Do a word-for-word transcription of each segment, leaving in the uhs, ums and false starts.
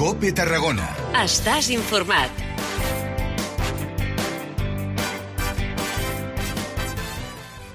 COPE Tarragona. Estàs informat.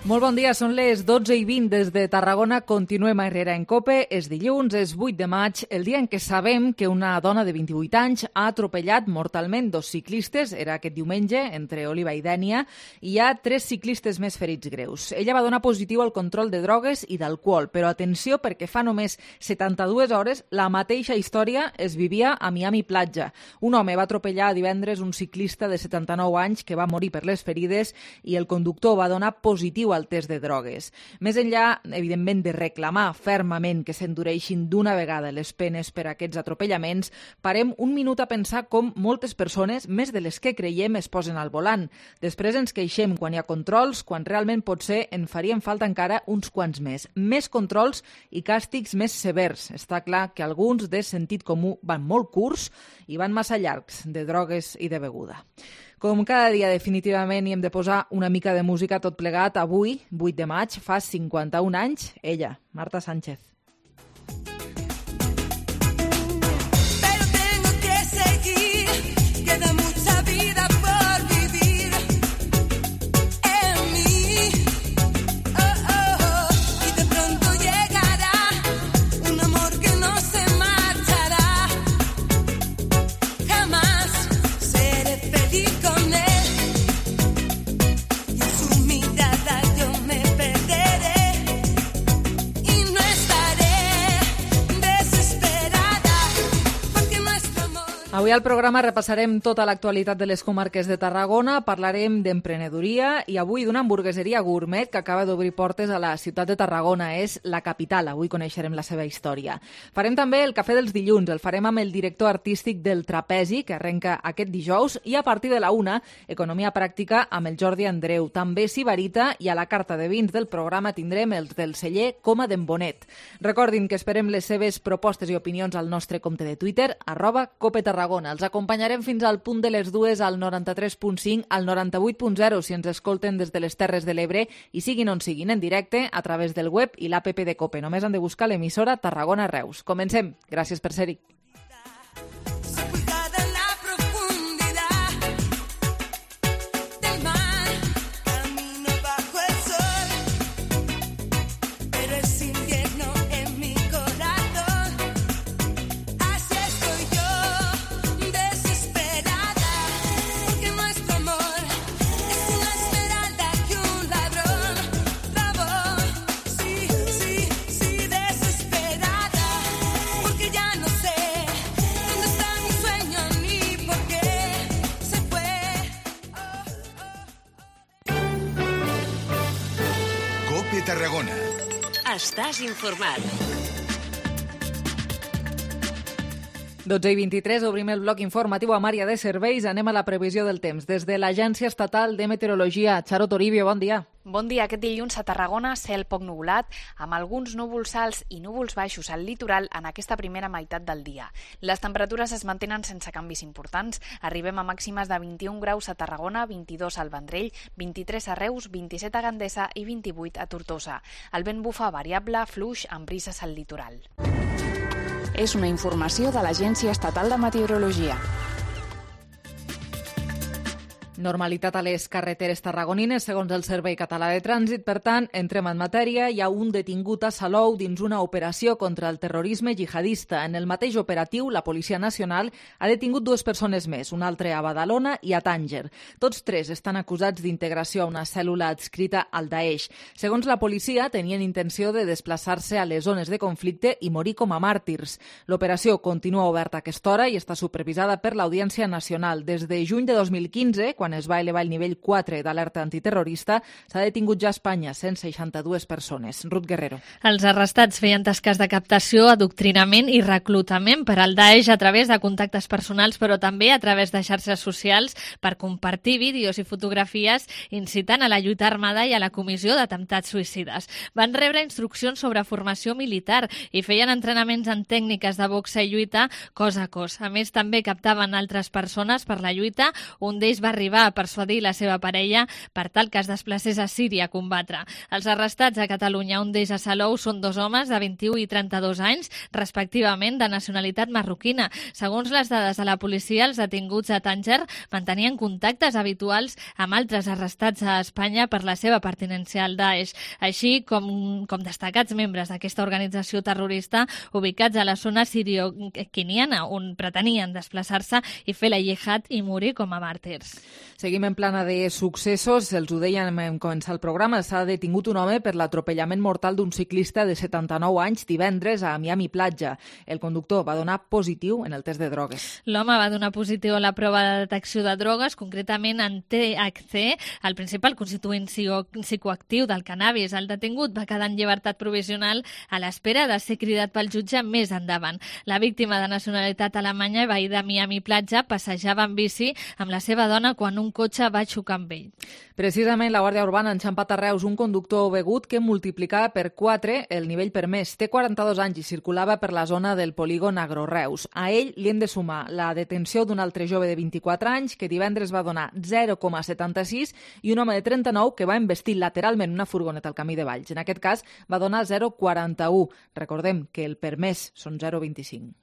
Molt bon dia, són les dotze i vint des de Tarragona. Continuem a Herrera en COPE. És dilluns, és vuit de maig, el dia en què sabem que una dona de vint-i-vuit anys ha atropellat mortalment dos ciclistes. Era aquest diumenge, entre Oliva i Dénia, i hi ha tres ciclistes més ferits greus. Ella va donar positiu al control de drogues i d'alcohol, però atenció perquè fa només setanta-dues hores la mateixa història es vivia a Miami Platja. Un home va atropellar divendres un ciclista de setanta-nou anys que va morir per les ferides i el conductor va donar positiu al test de drogues. Més enllà, evidentment, de reclamar fermament que s'endureixin d'una vegada les penes per a aquests atropellaments, parem un minut a pensar com moltes persones, més de les que creiem, es posen al volant. Després ens queixem quan hi ha controls, quan realment potser en farien falta encara uns quants més. Més controls i càstigs més severs. Està clar que alguns de sentit comú van molt curts i van massa llargs de drogues i de beguda. Com cada dia, definitivament, hi hem de posar una mica de música tot plegat. Avui, vuit de maig, fa cinquanta-un anys, ella, Marta Sánchez. Pero tengo que seguir, queda mucha vida por vivir en mí. Oh, oh, oh. Y de pronto llegará un amor que no se marchará. Jamás seré feliz con él. Y en su mirada yo me perderé. Y no estaré desesperada porque nuestro amor... Avui al programa repassarem tota l'actualitat de les comarques de Tarragona, parlarem d'emprenedoria i avui d'una hamburgueseria gourmet que acaba d'obrir portes a la ciutat de Tarragona. És la capital, avui coneixerem la seva història. Farem també el cafè dels dilluns, el farem amb el director artístic del Trapezi, que arrenca aquest dijous, i a partir de la una, economia pràctica amb el Jordi Andreu. També Sibarita, i a la carta de vins del programa tindrem els del celler Coma d'en Bonet. Recordin que esperem les seves propostes i opinions al nostre compte de Twitter, arroba Cope Tarragona. Els acompanyarem fins al punt de les dues al noranta-tres punt cinc, al noranta-vuit punt zero si ens escolten des de les Terres de l'Ebre i siguin on siguin en directe a través del web i l'app de Cope. Només han de buscar l'emissora Tarragona Reus. Comencem. Gràcies per ser-hi. Sepultada en la profundidad del mar, camino bajo el sol, pero es invierno en mi corazón. Así estoy yo, desesperada, porque nuestro amor es una esmeralda que un ladrón robó. Sí, sí, sí, desesperada, porque ya no sé dónde está mi sueño ni por qué se fue. COPE Tarragona. Estàs informat. dotze i vint-i-tres, obrim el bloc informatiu amb àrea de serveis. Anem a la previsió del temps. Des de l'Agència Estatal de Meteorologia, Charo Toribio, bon dia. Bon dia. Aquest dilluns a Tarragona, cel poc nuvolat, amb alguns núvols alts i núvols baixos al litoral en aquesta primera meitat del dia. Les temperatures es mantenen sense canvis importants. Arribem a màximes de vint-i-un graus a Tarragona, vint-i-dos al Vendrell, vint-i-tres a Reus, vint-i-set a Gandesa i vint-i-vuit a Tortosa. El vent bufa variable, fluix, amb brises al litoral. És una informació de l'Agència Estatal de Meteorologia. Normalitat a les carreteres tarragonines, segons el Servei Català de Trànsit. Per tant, entrem en matèria. Hi ha un detingut a Salou dins una operació contra el terrorisme jihadista. En el mateix operatiu, la Policia Nacional ha detingut dues persones més, un altre a Badalona i a Tànger. Tots tres estan acusats d'integració a una cèl·lula adscrita al Daesh. Segons la policia, tenien intenció de desplaçar-se a les zones de conflicte i morir com a màrtirs. L'operació continua oberta a aquesta hora i està supervisada per l'Audiència Nacional. Des de juny de dos mil quinze, quan es va elevar el nivell quatre d'alerta antiterrorista, s'ha detingut ja a Espanya cent seixanta-dues persones. Ruth Guerrero. Els arrestats feien tasques de captació, adoctrinament i reclutament per al Daesh a través de contactes personals, però també a través de xarxes socials per compartir vídeos i fotografies incitant a la lluita armada i a la comissió d'atemptats suïcides. Van rebre instruccions sobre formació militar i feien entrenaments en tècniques de boxa i lluita cos a cos. A més, també captaven altres persones per la lluita. Un d'ells va arribar arribar a persuadir la seva parella per tal que es desplacés a Síria a combatre. Els arrestats a Catalunya, un d'ells a Salou, són dos homes de vint-i-u i trenta-dos anys, respectivament de nacionalitat marroquina. Segons les dades de la policia, els detinguts a Tànger mantenien contactes habituals amb altres arrestats a Espanya per la seva pertinença al Daesh, així com, com destacats membres d'aquesta organització terrorista ubicats a la zona sirio-quiniana, on pretenien desplaçar-se i fer la jihad i morir com a màrtirs. Seguim en plana de successos. Els ho dèiem en començar el programa. S'ha detingut un home per l'atropellament mortal d'un ciclista de setanta-nou anys divendres a Miami Platja. El conductor va donar positiu en el test de drogues. L'home va donar positiu a la prova de detecció de drogues, concretament en T H C, el principal constituent psicoactiu del cannabis. El detingut va quedar en llibertat provisional a l'espera de ser cridat pel jutge més endavant. La víctima de nacionalitat alemanya, veí de Miami Platja, passejava en bici amb la seva dona quan un cotxe va xocar amb ell. Precisament la Guàrdia Urbana ha enxampat a Reus un conductor begut que multiplicava per quatre el nivell permès. Té quaranta-dos anys i circulava per la zona del polígon Agroreus. A ell li hem de sumar la detenció d'un altre jove de vint-i-quatre anys que divendres va donar zero coma setanta-sis i un home de trenta-nou que va embestir lateralment una furgoneta al camí de Valls. En aquest cas va donar zero coma quaranta-u. Recordem que el permès són zero coma vint-i-cinc.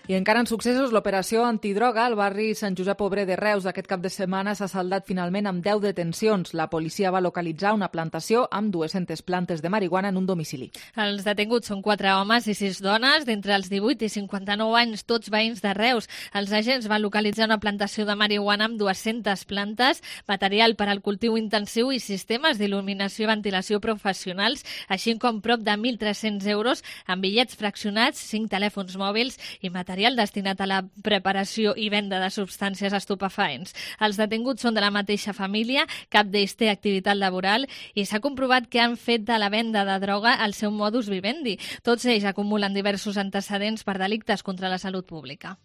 I encara en successos, l'operació antidroga al barri Sant Josep Obrer de Reus d'aquest cap de setmana s'ha saldat finalment amb deu detencions. La policia va localitzar una plantació amb dues-centes plantes de marihuana en un domicili. Els detinguts són quatre homes i sis dones, d'entre els divuit i cinquanta-nou anys, tots veïns de Reus. Els agents van localitzar una plantació de marihuana amb dues-centes plantes, material per al cultiu intensiu i sistemes d'il·luminació i ventilació professionals, així com prop de mil tres-cents euros en bitllets fraccionats, cinc telèfons mòbils i material destinat a la preparació i venda de substàncies estupefaents. Els detinguts són de la mateixa família, cap d'ells té activitat laboral i s'ha comprovat que han fet de la venda de droga el seu modus vivendi. Tots ells acumulen diversos antecedents per delictes contra la salut pública.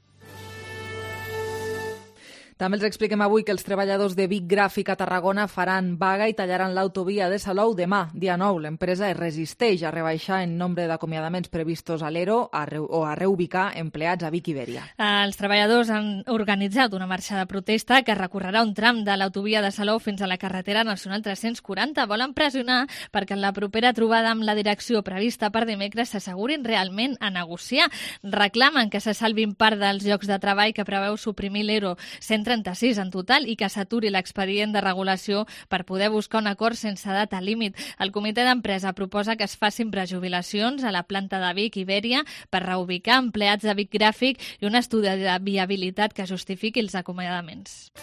També els expliquem avui que els treballadors de Vic Gràfic a Tarragona faran vaga i tallaran l'autovia de Salou demà, dia nou. L'empresa es resisteix a rebaixar el nombre d'acomiadaments previstos a l'ERO o a reubicar empleats a Vic Ibèria. Els treballadors han organitzat una marxa de protesta que recorrerà un tram de l'autovia de Salou fins a la carretera nacional tres-cents quaranta. Volen pressionar perquè en la propera trobada amb la direcció prevista per dimecres s'assegurin realment a negociar. Reclamen que se salvin part dels llocs de treball que preveu suprimir l'ERO, cent trenta-sis en total, i que s'aturi l'expedient de regulació per poder buscar un acord sense data límit. El comitè d'empresa proposa que es facin prejubilacions a la planta de Vic Ibèria per reubicar empleats de Vic Gràfic i un estudi de viabilitat que justifiqui els acomiadaments.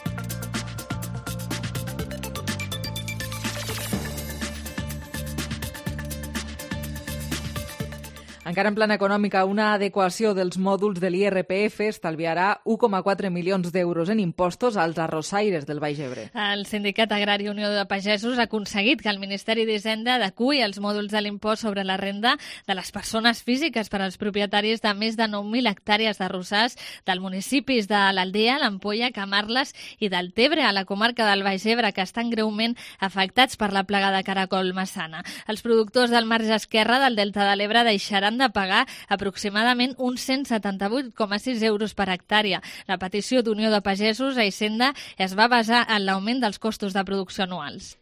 Encara en plana econòmica, una adequació dels mòduls de l'I R P F estalviarà u coma quatre milions d'euros en impostos als arrossaires del Baix Ebre. El Sindicat Agrari Unió de Pagesos ha aconseguit que el Ministeri d'Hisenda adeqüi els mòduls de l'impost sobre la renda de les persones físiques per als propietaris de més de nou mil hectàrees d'arrossars dels municipis de l'Aldea, l'Ampolla, Camarles i del Tebre, a la comarca del Baix Ebre, que estan greument afectats per la plaga de caracol massana. Els productors del marge esquerre del Delta de l'Ebre deixaran de pagar aproximadament uns cent setanta-vuit coma sis euros per hectàrea. La petició d'Unió de Pagesos a Hisenda es va basar en l'augment dels costos de producció anuals.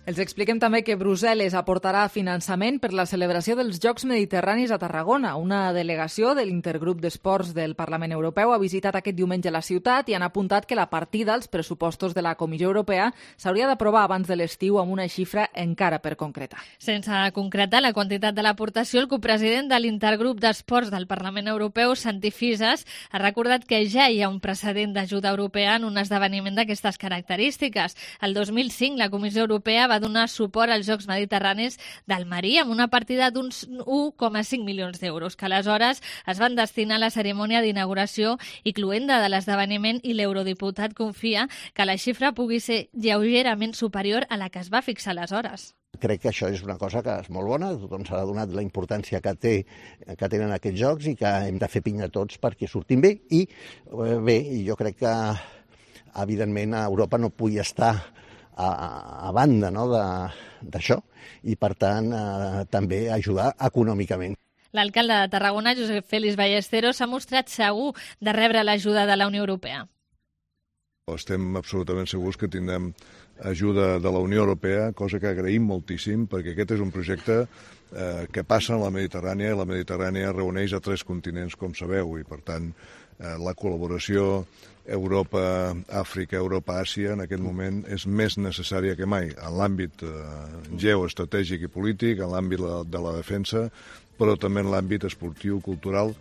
Els expliquem també que Brussel·les aportarà finançament per la celebració dels Jocs Mediterranis a Tarragona. Una delegació de l'Intergrup d'Esports del Parlament Europeu ha visitat aquest diumenge la ciutat i han apuntat que la partida als pressupostos de la Comissió Europea s'hauria d'aprovar abans de l'estiu amb una xifra encara per concretar. Sense concretar la quantitat de l'aportació, el copresident de l'Intergrup d'Esports del Parlament Europeu, Santi Fisas, ha recordat que ja hi ha un precedent d'ajuda europea en un esdeveniment d'aquestes característiques. El dos mil cinc, la Comissió Europea va va donar suport als Jocs Mediterranis d'Almeria amb una partida d'uns u coma cinc milions d'euros, que aleshores es van destinar a la cerimònia d'inauguració i cluenda de l'esdeveniment, i l'eurodiputat confia que la xifra pugui ser lleugerament superior a la que es va fixar aleshores. Crec que això és una cosa que és molt bona, tothom s'ha donat la importància que, té, que tenen aquests jocs i que hem de fer pinya tots perquè surtin bé. I bé, jo crec que evidentment a Europa no pugui estar a, a banda, no?, d'això, i per tant eh, també ajudar econòmicament. L'alcalde de Tarragona, Josep Félix Ballesteros, s'ha mostrat segur de rebre l'ajuda de la Unió Europea. Estem absolutament segurs que tindrem ajuda de la Unió Europea, cosa que agraïm moltíssim, perquè aquest és un projecte eh, que passa en la Mediterrània, i la Mediterrània reuneix a tres continents, com sabeu, i per tant eh, la col·laboració Europa, Àfrica, Europa, Àsia, en aquest moment és més necessària que mai, en l'àmbit eh, geoestratègic i polític, en l'àmbit de la defensa, però també en l'àmbit esportiu, cultural.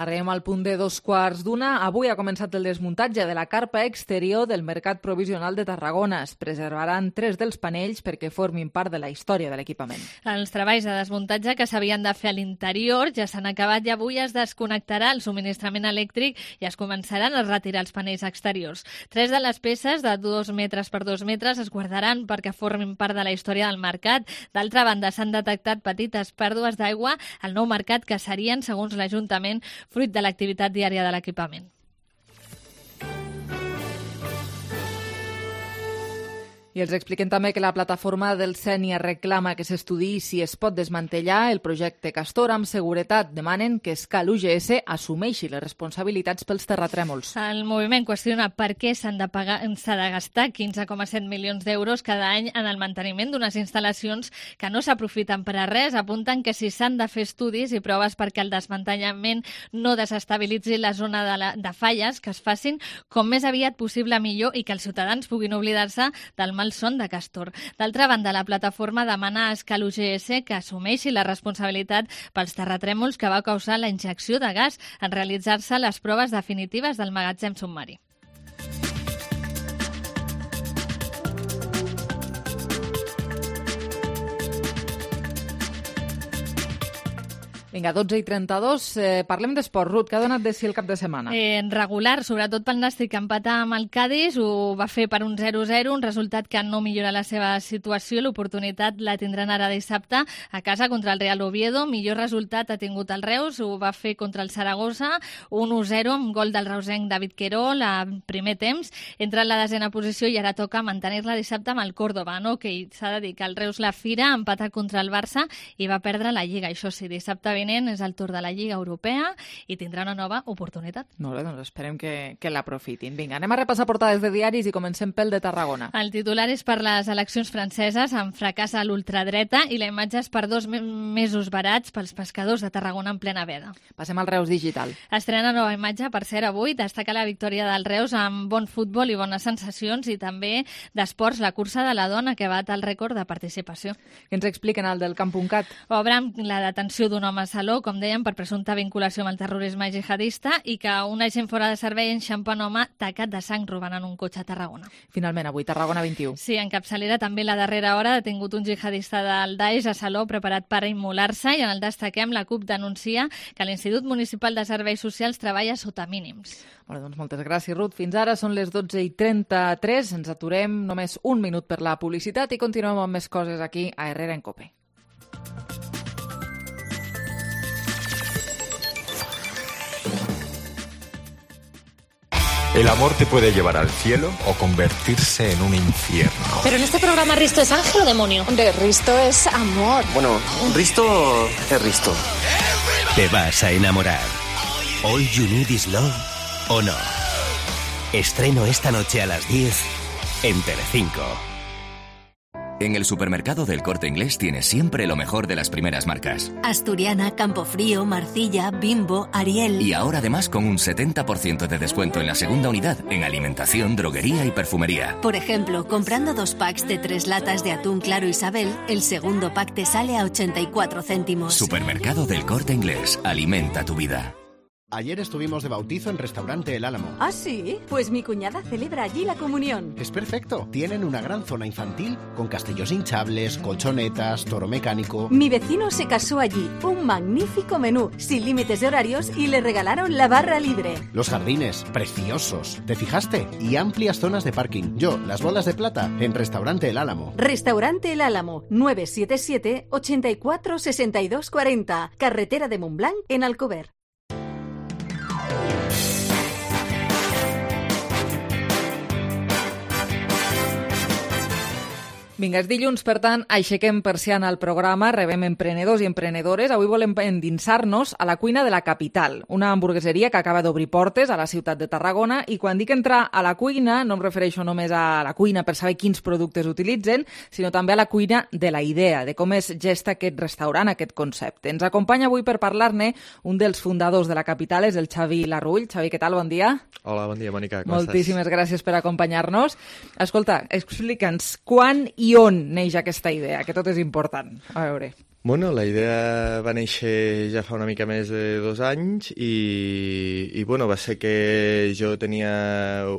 Arribem al punt de dos quarts d'una. Avui ha començat el desmuntatge de la carpa exterior del Mercat Provisional de Tarragona. Es preservaran tres dels panells perquè formin part de la història de l'equipament. Els treballs de desmuntatge que s'havien de fer a l'interior ja s'han acabat i avui es desconnectarà el subministrament elèctric i es començaran a retirar els panells exteriors. Tres de les peces de dos metres per dos metres es guardaran perquè formin part de la història del mercat. D'altra banda, s'han detectat petites pèrdues d'aigua al nou mercat que serien, segons l'Ajuntament, fruit de l'activitat diària de l'equipament. I els expliquem també que la plataforma del Sénia reclama que s'estudiï si es pot desmantellar el projecte Castor amb seguretat. Demanen que Escal U G S assumeixi les responsabilitats pels terratrèmols. El moviment qüestiona per què s'han de pagar, s'ha de gastar quinze coma set milions d'euros cada any en el manteniment d'unes instal·lacions que no s'aprofiten per a res. Apunten que si s'han de fer estudis i proves perquè el desmantellament no desestabilitzi la zona de, la, de falles, que es facin com més aviat possible millor i que els ciutadans puguin oblidar-se del el son de Castor. D'altra banda, la plataforma demana a Escal U G S que assumeixi la responsabilitat pels terratrèmols que va causar la injecció de gas en realitzar-se les proves definitives del magatzem submarí. Vinga, dotze i trenta-dos, eh, parlem d'esport. Ruth, què ha donat de si el cap de setmana? Eh, regular, sobretot pel Nàstic, que empata amb el Cádiz, ho va fer per un zero zero, un resultat que no millora la seva situació. L'oportunitat la tindran ara dissabte a casa contra el Real Oviedo. Millor resultat ha tingut el Reus, ho va fer contra el Saragossa, un u zero amb gol del reusenc David Querol a primer temps. Entra en la desena posició i ara toca mantenir-la dissabte amb el Córdoba, no? Que s'ha de dir que el Reus la fira, empatar contra el Barça i va perdre la Lliga. Això sí, dissabte és el torn de la Lliga Europea i tindrà una nova oportunitat. Molt bé, doncs esperem que, que l'aprofitin. Vinga, anem a repassar portades de diaris i comencem pel de Tarragona. El titular és per les eleccions franceses, amb fracàs a l'ultradreta, i la imatge és per dos mesos barats pels pescadors de Tarragona en plena veda. Passem al Reus Digital. Estrena nova imatge, per cert, avui. Destaca la victòria del Reus amb bon futbol i bones sensacions, i també d'esports, la cursa de la dona, que bat el rècord de participació. Què ens expliquen al del camp.cat? Obren la detenció d'un home a Saló, com dèiem, per presumpta vinculació amb el terrorisme jihadista, i que un agent fora de servei enxampa un home tacat de sang robant en un cotxe a Tarragona. Finalment, avui, Tarragona vint-i-u. Sí, en capçalera també la darrera hora ha detingut un jihadista del Daesh a Saló preparat per immolar-se, i en el destaquem la CUP denuncia que l'Institut Municipal de Serveis Socials treballa sota mínims. Bueno, doncs moltes gràcies, Ruth. Fins ara són les dotze i trenta-tres. Ens aturem només un minut per la publicitat i continuem amb més coses aquí a Herrera en Cope. El amor te puede llevar al cielo o convertirse en un infierno. Pero en este programa, ¿Risto es ángel o demonio? De Risto es amor. Bueno, Risto es Risto. Te vas a enamorar. All You Need Is Love o no. Estreno esta noche a las diez en Telecinco. En el supermercado del Corte Inglés tienes siempre lo mejor de las primeras marcas. Asturiana, Campofrío, Marcilla, Bimbo, Ariel. Y ahora además con un setenta por ciento de descuento en la segunda unidad en alimentación, droguería y perfumería. Por ejemplo, comprando dos packs de tres latas de atún claro Isabel, el segundo pack te sale a ochenta y cuatro céntimos. Supermercado del Corte Inglés. Alimenta tu vida. Ayer estuvimos de bautizo en Restaurante El Álamo. ¿Ah, sí? Pues mi cuñada celebra allí la comunión. Es perfecto. Tienen una gran zona infantil con castillos hinchables, colchonetas, toro mecánico. Mi vecino se casó allí. Un magnífico menú, sin límites de horarios, y le regalaron la barra libre. Los jardines, preciosos. ¿Te fijaste? Y amplias zonas de parking. Yo, las bolas de plata, en Restaurante El Álamo. Restaurante El Álamo, nueve siete siete, ochenta y cuatro, sesenta y dos cuarenta. Carretera de Montblanc, en Alcover. Vinga, és dilluns, per tant, aixequem persiana al programa, rebem emprenedors i emprenedores. Avui volem endinsar-nos a la cuina de la capital, una hamburgueseria que acaba d'obrir portes a la ciutat de Tarragona, i quan dic entrar a la cuina no em refereixo només a la cuina per saber quins productes utilitzen, sinó també a la cuina de la idea, de com es gesta aquest restaurant, aquest concepte. Ens acompanya avui per parlar-ne un dels fundadors de la capital, és el Xavi Larrull. Xavi, què tal? Bon dia. Hola, bon dia, Mònica. Com Moltíssimes estàs? gràcies per acompanyar-nos. Escolta, explica'ns quan i on neix aquesta idea, que tot és important. A veure... Bueno, la idea va néixer ja fa una mica més de dos anys i, i bueno, va ser que jo tenia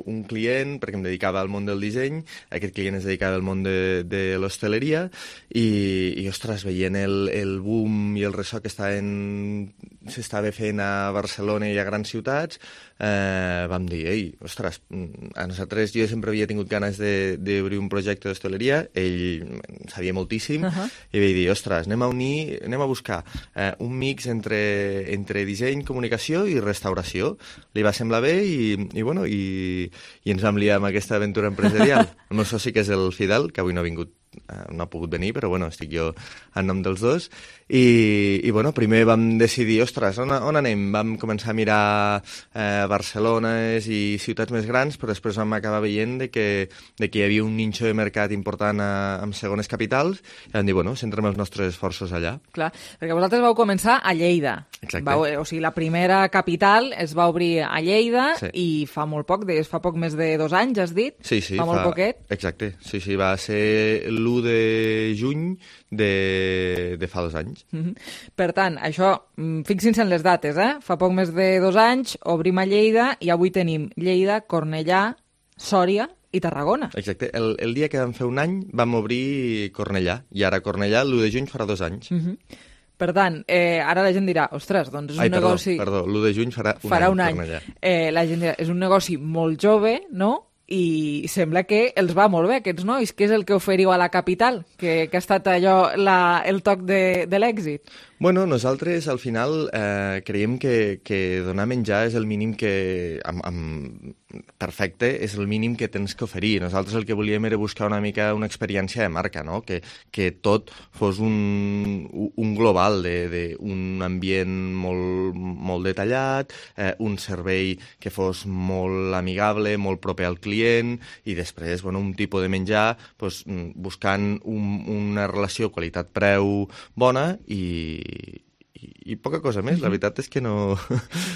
un client perquè em dedicava al món del disseny, aquest client es dedicava al món de, de l'hostaleria i, i, ostres, veient el, el boom i el ressò que estaven, s'estava fent a Barcelona i a grans ciutats, eh, vam dir, ei, ostres, a nosaltres jo sempre havia tingut ganes d'obrir un projecte d'hostaleria, ell sabia moltíssim, uh-huh. i vaig dir, ostres, anem a unir, anem a buscar eh, un mix entre, entre disseny, comunicació i restauració. Li va semblar bé i, i, bueno, i, i ens vam liar amb aquesta aventura empresarial. El meu soci, que és el Fidel, que avui no ha vingut, no ha pogut venir, però bueno, estic jo en nom dels dos. I, i bueno, primer vam decidir, ostres, on, on anem? Vam començar a mirar eh, Barcelona i ciutats més grans, però després vam acabar veient de que, de que hi havia un ninxo de mercat important a, en segones capitals, i vam dir, bueno, centrem els nostres esforços allà. Clar, perquè vosaltres vau començar a Lleida. Exacte. Vau, o sigui, la primera capital es va obrir a Lleida, sí. I fa molt poc, des, fa poc més de dos anys, has dit? Sí, sí. Fa molt fa, poquet. Exacte, sí, sí, va ser l'u de juny de, de fa dos anys. Mm-hmm. Per tant, això, fixin-se en les dates, eh? Fa poc més de dos anys, obrim a Lleida i avui tenim Lleida, Cornellà, Sòria i Tarragona. Exacte. El, el dia que vam fer un any vam obrir Cornellà, i ara Cornellà l'u de juny farà dos anys. Mm-hmm. Per tant, eh, ara la gent dirà, ostres, doncs és Ai, un perdó, negoci... perdó, l'u de juny farà un farà any, un any. Cornellà. Eh, la gent dirà, és un negoci molt jove, no?, i sembla que els va molt bé, aquests nois. Què és el que oferiu a la capital? Que, que ha estat allò la, el toc de, de l'èxit? Bueno, nosaltres al final eh, creiem que, que donar menjar és el mínim que, amb, amb, perfecte, és el mínim que tens que oferir. Nosaltres el que volíem era buscar una mica una experiència de marca, no? Que, que tot fos un, un global d'un ambient molt, molt detallat, eh, un servei que fos molt amigable, molt proper al client, i després, bueno, un tipus de menjar pues, buscant un, una relació qualitat-preu bona i I, i poca cosa més, la veritat és que no...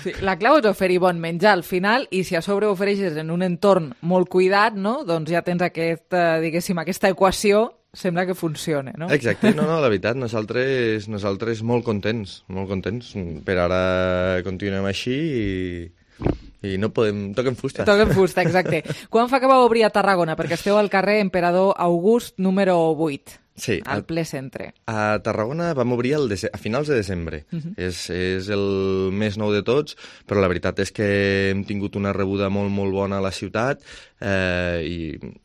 Sí, la clau és oferir bon menjar al final, i si a sobre ofereixes en un entorn molt cuidat, no? Doncs ja tens aquest, diguéssim, aquesta equació, sembla que funciona, no? Exacte, no, no, la veritat, nosaltres, nosaltres molt contents, molt contents. Per ara continuem així i... I no podem... Toquem fusta. Toquem fusta, exacte. Quan fa que vau obrir a Tarragona? Perquè esteu al carrer Emperador August número vuit, sí, al ple centre. A Tarragona vam obrir el dece... a finals de desembre. Uh-huh. és, és el més nou de tots, però la veritat és que hem tingut una rebuda molt, molt bona a la ciutat eh, i...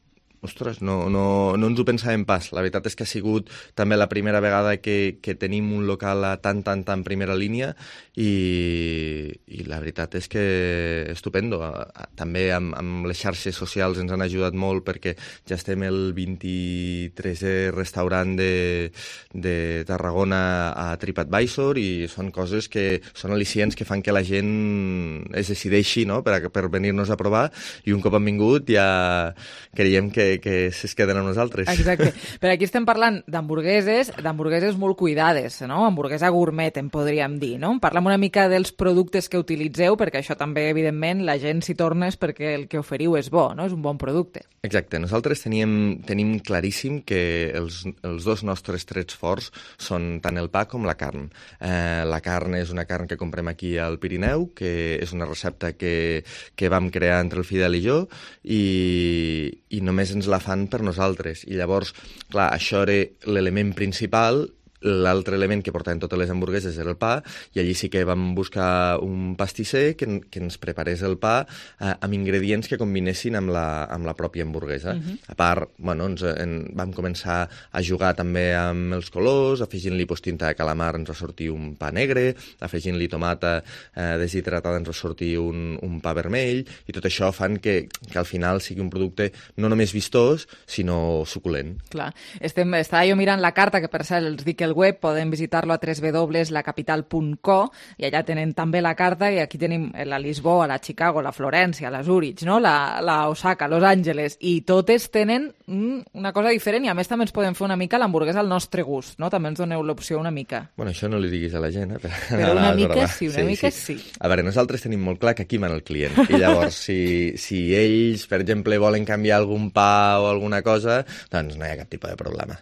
Ostres, no, no, no ens ho pensàvem pas. La veritat és que ha sigut també la primera vegada que, que tenim un local a tan, tan, tan primera línia i, i la veritat és que estupendo. També amb, amb les xarxes socials ens han ajudat molt perquè ja estem el vint-i-tresè restaurant de, de Tarragona a TripAdvisor i són coses que són al·licients que fan que la gent es decideixi, no?, per, per venir-nos a provar, i un cop han vingut ja creiem que que es queden amb nosaltres. Exacte. Però aquí estem parlant d'hamburgueses, d'hamburgueses molt cuidades, no? Hamburguesa gourmet, en podríem dir, no? Parlem una mica dels productes que utilitzeu, perquè això també, evidentment, la gent s'hi torna és perquè el que oferiu és bo, no? És un bon producte. Exacte. Nosaltres teníem, tenim claríssim que els, els dos nostres trets forts són tant el pa com la carn. Eh, la carn és una carn que comprem aquí al Pirineu, que és una recepta que, que vam crear entre el Fidel i jo, i, i només ens la fan per nosaltres. I llavors, clar, això era l'element principal, l'altre element que portaven totes les hamburgueses era el pa, i allí sí que vam buscar un pastisser que, que ens preparés el pa eh, amb ingredients que combinessin amb la, amb la pròpia hamburguesa. Uh-huh. A part, bueno, ens, en, vam començar a jugar també amb els colors, afegint-li pues, tinta de calamar ens va sortir un pa negre, afegint-li tomata eh, deshidratada ens va sortir un, un pa vermell, i tot això fan que, que al final sigui un producte no només vistós, sinó suculent. Clar. Estem, estava jo mirant la carta, que per cert els dic el web, podem visitar-lo a w w w punt la capital punt co, i allà tenen també la carta, i aquí tenim la Lisboa, la Chicago, la Florència, la Zurich, no? la, la Osaka, Los Angeles, i totes tenen mm, una cosa diferent, i a més també ens podem fer una mica l'hamburguesa al nostre gust, no? També ens doneu l'opció una mica. Bueno, això no li diguis a la gent, eh? Per Però una mica sí, una sí, mica sí. sí. A veure, nosaltres tenim molt clar que aquí mana el client, i llavors si, si ells, per exemple, volen canviar algun pa o alguna cosa, doncs no hi ha cap tipus de problema.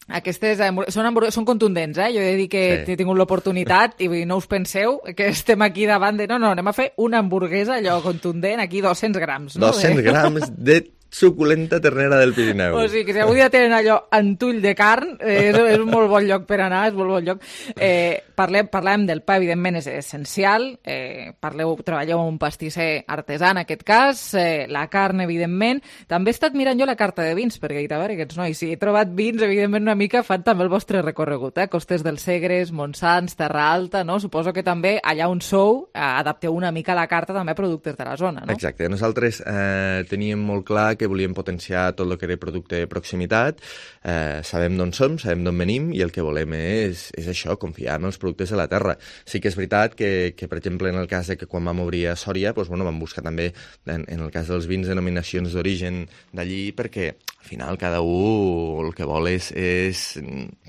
Aquestes són, són contundents, eh? Jo he de dir que sí. he tingut l'oportunitat i no us penseu que estem aquí davant de... No, no, anem a fer una hamburguesa, allò contundent, aquí dos-cents grams. No? dos-cents grams de suculenta ternera del Pirineu. O sigui, que si avui dia tenen allò antull de carn, eh, és, és un molt bon lloc per anar, és molt bon lloc. Eh, parlem, parlem del pa, evidentment, és essencial. Eh, parleu, treballeu amb un pastisser artesà, en aquest cas, eh, la carn, evidentment. També he estat mirant jo la carta de vins, perquè he dit, a veure, aquests nois, si he trobat vins, evidentment, una mica fan també el vostre recorregut, eh? Costes del Segres, Montsants, Terra Alta, no? Suposo que també allà on sou eh, adapteu una mica la carta també a productes de la zona, no? Exacte. Nosaltres eh, teníem molt clar que volíem potenciar tot el que era producte de proximitat, eh, sabem d'on som, sabem d'on venim, i el que volem és, és això, confiar en els productes de la terra. Sí que és veritat que, que per exemple, en el cas de que quan vam obrir a Sòria, doncs, bueno, vam buscar també, en, en el cas dels vins, denominacions d'origen d'allí, perquè al final cada un el que vol és, és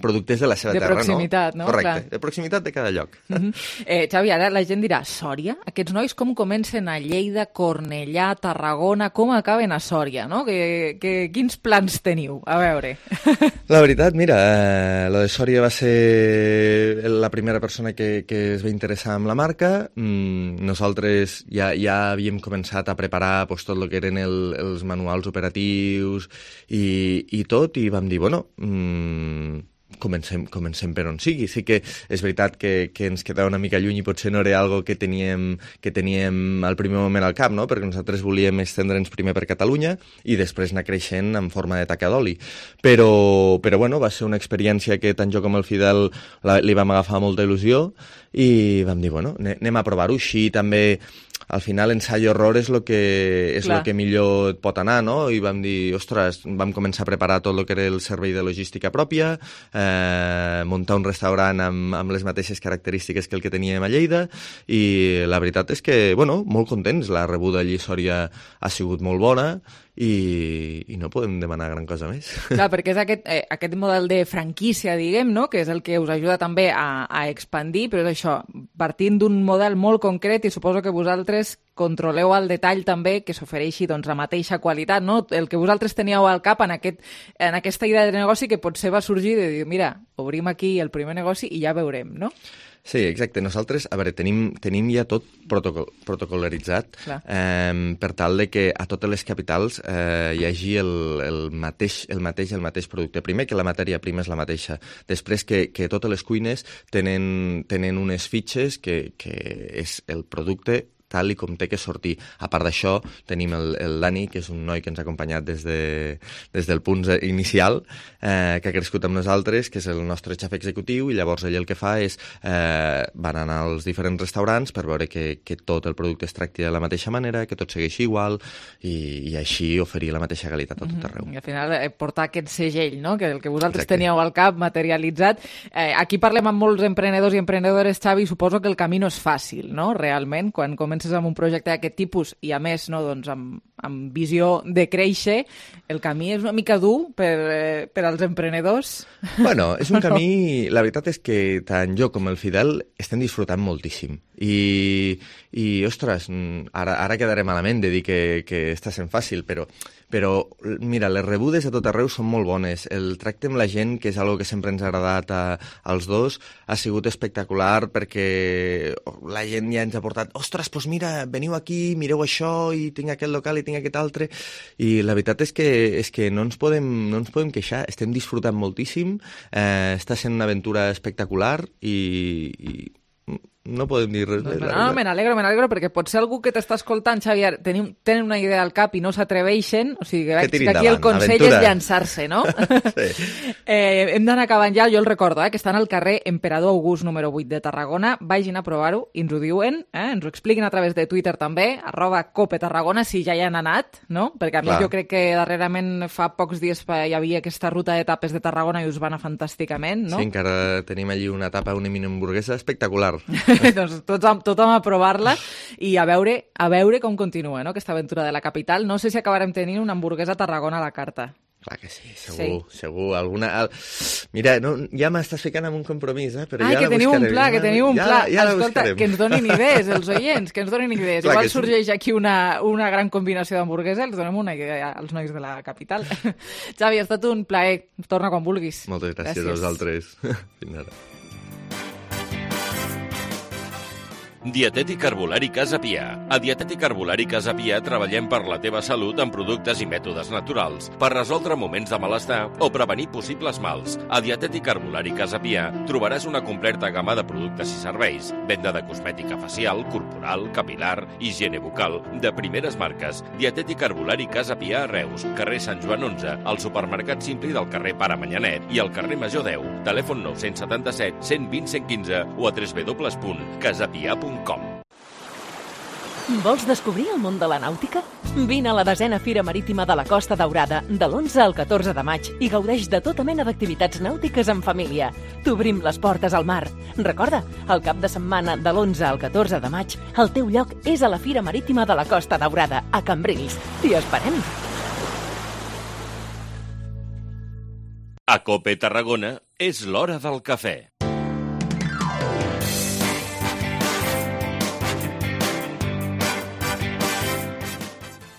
productes de la seva de terra, proximitat, no? no? Correcte, Clar. de proximitat de cada lloc. Uh-huh. eh, Xavi, ara la gent dirà, Sòria? Aquests nois com comencen a Lleida, Cornellà, Tarragona, com acaben a Sòria, no? Que, que, quins plans teniu? A veure. La veritat, mira, eh, la de Sòria va ser la primera persona que, que es va interessar en la marca. Mm, nosaltres ja, ja havíem començat a preparar pues, tot el que eren el, els manuals operatius i, i tot, i vam dir, bueno... Mm, Comencem, comencem per on sigui. Sí que és veritat que, que ens quedava una mica lluny i potser no era algo que teníem, que teníem al primer moment al cap, no? Perquè nosaltres volíem estendre'ns primer per Catalunya i després anar creixent en forma de taca d'oli. Però, però bueno, va ser una experiència que tant jo com el Fidel la, li vam agafar molta il·lusió i vam dir, bueno, anem a provar-ho. Així també... Al final, ensai-error és el que, és lo que millor et pot anar, no? I vam dir, ostres, vam començar a preparar tot el que era el servei de logística pròpia, eh, muntar un restaurant amb, amb les mateixes característiques que el que teníem a Lleida, i la veritat és que, bueno, molt contents. La rebuda allí a Sòria ha sigut molt bona, i, i no podem demanar gran cosa més. Clar, perquè és aquest, eh, aquest model de franquícia, diguem, no? Que és el que us ajuda també a, a expandir, però és això, partint d'un model molt concret, i suposo que vosaltres controleu al detall també que s'ofereixi doncs, la mateixa qualitat, no? El que vosaltres teníeu al cap en, aquest, en aquesta idea de negoci que potser va sorgir de dir, mira, obrim aquí el primer negoci i ja veurem, no? Sí, exacte. Nosaltres, a veure, tenim, tenim ja tot protocol, protocolaritzat eh, per tal de que a totes les capitals eh, hi hagi el, el, mateix, el mateix el mateix producte. Primer, que la matèria prima és la mateixa. Després, que, que totes les cuines tenen, tenen unes fitxes que, que és el producte tal i com té que sortir. A part d'això, tenim el, el Dani, que és un noi que ens ha acompanyat des, de, des del punt inicial, eh, que ha crescut amb nosaltres, que és el nostre xef executiu, i llavors ell el que fa és eh, van anar als diferents restaurants per veure que, que tot el producte es tracti de la mateixa manera, que tot segueixi igual, i, i així oferir la mateixa qualitat a tot arreu. I al final eh, portar aquest segell, no? Que el que vosaltres Exacte. Teníeu al cap materialitzat. Eh, aquí parlem amb molts emprenedors i emprenedores, Xavi, suposo que el camí no és fàcil, no? Realment, quan comences amb un projecte d'aquest tipus i a més no, doncs, amb, amb visió de créixer, el camí és una mica dur per, eh, per als emprenedors? Bueno, és un camí... La veritat és que tant jo com el Fidel estem disfrutant moltíssim. I, i ostres, ara, ara quedaré malament de dir que, que està sent fàcil, però, però, mira, les rebudes a tot arreu són molt bones. El tracte amb la gent, que és algo que sempre ens ha agradat a, als dos, ha sigut espectacular perquè la gent ja ens ha portat ostres, doncs mira, veniu aquí, mireu això, i tinc aquest local i tinc aquest altre, i la veritat és que, és que no, ens podem, no ens podem queixar, estem disfrutant moltíssim, eh, està sent una aventura espectacular i, i no podem dir res. No, no, me n'alegro, me n'alegro, perquè potser algú que t'està escoltant, Xavier, tenim, tenen una idea al cap i no s'atreveixen, o sigui, que, que aquí el consell aventura. És llançar-se, no? Sí. eh, hem d'anar acabant ja, jo el recordo, eh, que estan al carrer Emperador August número vuit de Tarragona, vagin a provar-ho i ens ho diuen, eh, ens ho expliquin a través de Twitter també, arroba Cope Tarragona, si ja hi han anat, no? Perquè a mi Clar. jo crec que darrerament fa pocs dies hi havia aquesta ruta d'etapes de Tarragona i us va anar fantàsticament, no? Sí, encara tenim allí una etapa, una mini hamburguesa espectacular. Doncs tothom, tothom a provar-la i a veure, a veure com continua, no?, aquesta aventura de la capital. No sé si acabarem tenint una hamburguesa a Tarragona a la carta. Clar que sí, segur, sí. segur. Alguna... Mira, no, ja m'estàs ficant en un compromís, eh? Però ah, ja que la teniu buscarem. un pla, que teniu un ja, pla. Ja Escolta, que ens donin idees, els oients, que ens donin idees. Clar Igual sí. sorgeix aquí una, una gran combinació d'hamburguesa, els donem una idea als nois de la capital. Xavi, ha estat un plaer. Torna quan vulguis. Moltes gràcies, gràcies. a vosaltres. Fins ara. Dietètic Herbolari Casa Pia. A Dietètic Herbolari Casa Pia treballem per la teva salut amb productes i mètodes naturals, per resoldre moments de malestar o prevenir possibles mals. A Dietètic Herbolari Casa Pia trobaràs una completa gamma de productes i serveis, venda de cosmètica facial, corporal, capilar, higiene bucal, de primeres marques. Dietètic Herbolari Casa Pia a Reus, carrer Sant Joan onze, al supermercat Simpli del carrer Pare Manyanet i al carrer Major deu. Telèfon nou set set, cent vint, cent quinze o a w w w punt casapia punt com. Vols descobrir el món de la nàutica? Vine a la desena Fira Marítima de la Costa Daurada de l'onze al catorze de maig i gaudeix de tota mena d'activitats nàutiques en família. T'obrim les portes al mar. Recorda, el cap de setmana de l'onze al catorze de maig, el teu lloc és a la Fira Marítima de la Costa Daurada, a Cambrils. T'hi esperem! A Cope Tarragona és l'hora del cafè.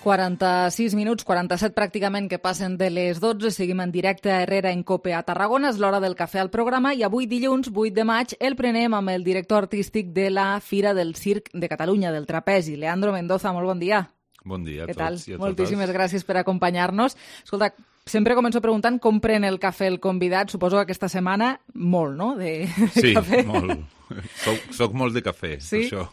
quaranta-sis minuts, quaranta-set pràcticament que passen de les dotze. Seguim en directe a Herrera en Cope a Tarragona. És l'hora del cafè al programa i avui dilluns, vuit de maig, el prenem amb el director artístic de la Fira del Circ de Catalunya, del Trapezi, Leandro Mendoza. Molt bon dia. Bon dia a Què tots tal? i a totes. Moltíssimes gràcies per acompanyar-nos. Escolta, sempre començo preguntant com pren el cafè el convidat. Suposo que aquesta setmana molt, no?, de, de sí, cafè. Sí, molt. Soc, soc molt de cafè, sí? això.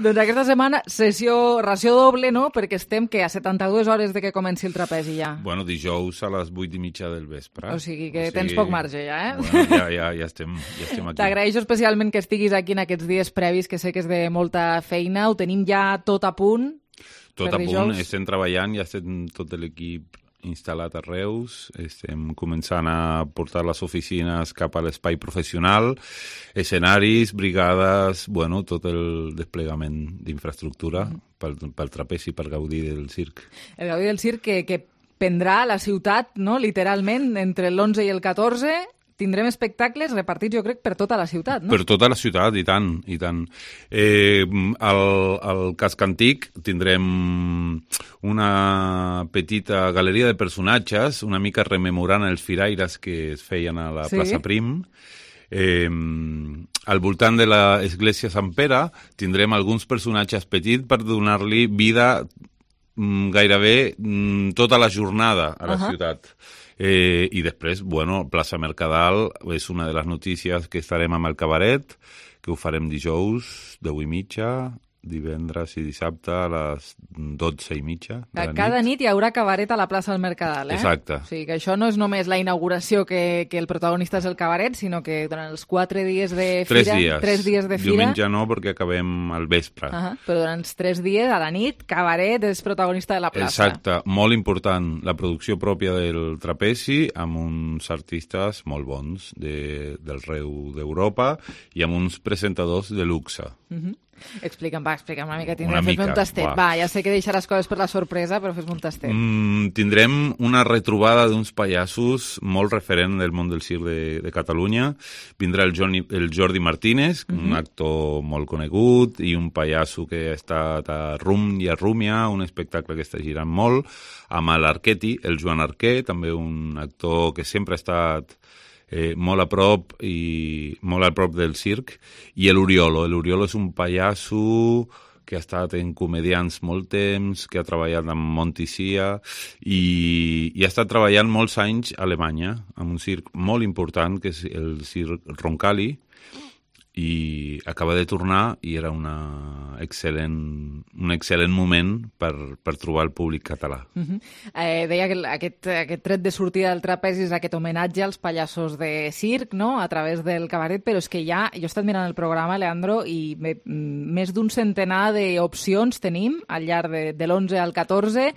Doncs aquesta setmana, sessió, ració doble, no?, perquè estem que a setanta-dues hores de que comenci el trapezi ja. Bueno, dijous a les vuit i mitja del vespre. O sigui que o sigui... tens poc marge ja, eh? Bueno, ja, ja, ja, estem, ja estem aquí. T'agraeixo especialment que estiguis aquí en aquests dies previs, que sé que és de molta feina. Ho tenim ja tot a punt. Tot a punt, estem treballant, ja estem tot l'equip instal·lat a Reus, estem començant a portar les oficines cap a l'espai professional, escenaris, brigades, bueno, tot el desplegament d'infraestructura mm. pel, pel trapezi, per gaudir del circ. El gaudir del circ que, que prendrà la ciutat, no?, literalment, entre l'onze i el catorze. Tindrem espectacles repartits, jo crec, per tota la ciutat, no? Per tota la ciutat, i tant, i tant. Eh, al, al casc antic tindrem una petita galeria de personatges, una mica rememorant els firaires que es feien a la sí? plaça Prim. Eh, al voltant de l'església Sant Pere tindrem alguns personatges petits per donar-li vida mm, gairebé mm, tota la jornada a la uh-huh. ciutat. Eh, I després, bueno, plaça Mercadal és una de les notícies que estarem amb el cabaret, que ho farem dijous, deu i mitja, divendres i dissabte a les dotze i mitja de la Cada nit. nit hi haurà cabaret a la plaça del Mercadal, eh? Exacte. O sigui que això no és només la inauguració que, que el protagonista és el cabaret, sinó que durant els quatre dies de fira... Tres dies. Tres dies de fira. Diumenge no, perquè acabem al vespre. Uh -huh. Però durant els tres dies, a la nit, cabaret és protagonista de la plaça. Exacte. Molt important, la producció pròpia del trapezi, amb uns artistes molt bons de, del reu d'Europa i amb uns presentadors de luxe. Uh -huh. Explica'm, va, explica'm una mica. Una fes-me mica, un tastet. va. Va, ja sé que deixaràs coses per la sorpresa, però fes-me un tastet. Mm, tindrem una retrobada d'uns pallassos molt referent del món del circ de, de Catalunya. Vindrà el, Johnny, el Jordi Martínez, mm-hmm. un actor molt conegut, i un pallasso que ha estat a Rum i a Rúmia, un espectacle que està girant molt, amb l'Arqueti, el Joan Arquer, també un actor que sempre ha estat Eh, molt a prop i molt a prop del circ, i l'Uriolo. L'Uriolo és un pallasso que ha estat en comedians molt temps, que ha treballat amb Montisia i, i ha estat treballant molts anys a Alemanya, amb un circ molt important, que és el circ Roncalli, i acaba de tornar i era una excel·lent, un excel·lent moment per, per trobar el públic català. Uh-huh. eh, deia que aquest, aquest tret de sortida del trapezi és aquest homenatge als pallassos de circ, no?, a través del cabaret, però és que ja, jo he estat mirant el programa, Leandro, i me, més d'un centenar d'opcions tenim al llarg de, de l'onze al catorze,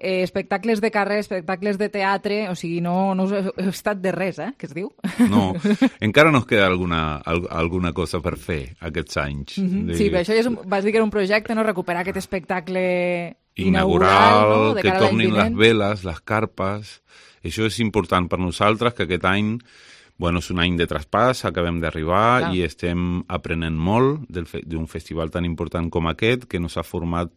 Eh, espectacles de carrer, espectacles de teatre, o sigui, no, no he estat de res, eh, que es diu. No, encara nos queda alguna, alguna cosa per fer aquests anys. Mm-hmm. De... Sí, però això ja és un, vas dir que era un projecte, no?, recuperar aquest espectacle inaugural, inaugural, no?, de que cara a l'any tornin vinent. les veles, les carpes. Això és important per nosaltres, que aquest any, bueno, és un any de traspàs, acabem d'arribar Clar. i estem aprenent molt del fe, d'un festival tan important com aquest, que nos ha format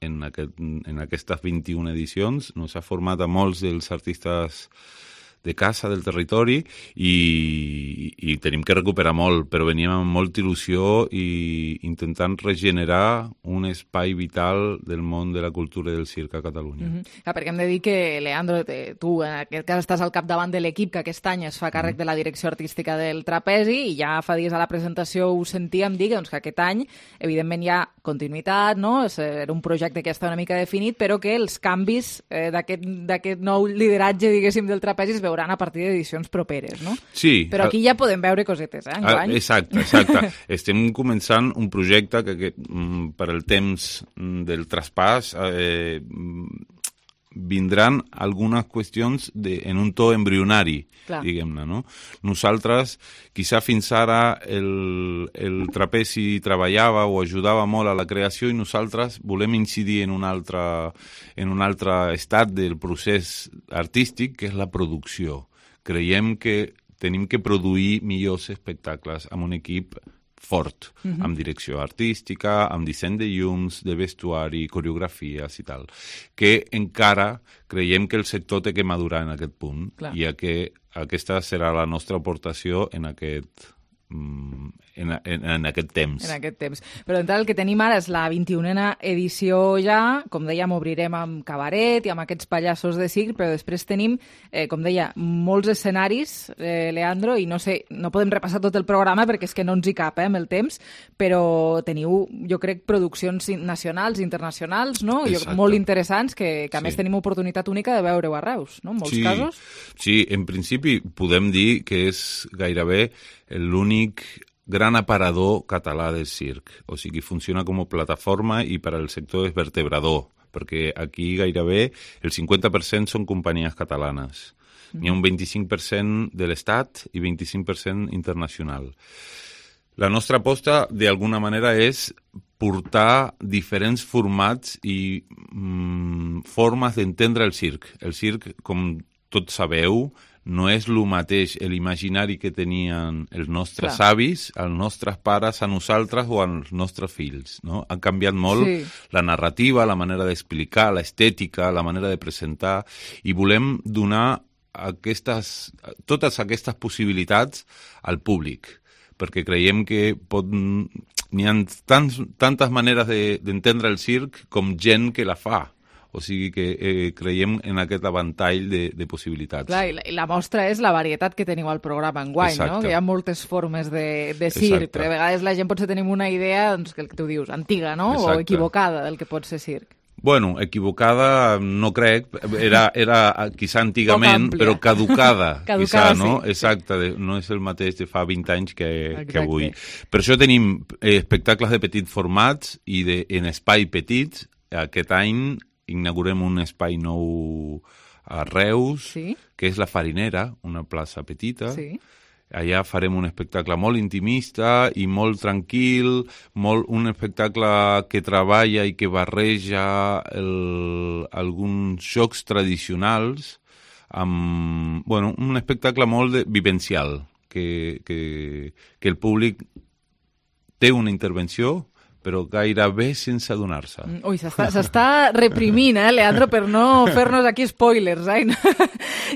en, aquest, en aquestes vint-i-una edicions, nos ha format a molts dels artistes de casa, del territori, i, i tenim que recuperar molt, però veníem amb molta il·lusió i intentant regenerar un espai vital del món de la cultura i del circ a Catalunya. Mm-hmm. Clar, perquè hem de dir que, Leandro, te, tu en aquest cas estàs al capdavant de l'equip que aquest any es fa càrrec mm. de la direcció artística del trapezi, i ja fa dies a la presentació ho sentíem dir, doncs, que aquest any, evidentment, hi ha continuïtat, no? És, era un projecte que ja està una mica definit, però que els canvis eh, d'aquest nou lideratge, diguéssim, del trapezi es veuran a partir d'edicions properes, no? Sí. Però aquí ja podem veure cosetes, eh, enguany. Exacte, exacte. Estem començant un projecte que, que per el temps del traspàs eh, vindran algunes qüestions de, en un to embrionari, Clar. diguem-ne, no? Nosaltres, quizà fins ara el, el trapezi treballava o ajudava molt a la creació, i nosaltres volem incidir en un altre, en un altre estat del procés artístic, que és la producció. Creiem que tenim que produir millors espectacles amb un equip fort, uh-huh. amb direcció artística, amb disseny de llums, de vestuari, coreografies i tal, que encara creiem que el sector té que madurar en aquest punt, Clar. i que aquesta serà la nostra aportació en aquest, en, en, en aquest temps. En aquest temps. Però d'entrada el que tenim ara és la vint-i-unena edició ja, com dèiem, obrirem amb cabaret i amb aquests pallassos de circ, però després tenim, eh, com deia, molts escenaris, eh, Leandro, i no sé, no podem repassar tot el programa perquè és que no ens hi cap, eh, amb el temps, però teniu, jo crec, produccions nacionals, internacionals, no? Jo, molt interessants, que, que a sí. més tenim oportunitat única de veure-ho a Reus, no? En molts sí. casos. Sí, en principi podem dir que és gairebé l'únic gran aparador català del circ. O sigui, funciona com a plataforma i per al sector és vertebrador, perquè aquí gairebé el cinquanta per cent són companyies catalanes. N'hi ha un vint-i-cinc per cent de l'Estat i vint-i-cinc per cent internacional. La nostra aposta, d'alguna manera, és portar diferents formats i mm, formes d'entendre el circ. El circ, com tots sabeu, no és el mateix l'imaginari que tenien els nostres Clar. avis, els nostres pares, a nosaltres o als nostres fills. No? Han canviat molt sí. la narrativa, la manera d'explicar, l'estètica, la manera de presentar, i volem donar aquestes, totes aquestes possibilitats al públic, perquè creiem que pot, n'hi ha tants, tantes maneres de, d'entendre el circ com gent que la fa. O sigui que eh, creiem en aquest avantall de, de possibilitats. Clar, i la, i la mostra és la varietat que teniu al programa enguany, no? Que hi ha moltes formes de, de circ, però a vegades la gent potser tenim una idea, doncs, que tu dius, antiga, no? Exacte. O equivocada del que pot ser circ. Bueno, equivocada no crec, era, era quizà antigament, però caducada, caducada quizà, sí, no? Sí. Exacte, no és el mateix de fa vint anys que, que avui. Per això tenim eh, espectacles de petits formats i de, en espai petits. Aquest any inaugurem un espai nou a Reus, sí. que és la Farinera, una plaça petita. Sí. allà farem un espectacle molt intimista i molt tranquil, molt, un espectacle que treballa i que barreja el, alguns jocs tradicionals amb, bueno, un espectacle molt de, vivencial, que, que, que el públic té una intervenció, però gairebé sense adonar-se. Ui, s'està reprimint, eh, Leandro, per no fer-nos aquí spoilers, eh, i no,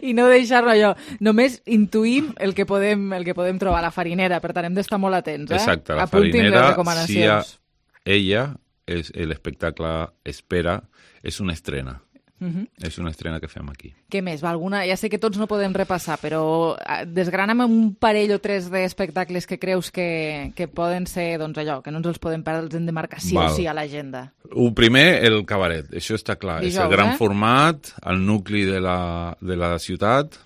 i no deixar-lo allò. Només intuïm el que podem, el que podem trobar a la farinera, per tant, hem d'estar molt atents. Eh? Exacte, la Apuntin farinera, si ha, ella, és, l'espectacle Espera, és una estrena. Uh-huh. És una estrena que fem aquí. Què més? Va, alguna... Ja sé que tots no podem repassar, però desgrana'm un parell o tres d'espectacles que creus que, que poden ser, doncs allò, que no ens els podem perdre, els hem de marcar sí Val. o sí a l'agenda. El primer, el cabaret, això està clar. Dijous, és el gran eh? format, el nucli de la, de la ciutat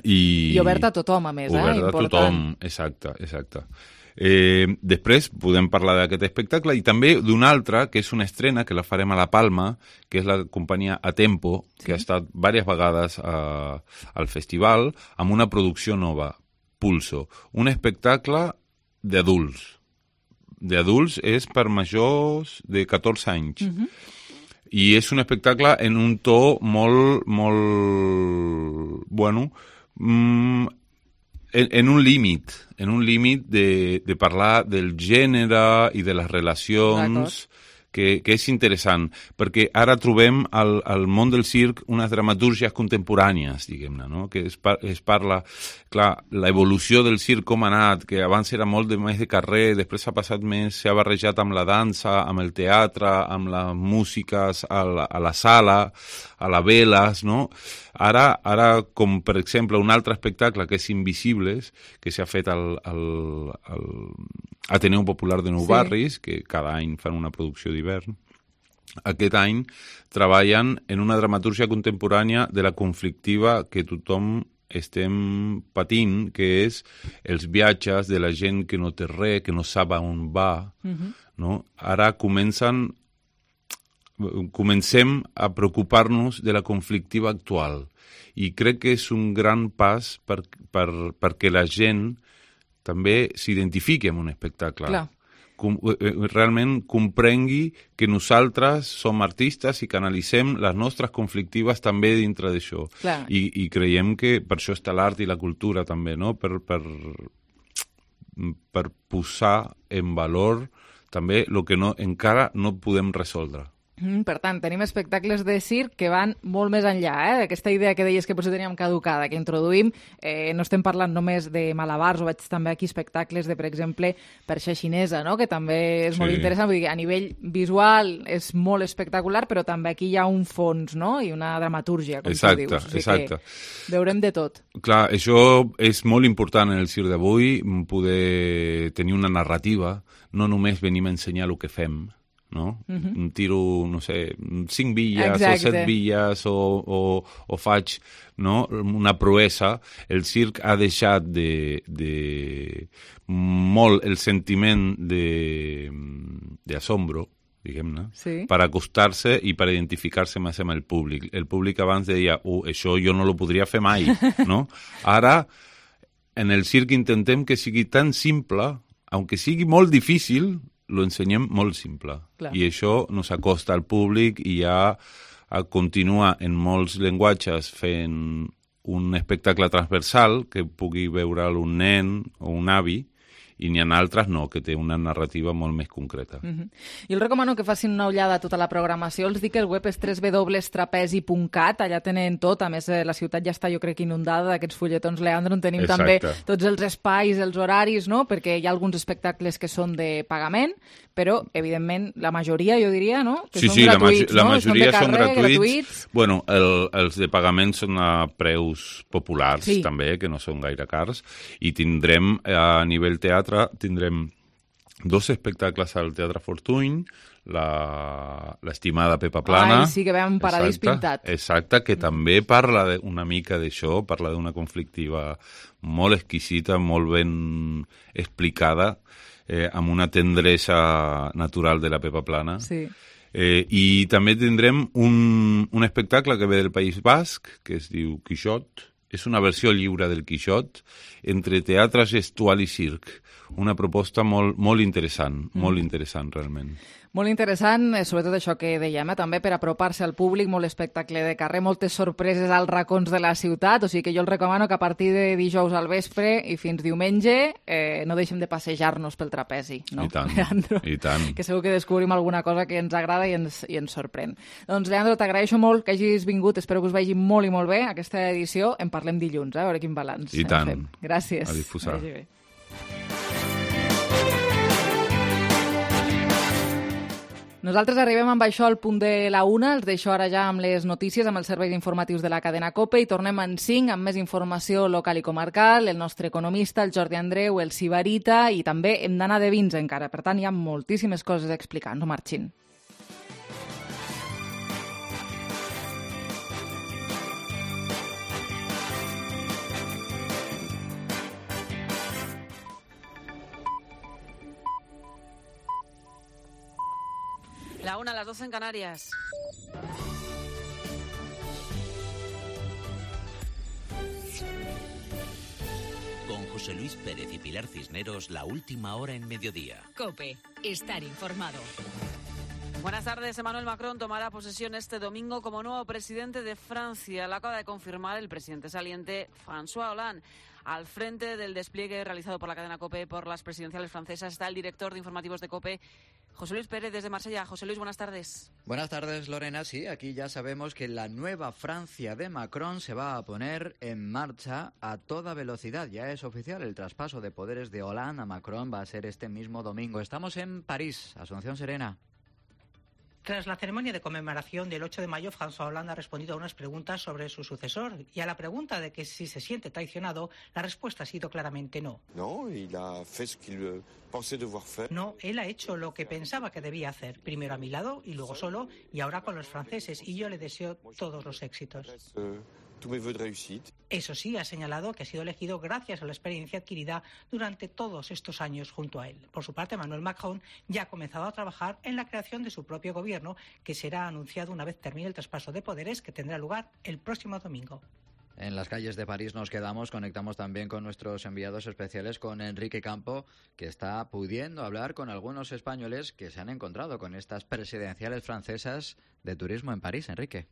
i... I obert a tothom, a més, obert eh? Obert a tothom, exacte, exacte. Eh, després podem parlar d'aquest espectacle i també d'un altre, que és una estrena que la farem a La Palma, que és la companyia Atempo, sí. que ha estat diverses vegades a, al festival, amb una producció nova, Pulso. Un espectacle d'adults. D'adults és per majors de catorze anys. Uh-huh. I és un espectacle en un to molt, molt... bueno... Mm, En, en un límit, en un límit de, de parlar del gènere i de les relacions, que, que és interessant, perquè ara trobem al, al món del circ unes dramatúrgies contemporànies, diguem-ne, no? Que es, par, es parla, clar, l'evolució del circ com ha anat, que abans era molt de, més de carrer, després s'ha passat més, s'ha barrejat amb la dansa, amb el teatre, amb les músiques a la, a la sala, a la veles, no? Ara, ara, com per exemple un altre espectacle que és Invisibles, que s'ha fet al, al, al Ateneu Popular de Nou sí. Barris, que cada any fan una producció d'hivern, aquest any treballen en una dramatúrgia contemporània de la conflictiva que tothom estem patint, que és els viatges de la gent que no té res, que no sap on va, uh-huh. no? Ara comencen comencem a preocupar-nos de la conflictiva actual i crec que és un gran pas per, per, perquè la gent també s'identifiqui amb un espectacle. Clar. Com, realment comprengui que nosaltres som artistes i que analitzem les nostres conflictives també dintre d'això. I, i creiem que per això està l'art i la cultura també, no? Per, per, per posar en valor també el que no, encara no podem resoldre. Mm, per tant, tenim espectacles de circ que van molt més enllà, eh? D'aquesta idea que deies que potser teníem caducada, que introduïm, eh, no estem parlant només de malabars, o veig també aquí espectacles de, per exemple, perxa xinesa, no? Que també és sí. molt interessant, vull dir, a nivell visual és molt espectacular, però també aquí hi ha un fons, no? I una dramatúrgia, com exacte, tu dius. O sigui exacte. Que veurem de tot. Clar, això és molt important en el circ d'avui, poder tenir una narrativa, no només venim a ensenyar el que fem, no? Uh-huh. Tiro, no sé, cinc billes Exacte. o set billes o, o, o faig no? una proesa. El circ ha deixat de, de molt el sentiment de, de asombro, diguem-ne, sí. per acostar-se i per identificar-se més amb el públic. El públic abans deia, oh, això jo no lo podria fer mai, no? Ara, en el circ intentem que sigui tan simple, aunque sigui molt difícil, lo ensenyem molt simple. Clar. I això nos acosta al públic i ja continua en molts llenguatges fent un espectacle transversal que pugui veure'l un nen o un avi, i n'hi ha altres no, que té una narrativa molt més concreta. Uh-huh. Jo els recomano que facin una ullada a tota la programació. Els dic que el web és w w w punt trapezi punt cat, allà tenen tot. A més, la ciutat ja està, jo crec, inundada d'aquests fulletons, Leandro, on tenim Exacte. també tots els espais, els horaris, no? Perquè hi ha alguns espectacles que són de pagament, però, evidentment, la majoria, jo diria, no? Que sí, són sí, gratuïts, la, ma- la no? majoria són, són carrer, gratuïts. gratuïts. Bueno, el, els de pagament són a preus populars, sí. també, que no són gaire cars, i tindrem, a nivell teatre, tindrem dos espectacles al Teatre Fortuny, la, l'estimada Pepa Plana. Ai, sí, que veiem un paradís exacte, pintat. Exacte, que també parla de, una mica d'això, parla d'una conflictiva molt exquisita, molt ben explicada, eh, amb una tendresa natural de la Pepa Plana. Sí. Eh, I també tindrem un, un espectacle que ve del País Basc, que es diu Quixot, és una versió lliure del Quixot entre teatre gestual i circ. Una proposta molt, molt interessant, mm. molt interessant realment. Molt interessant, sobretot això que dèiem, eh? també per apropar-se al públic, molt espectacle de carrer, moltes sorpreses als racons de la ciutat, o sigui que jo els recomano que a partir de dijous al vespre i fins diumenge eh, no deixem de passejar-nos pel trapezi, no? I tant, Leandro? i tant. Que segur que descobrim alguna cosa que ens agrada i ens, i ens sorprèn. Doncs, Leandro, t'agraeixo molt que hagis vingut, espero que us vagi molt i molt bé aquesta edició. En parlem dilluns, eh? A veure quin balanç. I tant. Fem. Gràcies. A disposar. Nosaltres arribem amb això al punt de la una, els deixo ara ja amb les notícies, amb els serveis informatius de la cadena COPE i tornem en cinc amb més informació local i comarcal, el nostre economista, el Jordi Andreu, el Sibarita i també hem d'anar de vins encara, per tant hi ha moltíssimes coses a explicar, no marxin. La una, a las doce en Canarias. Con José Luis Pérez y Pilar Cisneros, la última hora en mediodía. COPE, estar informado. Buenas tardes. Emmanuel Macron tomará posesión este domingo como nuevo presidente de Francia. Lo acaba de confirmar el presidente saliente François Hollande. Al frente del despliegue realizado por la cadena COPE por las presidenciales francesas está el director de informativos de COPE, José Luis Pérez, desde Marsella. José Luis, buenas tardes. Buenas tardes, Lorena. Sí, aquí ya sabemos que la nueva Francia de Macron se va a poner en marcha a toda velocidad. Ya es oficial, el traspaso de poderes de Hollande a Macron va a ser este mismo domingo. Estamos en París, Asunción Serena. Tras la ceremonia de conmemoración del ocho de mayo, François Hollande ha respondido a unas preguntas sobre su sucesor. Y a la pregunta de que si se siente traicionado, la respuesta ha sido claramente no. No, il a fait ce qu'il pensait devoir faire. No, él ha hecho lo que pensaba que debía hacer. Primero a mi lado y luego solo, y ahora con los franceses. Y yo le deseo todos los éxitos. Eso sí, ha señalado que ha sido elegido gracias a la experiencia adquirida durante todos estos años junto a él. Por su parte, Emmanuel Macron ya ha comenzado a trabajar en la creación de su propio gobierno, que será anunciado una vez termine el traspaso de poderes que tendrá lugar el próximo domingo. En las calles de París nos quedamos, conectamos también con nuestros enviados especiales, con Enrique Campo, que está pudiendo hablar con algunos españoles que se han encontrado con estas presidenciales francesas de turismo en París. Enrique.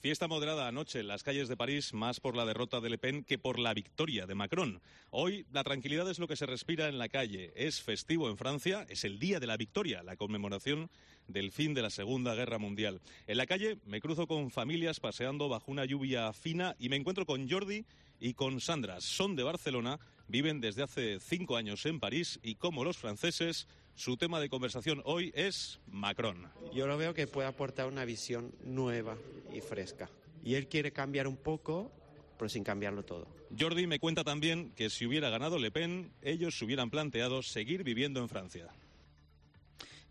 Fiesta moderada anoche en las calles de París, más por la derrota de Le Pen que por la victoria de Macron. Hoy la tranquilidad es lo que se respira en la calle. Es festivo en Francia, es el día de la victoria, la conmemoración del fin de la Segunda Guerra Mundial. En la calle me cruzo con familias paseando bajo una lluvia fina y me encuentro con Jordi y con Sandra. Son de Barcelona, viven desde hace cinco años en París y como los franceses, su tema de conversación hoy es Macron. Yo lo veo que puede aportar una visión nueva y fresca. Y él quiere cambiar un poco, pero sin cambiarlo todo. Jordi me cuenta también que si hubiera ganado Le Pen, ellos se hubieran planteado seguir viviendo en Francia.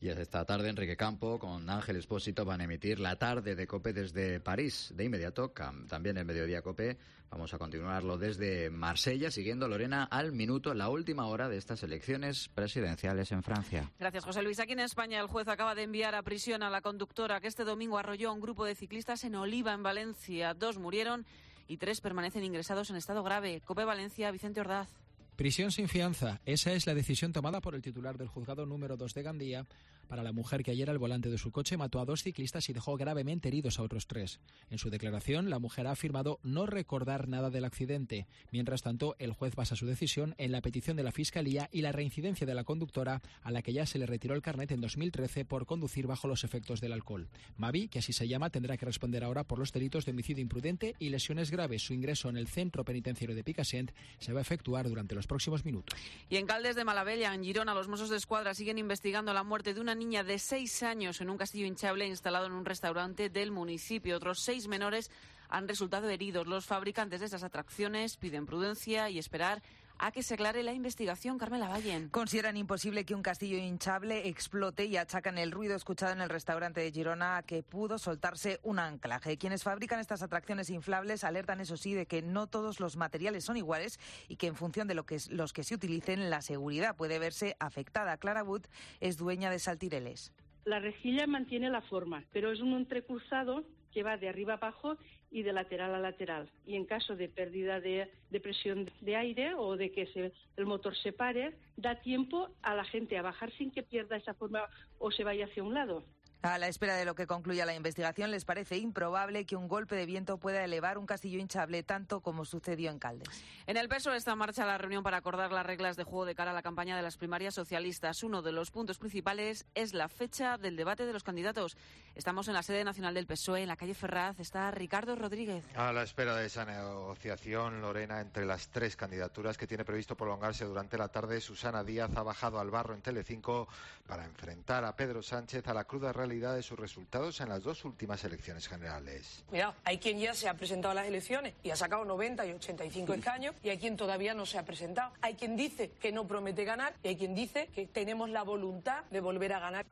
Y esta tarde Enrique Campo con Ángel Expósito van a emitir la tarde de COPE desde París. De inmediato, también el mediodía COPE, vamos a continuarlo desde Marsella, siguiendo, Lorena, al minuto la última hora de estas elecciones presidenciales en Francia. Gracias, José Luis. Aquí en España el juez acaba de enviar a prisión a la conductora que este domingo arrolló a un grupo de ciclistas en Oliva, en Valencia. Dos murieron y tres permanecen ingresados en estado grave. COPE Valencia, Vicente Ordaz. Prisión sin fianza. Esa es la decisión tomada por el titular del juzgado número dos de Gandía para la mujer que ayer al volante de su coche mató a dos ciclistas y dejó gravemente heridos a otros tres. En su declaración, la mujer ha afirmado no recordar nada del accidente. Mientras tanto, el juez basa su decisión en la petición de la Fiscalía y la reincidencia de la conductora, a la que ya se le retiró el carnet en dos mil trece por conducir bajo los efectos del alcohol. Mavi, que así se llama, tendrá que responder ahora por los delitos de homicidio imprudente y lesiones graves. Su ingreso en el centro penitenciario de Picassent se va a efectuar durante los próximos minutos. Y en Caldes de Malavella, en Girona, los Mossos d'Esquadra siguen investigando la muerte de una niña de seis años en un castillo hinchable instalado en un restaurante del municipio. Otros seis menores han resultado heridos. Los fabricantes de estas atracciones piden prudencia y esperar a que se aclare la investigación. Carmela Vallen. Consideran imposible que un castillo hinchable explote y achacan el ruido escuchado en el restaurante de Girona a que pudo soltarse un anclaje. Quienes fabrican estas atracciones inflables alertan, eso sí, de que no todos los materiales son iguales y que en función de lo que los que se utilicen, la seguridad puede verse afectada. Clara Wood es dueña de Saltireles. La rejilla mantiene la forma, pero es un entrecursado que va de arriba abajo y de lateral a lateral. Y en caso de pérdida de, de presión de aire o de que se, el motor se pare, da tiempo a la gente a bajar sin que pierda esa forma o se vaya hacia un lado. A la espera de lo que concluya la investigación, les parece improbable que un golpe de viento pueda elevar un castillo hinchable tanto como sucedió en Caldes. En el P S O E está en marcha la reunión para acordar las reglas de juego de cara a la campaña de las primarias socialistas. Uno de los puntos principales es la fecha del debate de los candidatos. Estamos en la sede nacional del P S O E, en la calle Ferraz. Está Ricardo Rodríguez. A la espera de esa negociación, Lorena, entre las tres candidaturas que tiene previsto prolongarse durante la tarde, Susana Díaz ha bajado al barro en Telecinco para enfrentar a Pedro Sánchez a la cruda realidad de sus resultados en las dos últimas elecciones generales. Mirad, hay quien ya se ha presentado a las elecciones y ha sacado noventa y ochenta y cinco escaños, y hay quien todavía no se ha presentado. Hay quien dice que no promete ganar y hay quien dice que tenemos la voluntad de volver a ganar.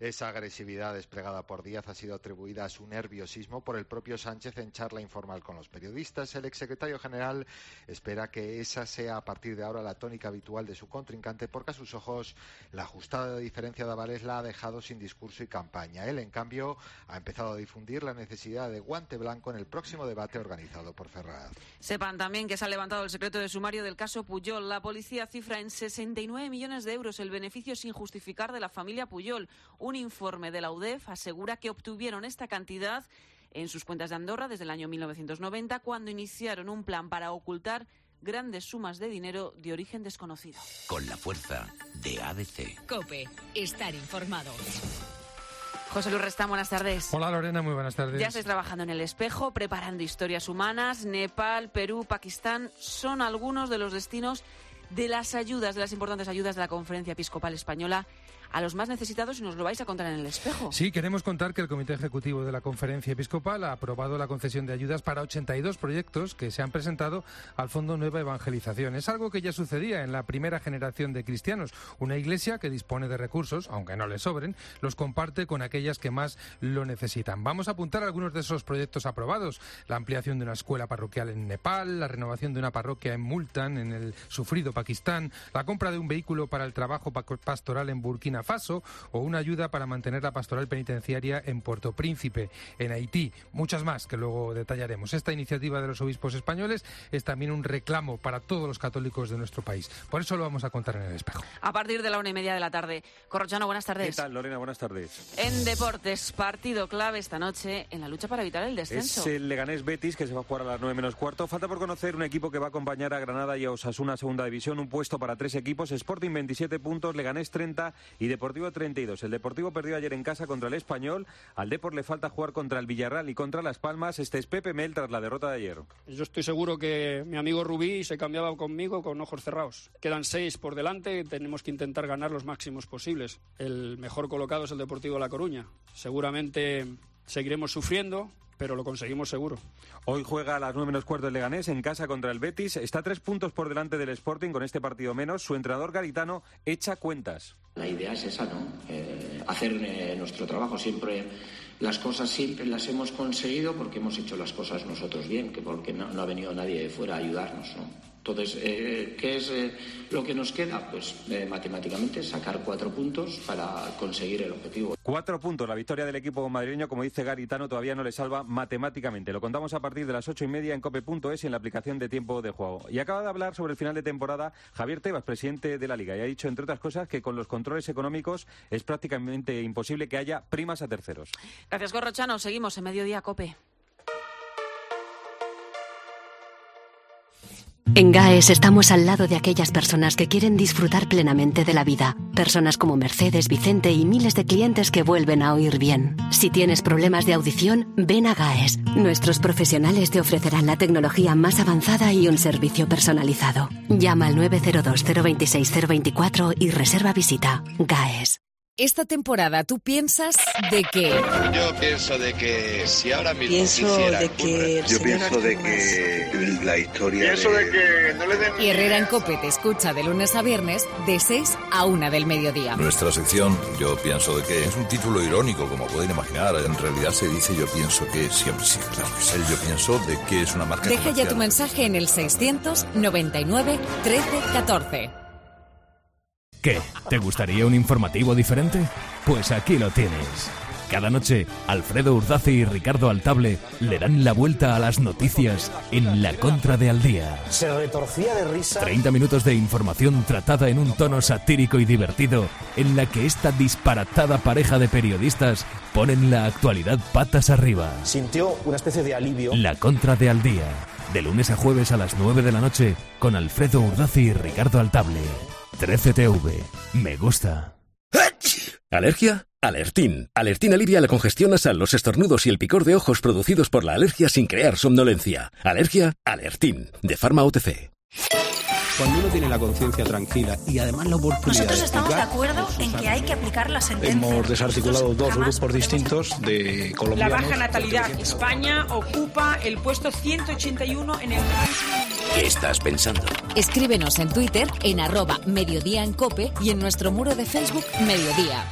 Esa agresividad desplegada por Díaz ha sido atribuida a su nerviosismo por el propio Sánchez en charla informal con los periodistas. El exsecretario general espera que esa sea a partir de ahora la tónica habitual de su contrincante, porque a sus ojos la ajustada diferencia de avales la ha dejado sin discurso y campaña. Él, en cambio, ha empezado a difundir la necesidad de guante blanco en el próximo debate organizado por Ferraz. Sepan también que se ha levantado el secreto de sumario del caso Pujol. La policía cifra en sesenta y nueve millones de euros el beneficio sin justificar de la familia Pujol. Un informe de la U D E F asegura que obtuvieron esta cantidad en sus cuentas de Andorra desde el año mil novecientos noventa, cuando iniciaron un plan para ocultar grandes sumas de dinero de origen desconocido. Con la fuerza de A D C. COPE. Estar informado. José Luis Restán, buenas tardes. Hola Lorena, muy buenas tardes. Ya estáis trabajando en El Espejo, preparando historias humanas. Nepal, Perú, Pakistán son algunos de los destinos de las ayudas, de las importantes ayudas de la Conferencia Episcopal Española a los más necesitados, y nos lo vais a contar en El Espejo. Sí, queremos contar que el Comité Ejecutivo de la Conferencia Episcopal ha aprobado la concesión de ayudas para ochenta y dos proyectos que se han presentado al Fondo Nueva Evangelización. Es algo que ya sucedía en la primera generación de cristianos. Una iglesia que dispone de recursos, aunque no le sobren, los comparte con aquellas que más lo necesitan. Vamos a apuntar algunos de esos proyectos aprobados: la ampliación de una escuela parroquial en Nepal, la renovación de una parroquia en Multan, en el sufrido Pakistán, la compra de un vehículo para el trabajo pastoral en Burkina Faso, o una ayuda para mantener la pastoral penitenciaria en Puerto Príncipe, en Haití. Muchas más que luego detallaremos. Esta iniciativa de los obispos españoles es también un reclamo para todos los católicos de nuestro país. Por eso lo vamos a contar en El Espejo. A partir de la una y media de la tarde. Corrochano, buenas tardes. ¿Qué tal, Lorena? Buenas tardes. En deportes, partido clave esta noche en la lucha para evitar el descenso. Es el Leganés Betis, que se va a jugar a las nueve menos cuarto. Falta por conocer un equipo que va a acompañar a Granada y a Osasuna Segunda División. Un puesto para tres equipos: Sporting veintisiete puntos, Leganés treinta y Deportivo treinta y dos. El Deportivo perdió ayer en casa contra el Español. Al Depor le falta jugar contra el Villarreal y contra Las Palmas. Este es Pepe Mel tras la derrota de ayer. Yo estoy seguro que mi amigo Rubí se cambiaba conmigo con ojos cerrados. Quedan seis por delante, tenemos que intentar ganar los máximos posibles. El mejor colocado es el Deportivo La Coruña. Seguramente seguiremos sufriendo, pero lo conseguimos seguro. Hoy juega a las nueve menos cuarto el Leganés en casa contra el Betis. Está a tres puntos por delante del Sporting con este partido menos. Su entrenador Garitano echa cuentas. La idea es esa, ¿no? Eh, hacer eh, nuestro trabajo. Siempre las cosas siempre las hemos conseguido porque hemos hecho las cosas nosotros bien, que porque no, no ha venido nadie de fuera a ayudarnos, ¿no? Entonces, eh, ¿qué es eh, lo que nos queda? Pues eh, matemáticamente sacar cuatro puntos para conseguir el objetivo. Cuatro puntos. La victoria del equipo madrileño, como dice Garitano, todavía no le salva matemáticamente. Lo contamos a partir de las ocho y media en cope punto es y en la aplicación de Tiempo de Juego. Y acaba de hablar sobre el final de temporada Javier Tebas, presidente de la Liga, y ha dicho, entre otras cosas, que con los controles económicos es prácticamente imposible que haya primas a terceros. Gracias, Corrochano. Seguimos en Mediodía Cope. En GAES estamos al lado de aquellas personas que quieren disfrutar plenamente de la vida. Personas como Mercedes, Vicente y miles de clientes que vuelven a oír bien. Si tienes problemas de audición, ven a GAES. Nuestros profesionales te ofrecerán la tecnología más avanzada y un servicio personalizado. Llama al nueve cero dos, cero dos seis, cero dos cuatro y reserva visita. GAES. Esta temporada tú piensas de que... Yo pienso de que si ahora mismo Pienso quisiera de que ocurre, yo pienso de que la historia pienso de... de que no le den... Y Herrera en COPE te escucha de lunes a viernes de seis a una del mediodía. Nuestra sección, yo pienso de que es un título irónico, como pueden imaginar. En realidad se dice yo pienso que siempre, sí, claro que sí. El yo pienso de que es una marca Deja comercial. ya tu mensaje en el seiscientos noventa y nueve trece catorce. ¿Qué? ¿Te gustaría un informativo diferente? Pues aquí lo tienes. Cada noche, Alfredo Urdace y Ricardo Altable le dan la vuelta a las noticias en La Contra de Al Día. Se retorcía de risa. treinta minutos de información tratada en un tono satírico y divertido, en la que esta disparatada pareja de periodistas ponen la actualidad patas arriba. Sintió una especie de alivio. La Contra de Al Día, de lunes a jueves a las nueve de la noche, con Alfredo Urdace y Ricardo Altable. trece T V. Me gusta. ¿Alergia? Alertín. Alertín alivia la congestión nasal, los estornudos y el picor de ojos producidos por la alergia sin crear somnolencia. Alergia, Alertín, de Pharma O T C. Cuando uno tiene la conciencia tranquila y además la oportunidad Nosotros de estamos de explicar, acuerdo en que hay que aplicar la sentencia. hemos desarticulado dos grupos distintos de La colombianos. baja natalidad. España ocupa el puesto ciento ochenta y uno en el ranking. ¿Qué estás pensando? Escríbenos en Twitter en arroba Mediodía en Cope y en nuestro muro de Facebook Mediodía.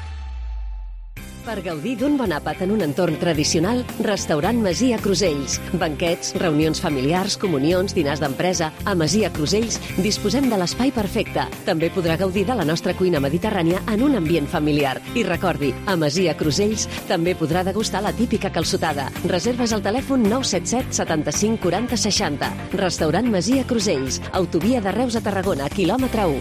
Per gaudir d'un bon àpat en un entorn tradicional, restaurant Masia Crusells. Banquets, reunions familiars, comunions, dinars d'empresa. A Masia Crusells disposem de l'espai perfecte. També podrà gaudir de la nostra cuina mediterrània en un ambient familiar. I recordi, a Masia Crusells també podrà degustar la típica calçotada. Reserves al telèfon nou set set setanta-cinc quaranta seixanta. Restaurant Masia Crusells. Autovia de Reus a Tarragona, quilòmetre u.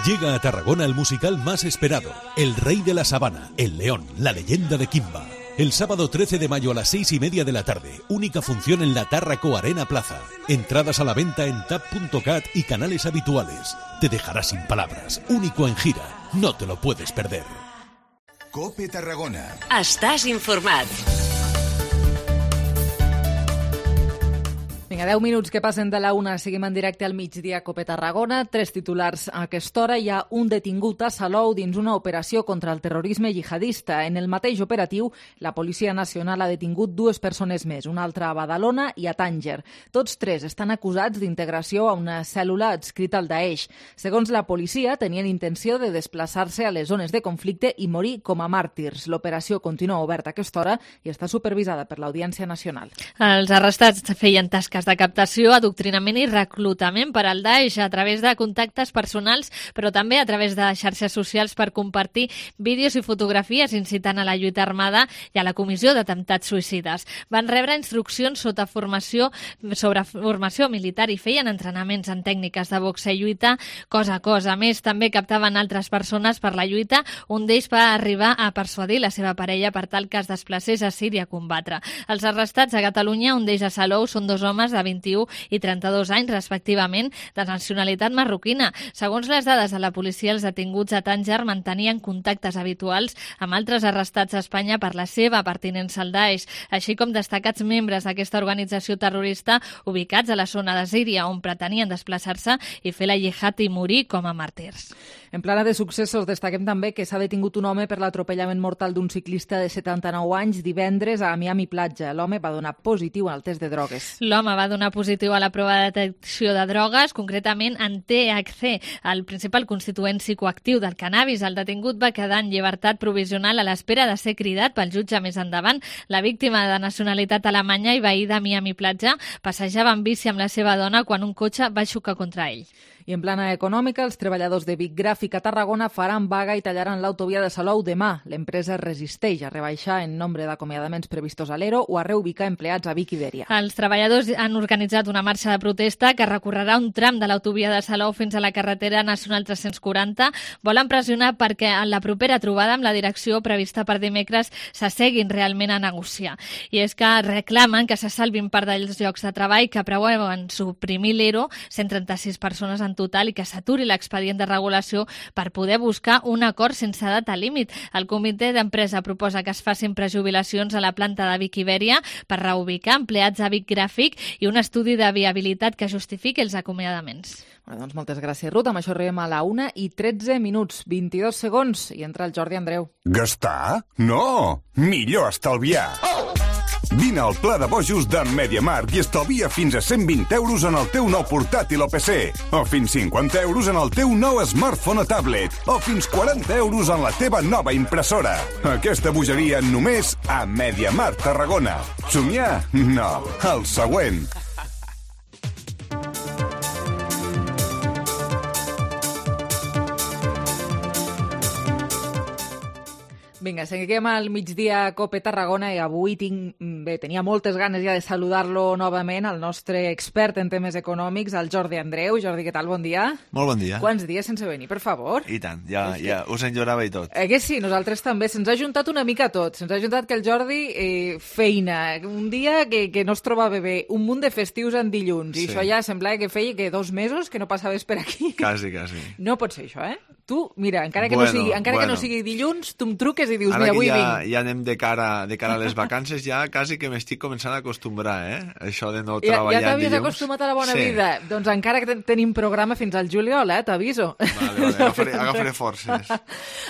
Llega a Tarragona el musical más esperado, El Rey de la Sabana, El León, la leyenda de Kimba. El sábado trece de mayo a las seis y media de la tarde, única función en la Tárraco Arena Plaza. Entradas a la venta en tap punto cat y canales habituales. Te dejará sin palabras, único en gira, no te lo puedes perder. Cope Tarragona. Estàs informat. Vinga, deu minuts que passen de la una, seguim en directe al migdia a Cope Tarragona. Tres titulars a aquesta hora. Hi ha un detingut a Salou dins una operació contra el terrorisme jihadista. En el mateix operatiu, la Policia Nacional ha detingut dues persones més, una altra a Badalona i a Tànger. Tots tres estan acusats d'integració a una cèl·lula adscrita al Daesh. Segons la policia, tenien intenció de desplaçar-se a les zones de conflicte i morir com a màrtirs. L'operació continua oberta a aquesta hora i està supervisada per l'Audiència Nacional. Els arrestats feien tasques de captació, adoctrinament i reclutament per al Daesh a través de contactes personals, però també a través de xarxes socials per compartir vídeos i fotografies incitant a la lluita armada i a la comissió d'atemptats suïcides. Van rebre instruccions sota formació sobre formació militar i feien entrenaments en tècniques de boxa i lluita cosa a cosa. A més, també captaven altres persones per la lluita. Un d'ells va arribar a persuadir la seva parella per tal que es desplacés a Síria a combatre. Els arrestats a Catalunya, un d'ells a Salou, són dos homes de vint-i-u i trenta-dos anys, respectivament, de nacionalitat marroquina. Segons les dades de la policia, els detinguts a Tànger mantenien contactes habituals amb altres arrestats a Espanya per la seva pertinença al Daesh, així com destacats membres d'aquesta organització terrorista ubicats a la zona de Síria, on pretenien desplaçar-se i fer la jihad i morir com a màrtirs. En plana de successos, destaquem també que s'ha detingut un home per l'atropellament mortal d'un ciclista de setanta-nou anys divendres a Miami Platja. L'home va donar positiu al test de drogues. L'home va donar positiu a la prova de detecció de drogues, concretament en T H C, el principal constituent psicoactiu del cannabis. El detingut va quedar en llibertat provisional a l'espera de ser cridat pel jutge més endavant. La víctima, de nacionalitat alemanya i veí de Miami Platja, passejava en bici amb la seva dona quan un cotxe va xocar contra ell. I en plana econòmica, els treballadors de Vic Gràfic a Tarragona faran vaga i tallaran l'autovia de Salou demà. L'empresa resisteix a rebaixar en nombre d'acomiadaments previstos a l'Ero o a reubicar empleats a Vic Iberia. Els treballadors han organitzat una marxa de protesta que recorrerà un tram de l'autovia de Salou fins a la carretera nacional tres-cents quaranta. Volen pressionar perquè en la propera trobada amb la direcció prevista per dimecres s'asseguin realment a negociar. I és que reclamen que se salvin part dels llocs de treball que preveuen suprimir l'Ero, cent trenta-sis persones en total, i que s'aturi l'expedient de regulació per poder buscar un acord sense data límit. El comitè d'empresa proposa que es facin prejubilacions a la planta de Vic Iberia per reubicar empleats a Vic Gràfic i un estudi de viabilitat que justifiqui els acomiadaments. Bueno, doncs moltes gràcies, Ruth. Amb això arribem a la una i tretze minuts, vint-i-dos segons, i entra el Jordi Andreu. Gastar? No! Millor estalviar! Oh! Vine al Pla de Bojos de MediaMarkt i estalvia fins a cent vint euros en el teu nou portàtil o P C, o fins cinquanta euros en el teu nou smartphone o tablet, o fins quaranta euros en la teva nova impressora. Aquesta bogeria només a MediaMarkt Tarragona. Somiar? No. El següent. Vinga, seguim al migdia a Cope Tarragona i avui tinc, bé, tenia moltes ganes ja de saludar-lo novament, el nostre expert en temes econòmics, el Jordi Andreu. Jordi, què tal? Bon dia. Molt bon dia. Quants dies sense venir, per favor? I tant, ja, ja us enyorava i tot. Eh que sí, nosaltres també. Se'ns ha juntat una mica tot. Se'ns ha juntat que el Jordi eh, feina, un dia que, que no es trobava bé, un munt de festius en dilluns, i Sí. això ja semblava que feia que dos mesos que no passaves per aquí. Quasi, quasi. No pot ser això, eh? Tu, mira, encara que, Bueno, no, sigui, encara bueno. que no sigui dilluns, tu em truques i dius, Ara mira, que avui ja, vinc. ja anem de cara, de cara a les vacances, ja quasi que m'estic començant a acostumbrar, eh? Això de no Ja, treballar ja t'havies dilluns. acostumat a la bona sí. vida. Doncs encara que ten- tenim programa fins al juliol, eh? T'aviso. Vale, vale, agafaré, agafaré forces.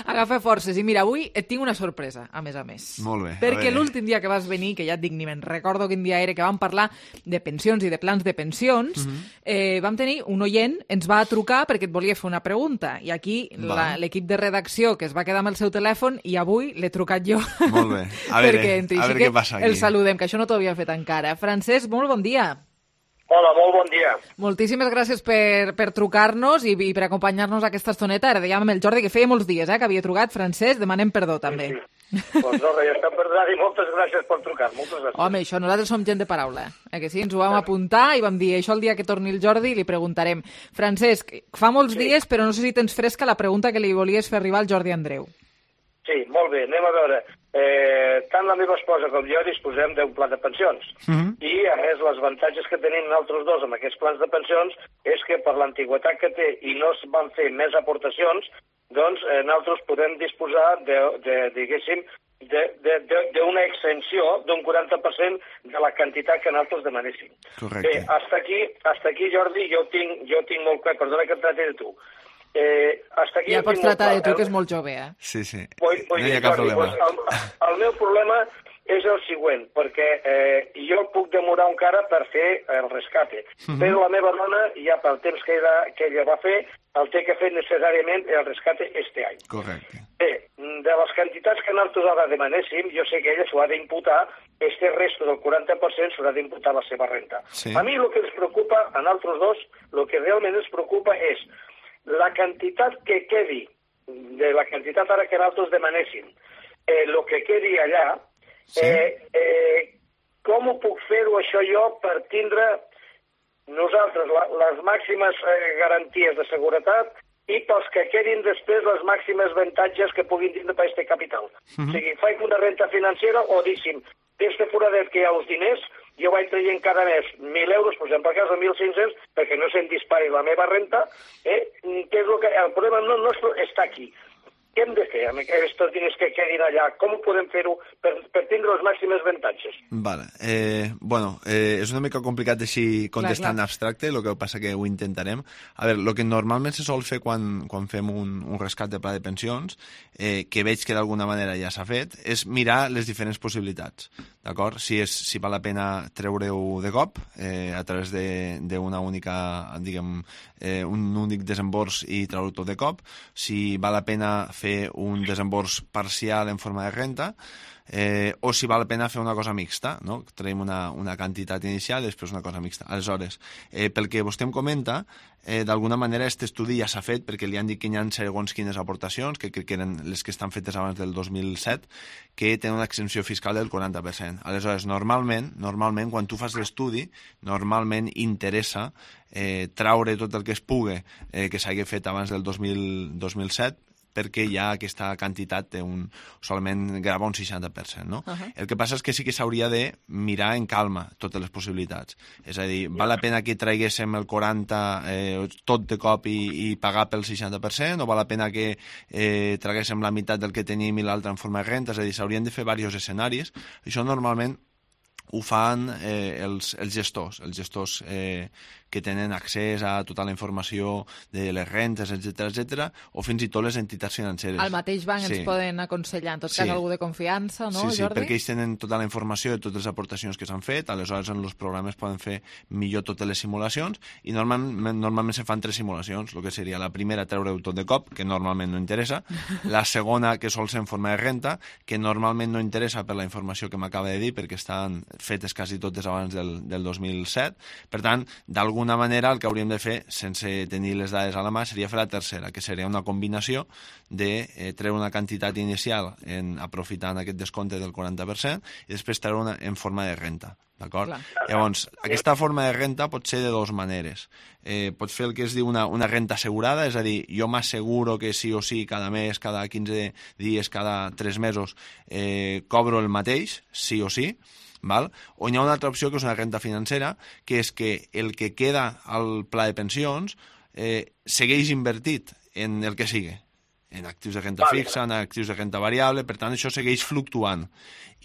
Agafa forces. I mira, avui et tinc una sorpresa, a més a més. Molt bé. a Perquè veure. l'últim dia que vas venir, que ja et dic, ni me'n recordo quin dia era, que vam parlar de pensions i de plans de pensions, Mhm. eh, vam tenir un oient, ens va trucar perquè et volia fer una pregunta. I aquí la- Va. l'equip de redacció, que es va quedar amb el seu telèfon, i avui l'he trucat jo. Molt bé. A veure, perquè entri. a Així veure que què passa aquí. el saludem, que això no t'ho havia fet encara. Francesc, molt bon dia. Hola, molt bon dia. Moltíssimes gràcies per, per trucar-nos i, i per acompanyar-nos a aquesta estoneta. Ara dèiem amb el Jordi que feia molts dies eh, que havia trucat. Francesc, demanem perdó també. Sí, sí. Doncs no, res, ja està perdonat i moltes gràcies per trucar. Moltes gràcies. Home, això, nosaltres som gent de paraula. Eh, que sí? Ens ho vam apuntar i vam dir això el dia que torni el Jordi li preguntarem. Francesc, fa molts Sí. dies, però no sé si tens fresca la pregunta que li volies fer arribar al Jordi Andreu. Sí, molt bé, anem a veure. Eh, tant la meva esposa com jo disposem d'un pla de pensions. Mhm. I, a més, els avantatges que tenim nosaltres dos amb aquests plans de pensions és que per l'antiguitat que té i no es van fer més aportacions, doncs eh, nosaltres podem disposar de, de diguéssim, d'una extensió d'un quaranta per cent de la quantitat que nosaltres demanéssim. Correcte. Bé, hasta aquí, hasta aquí, Jordi, jo tinc, jo tinc molt clar, perdona que et tracti de tu. Eh, hasta aquí Ja jo pots tinc molt tractar de clar. tu, que és molt jove, eh? Sí, sí. Vull, vull no hi dir, ha cap Jordi, problema. doncs, el, el meu problema és el següent, perquè eh, jo puc demorar encara per fer el rescate, Mhm. però la meva dona, ja pel temps que ella, que ella va fer, el té que fer necessàriament el rescate este any. Correcte. Bé, de les quantitats que nosaltres ara demanéssim, jo sé que ella s'ho ha d'imputar, este resto del quaranta per cent s'haurà d'imputar la seva renta. Sí. A mi el que ens preocupa, a nosaltres dos, el que realment ens preocupa és la quantitat que quedi, de la quantitat ara que nosaltres demanéssim, eh, el que quedi allà, Sí. eh, eh, com ho puc fer-ho això jo per tindre nosaltres la, les màximes eh, garanties de seguretat i pels que quedin després les màximes avantatges que puguin tindre per aquest capital. Mhm. O sigui, faig una renta financera o deixi'm, d'este foradet que hi ha els diners, jo vaig traient cada mes mil euros, per exemple, per cas de mil cinc-cents, perquè no se'n dispari la meva renta, eh? que és el, que, el problema no nostre està aquí. Què hem de fer amb aquests diners que quedin allà? Com ho podem fer-ho per, per tindre els màxims avantatges? Vale. Eh, bueno, eh, és una mica complicat així contestar clar. en abstracte, el que passa que ho intentarem. A veure, el que normalment se sol fer quan, quan fem un, un rescat de pla de pensions, eh, que veig que d'alguna manera ja s'ha fet, és mirar les diferents possibilitats, d'acord? Si, és, si val la pena treure-ho de cop, eh, a través d'una única, diguem, eh, un únic desembors i treure-ho tot de cop, si val la pena fer un desembors parcial en forma de renta, eh, o si val la pena fer una cosa mixta, no? Traiem una, una quantitat inicial i després una cosa mixta. Aleshores, eh, pel que vostè em comenta, eh, d'alguna manera aquest estudi ja s'ha fet perquè li han dit que hi ha segons quines aportacions, que crec que eren les que estan fetes abans del dos mil set, que tenen una exempció fiscal del quaranta per cent. Aleshores, normalment, normalment quan tu fas l'estudi, normalment interessa eh, traure tot el que es pugui eh, que s'hagi fet abans del dos mil set, perquè ja aquesta quantitat té un, solament grava un seixanta per cent, no? Uh-huh. El que passa és que sí que s'hauria de mirar en calma totes les possibilitats. És a dir, val la pena que traguéssim el quaranta eh, tot de cop i, i pagar pel seixanta per cent, o val la pena que eh, traguéssim la meitat del que tenim i l'altra en forma de renta? És a dir, s'haurien de fer diversos escenaris. Això normalment ho fan eh, els, els gestors, els gestors eh, que tenen accés a tota la informació de les rentes, etcètera, etcètera, o fins i tot les entitats financeres. Al mateix banc Sí. ens poden aconsellar, en tot Sí. cas, algú de confiança, no, sí, sí, Jordi? perquè ells tenen tota la informació de totes les aportacions que s'han fet, aleshores en els programes poden fer millor totes les simulacions, i normalment, normalment se fan tres simulacions, el que seria la primera treure-ho tot de cop, que normalment no interessa, la segona que sol ser en forma de renta, que normalment no interessa per la informació que m'acaba de dir, perquè estan fetes quasi totes abans del, del dos mil set. Per tant, d'alguna manera el que hauríem de fer, sense tenir les dades a la mà, seria fer la tercera, que seria una combinació de eh, treure una quantitat inicial en, aprofitant aquest descompte del quaranta per cent i després treure una en forma de renta. D'acord? Llavors, aquesta forma de renta pot ser de dues maneres. Eh, pots fer el que es diu una, una renta assegurada, és a dir, jo m'asseguro que sí o sí cada mes, cada quinze dies, cada tres mesos eh, cobro el mateix, sí o sí, val? O hi ha una altra opció que és una renta financera, que és que el que queda al pla de pensions eh, segueix invertit en el que sigui, en actius de renta fixa, en actius de renta variable, per tant això segueix fluctuant.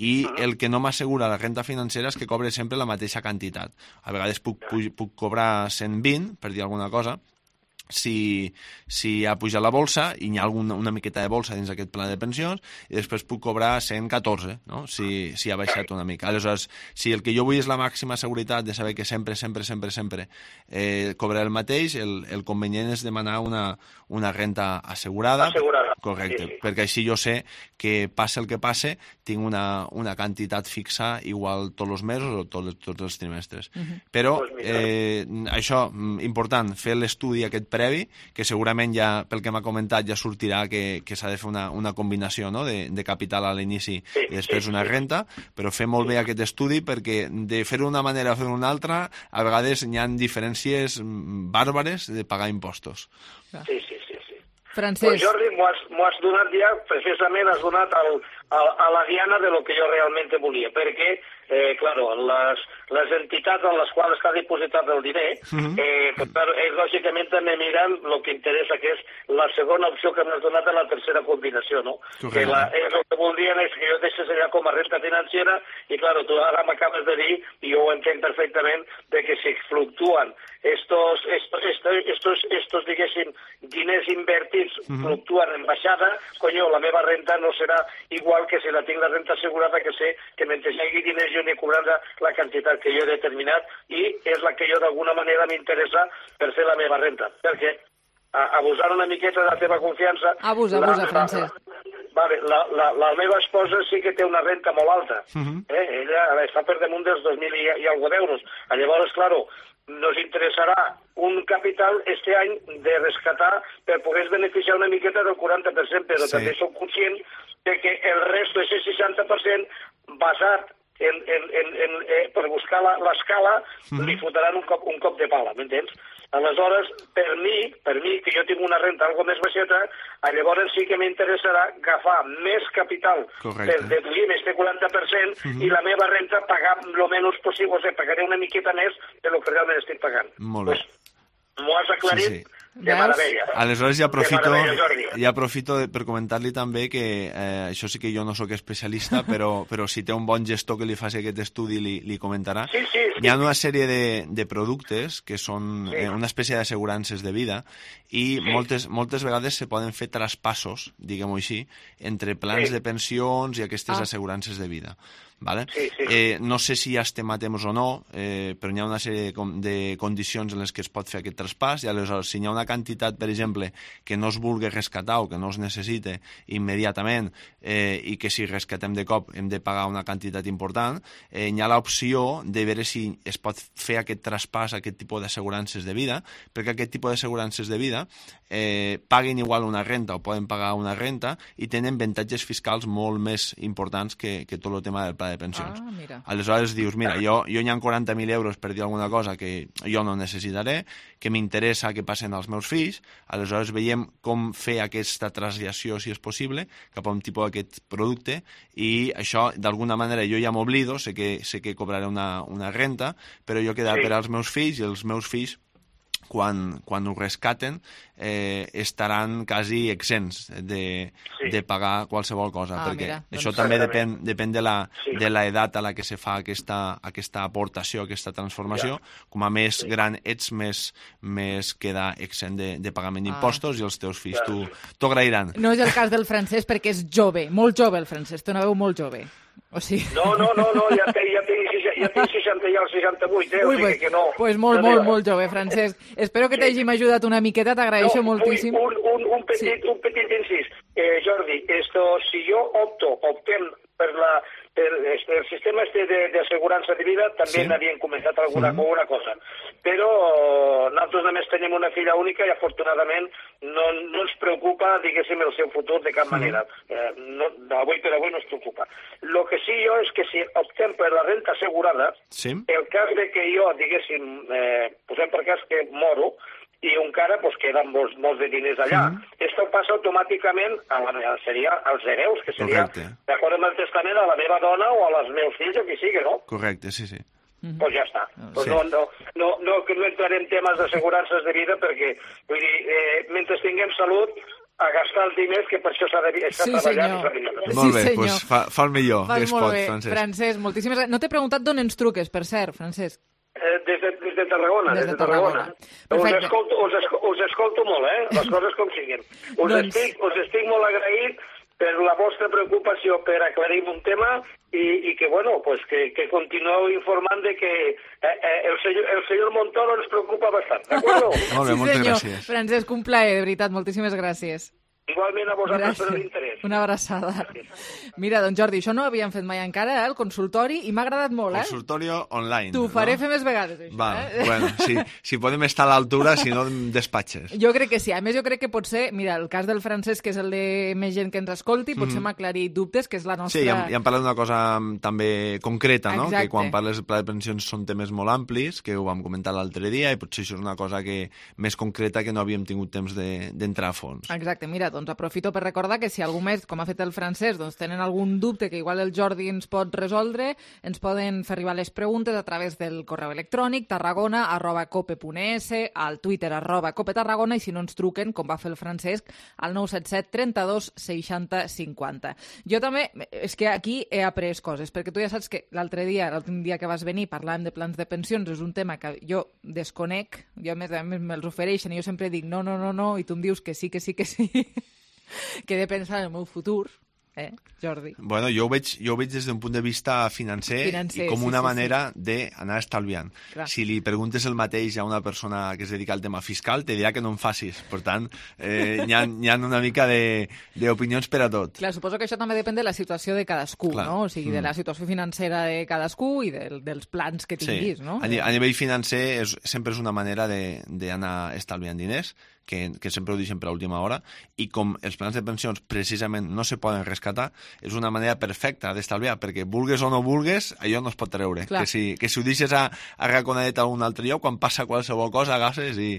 I el que no m'assegura la renta financera és que cobre sempre la mateixa quantitat. A vegades puc, puc cobrar cent vint, per dir alguna cosa, si, si ha pujat la bolsa i hi ha alguna, una miqueta de bolsa dins d'aquest pla de pensions, i després puc cobrar cent catorze, no? si, si ha baixat una mica. Aleshores, si el que jo vull és la màxima seguretat de saber que sempre, sempre, sempre, sempre eh, cobraré el mateix, el, el convenient és demanar una, una renta assegurada. Assegurada. Correcte, sí, sí. Perquè així jo sé que passe el que passe, tinc una, una quantitat fixa igual tots els mesos o tots, tots els trimestres. Uh -huh. Però, eh, això, important, fer l'estudi aquest previ, que segurament ja, pel que m'ha comentat, ja sortirà que, que s'ha de fer una, una combinació, no?, de, de capital a l'inici sí, i després sí, una renta, però fer molt bé aquest estudi perquè de fer-ho d'una manera o fer-ho d'una altra, a vegades hi ha diferències bàrbares de pagar impostos. Sí, sí, sí. Francesc. Pues Jordi, m'ho has, has donat ja, precisament has donat al, al, a la diana de lo que jo realment volia, perquè, eh, claro, les, les entitats en les quals està dipositat el diner, uh-huh. eh, pues, claro, ells lògicament també miren el que interessa, que és la segona opció que m'has donat a la tercera combinació, no? Que la, ells el que voldrien és que jo deixés allà com a renta financera, i claro, tu ara m'acabes de dir, i jo ho entenc perfectament, de que si fluctuen estos, estos, estos, estos, estos diguéssim, diners invertits uh-huh. fluctuen en baixada, coño, la meva renta no serà igual que si la tinc la renta assegurada, que sé que mentre hi hagi diners jo n'he cobrat la quantitat que jo he determinat i és la que jo d'alguna manera m'interessa per fer la meva renta. Perquè abusant una miqueta de la teva confiança... Abusa, abusa, Francesc. Vale, la, la, la meva esposa sí que té una renta molt alta. Uh-huh. eh? Ella està per damunt dels dos mil i, i algo d'euros. Llavors, claro, nos interessarà un capital este any de rescatar per poder beneficiar una miqueta del quaranta per cent, però sí. també som conscients de que el resto, ese seixanta per cent, basat en, en, en, en, eh, per buscar l'escala, mm. li fotran un cop, un cop de pala, m'entens? Aleshores, per mi, per mi, que jo tinc una renta algo més baixeta, llavors sí que m'interessarà agafar més capital Correcte. per deduir este quaranta per cent mm-hmm. i la meva renta pagar el menys possible, o sigui, pagaré una miqueta més de lo que realment estic pagant. Molt bé. Pues, m'ho has aclarit sí, sí. de meravella. Aleshores ja aprofito, ja aprofito per comentar-li també que eh, això sí que jo no sóc especialista, però, però si té un bon gestor que li faci aquest estudi li, li comentarà. Sí, sí, sí. Hi ha una sèrie de, de productes que són sí. eh, una espècie d'assegurances de vida i sí. moltes, moltes vegades se poden fer traspassos, diguem-ho així, entre plans sí. de pensions i aquestes ah. assegurances de vida. Vale? Sí, sí. Eh, no sé si ja estem a temps o no, eh, però hi ha una sèrie de, de condicions en les que es pot fer aquest traspàs i aleshores si hi ha una quantitat, per exemple, que no es vulgui rescatar o que no es necessite immediatament eh, i que si rescatem de cop hem de pagar una quantitat important, eh, hi ha l'opció de veure si es pot fer aquest traspàs a aquest tipus d'assegurances de vida, perquè aquest tipus d'assegurances de vida eh, paguen igual una renta o poden pagar una renta i tenen avantatges fiscals molt més importants que, que tot el tema del pla de pensions. Ah, mira. Aleshores dius, mira, jo, jo hi ha quaranta mil euros per dir alguna cosa que jo no necessitaré, que m'interessa que passen als meus fills, aleshores veiem com fer aquesta traslació, si és possible, cap a un tipus d'aquest producte, i això, d'alguna manera, jo ja m'oblido, sé que, sé que cobraré una, una renta, però jo quedaré sí. per als meus fills, i els meus fills quan, quan ho rescaten eh, estaran quasi exempts de, sí. de pagar qualsevol cosa, ah, perquè mira, això doncs també depèn, depèn de, la, sí. de l'edat a la que se fa aquesta, aquesta aportació, aquesta transformació. Ja. Com a més sí. gran ets, més, més queda exempt de, de pagament d'impostos ah. i els teus fills ja. t'ho agrairan. No és el cas del Francesc perquè és jove, molt jove el Francesc, té una veu molt jove. O sigui... No, no, no, no, ja té, ja té, ja té seixanta i el seixanta-vuit, eh? Ui, o sigui pues, que no. Pues molt, molt, molt jove, Francesc. Espero que sí. t'hagim ajudat una miqueta, t'agraeixo no, moltíssim. Un, un, un, petit, sí. un petit incís. Eh, Jordi, esto, si jo opto, optem per la, el, el sistema este d'assegurança de, de vida també sí. n'havien comentat alguna, mm. alguna cosa. Però nosaltres només tenim una filla única i afortunadament no, no ens preocupa, diguéssim, el seu futur de cap mm. manera. Eh, no, avui per avui no ens preocupa. El que sí jo és que si optem per la renta assegurada, sí. el cas de que jo, diguéssim, eh, posem per cas que moro, i encara pues, queden molts, molts de diners allà. Mm. Esto passa automàticament a la, seria als hereus, que seria, d'acord amb el testament, a la meva dona o als meus fills, o qui sigui, no? Correcte, sí, sí. Mm-hmm. Pues ja està. Pues sí. no, no, no, no, no entrarem en temes d'assegurances de vida perquè, vull dir, eh, mentre tinguem salut, a gastar els diners, que per això s'ha de estar sí, treballant. Sí, molt bé, doncs pues fa, fa el millor Fas que es pot, bé. Francesc. Francesc, moltíssimes gràcies. No t'he preguntat d'on ens truques, per cert, Francesc. Eh, des, de, des de Tarragona, des, des de Tarragona. Tarragona. Us, escolto, us, escolto, us escolto molt, eh? Les coses com siguin. Us, doncs... estic, us estic molt agraït per la vostra preocupació per aclarir un tema i, i que, bueno, pues que, que continueu informant de que eh, eh, el, senyor, el senyor Montoro ens preocupa bastant, d'acord? Molt bé, sí, moltes senyor. gràcies. Francesc, un plaer, de veritat, moltíssimes gràcies. Igualment a vosaltres per l'interès. Una abraçada. Mira, doncs Jordi, això no ho havíem fet mai encara, eh, el consultori, i m'ha agradat molt, eh? Consultori online. T'ho faré no? fer més vegades, això, Va, eh? Bueno, sí, si podem estar a l'altura, si no, despatxes. Jo crec que sí. A més, jo crec que pot ser, mira, el cas del Francesc, que és el de més gent que ens escolti, potser mm. m'ha aclarit dubtes, que és la nostra... Sí, ja, ja hem parlat d'una cosa també concreta, no? Exacte. Que quan parles del pla de pensions són temes molt amplis, que ho vam comentar l'altre dia, i potser això és una cosa que més concreta que no havíem tingut temps d'entrar de, a fons. Exacte, mira, doncs aprofito per recordar que si algú més, com ha fet el Francesc, doncs tenen algun dubte que igual el Jordi ens pot resoldre, ens poden fer arribar les preguntes a través del correu electrònic tarragona arroba cope punt es, al Twitter arroba cope tarragona, i si no ens truquen, com va fer el Francesc, al nou set set trenta-dos seixanta cinquanta. Jo també, és que aquí he après coses, perquè tu ja saps que l'altre dia, l'últim dia que vas venir, parlàvem de plans de pensions, és un tema que jo desconec, jo a més a més me'ls ofereixen, i jo sempre dic no, no, no, no, i tu em dius que sí, que sí, que sí, que he de pensar en el meu futur, eh, Jordi? Bueno, jo ho veig, jo ho veig des d'un punt de vista financer, financer i com una sí, sí, manera sí. d'anar estalviant. Clar. Si li preguntes el mateix a una persona que es dedica al tema fiscal, te dirà que no en facis. Per tant, eh, hi, ha, hi ha una mica d'opinions per a tot. Clar, suposo que això també depèn de la situació de cadascú, Clar. no? O sigui, mm. de la situació financera de cadascú i de, dels plans que tinguis, sí. no? A, a nivell financer és, sempre és una manera d'anar estalviant diners, que, que sempre ho deixen per a última hora, i com els plans de pensions precisament no se poden rescatar, és una manera perfecta d'estalviar, perquè vulgues o no vulgues, allò no es pot treure. Que si, que si ho deixes a, a raconadet a un altre lloc, quan passa qualsevol cosa, agasses i,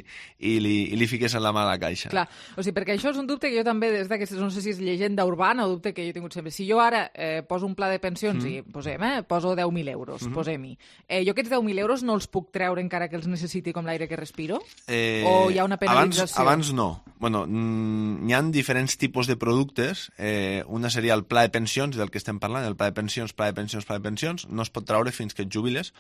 i, li, i li fiques en la mà a la caixa. Clar, o sigui, perquè això és un dubte que jo també, des d'aquestes, no sé si és llegenda urbana o dubte que jo he tingut sempre. Si jo ara eh, poso un pla de pensions mm. i posem, eh, poso deu mil euros, mm -hmm. posem-hi, eh, jo aquests deu mil euros no els puc treure encara que els necessiti com l'aire que respiro? Eh, o hi ha una penalització? Abans, abans no. Bueno, n'hi ha diferents tipus de productes. Eh, una seria el pla de pensions, del que estem parlant, el pla de pensions, pla de pensions, pla de pensions, no es pot treure fins que et jubiles,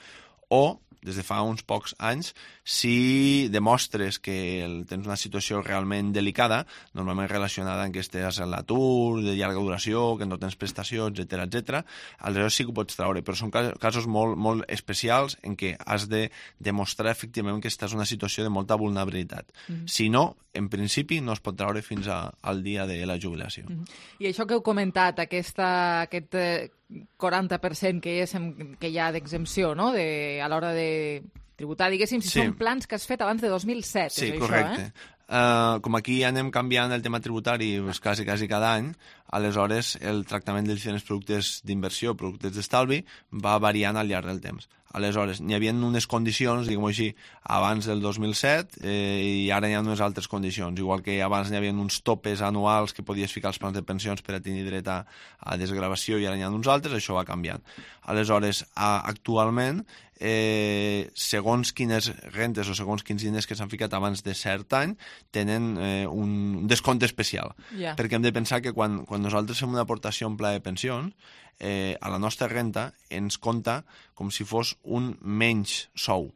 o des de fa uns pocs anys, si demostres que el, tens una situació realment delicada, normalment relacionada amb que estàs a l'atur, de llarga duració, que no tens prestacions, etcètera, etcètera, aleshores sí que ho pots treure, però són casos molt, molt especials en què has de demostrar efectivament que estàs en una situació de molta vulnerabilitat. Mm-hmm. Si no, en principi no es pot treure fins a, al dia de la jubilació. Mm-hmm. I això que heu comentat, aquesta, aquest eh, quaranta per cent que, és, que hi ha d'exempció, no?, de, a l'hora de tributar, diguéssim, si sí. són plans que has fet abans de dos mil set, sí, és correcte. Això, eh? Uh, com aquí anem canviant el tema tributari pues, quasi, quasi cada any, aleshores el tractament dels diferents productes d'inversió, productes d'estalvi, va variant al llarg del temps. Aleshores, n'hi havia unes condicions, diguem-ho així, abans del dos mil set eh, i ara hi ha unes altres condicions. Igual que abans n'hi havia uns topes anuals que podies ficar als plans de pensions per a tenir dret a, a desgravació i ara n'hi ha uns altres, això va canviant. Aleshores, a, actualment, eh, segons quines rentes o segons quins diners que s'han ficat abans de cert any, tenen eh, un descompte especial. Yeah. Perquè hem de pensar que quan, quan nosaltres fem una aportació en pla de pensions, eh, a la nostra renta ens compta com si fos un menys sou.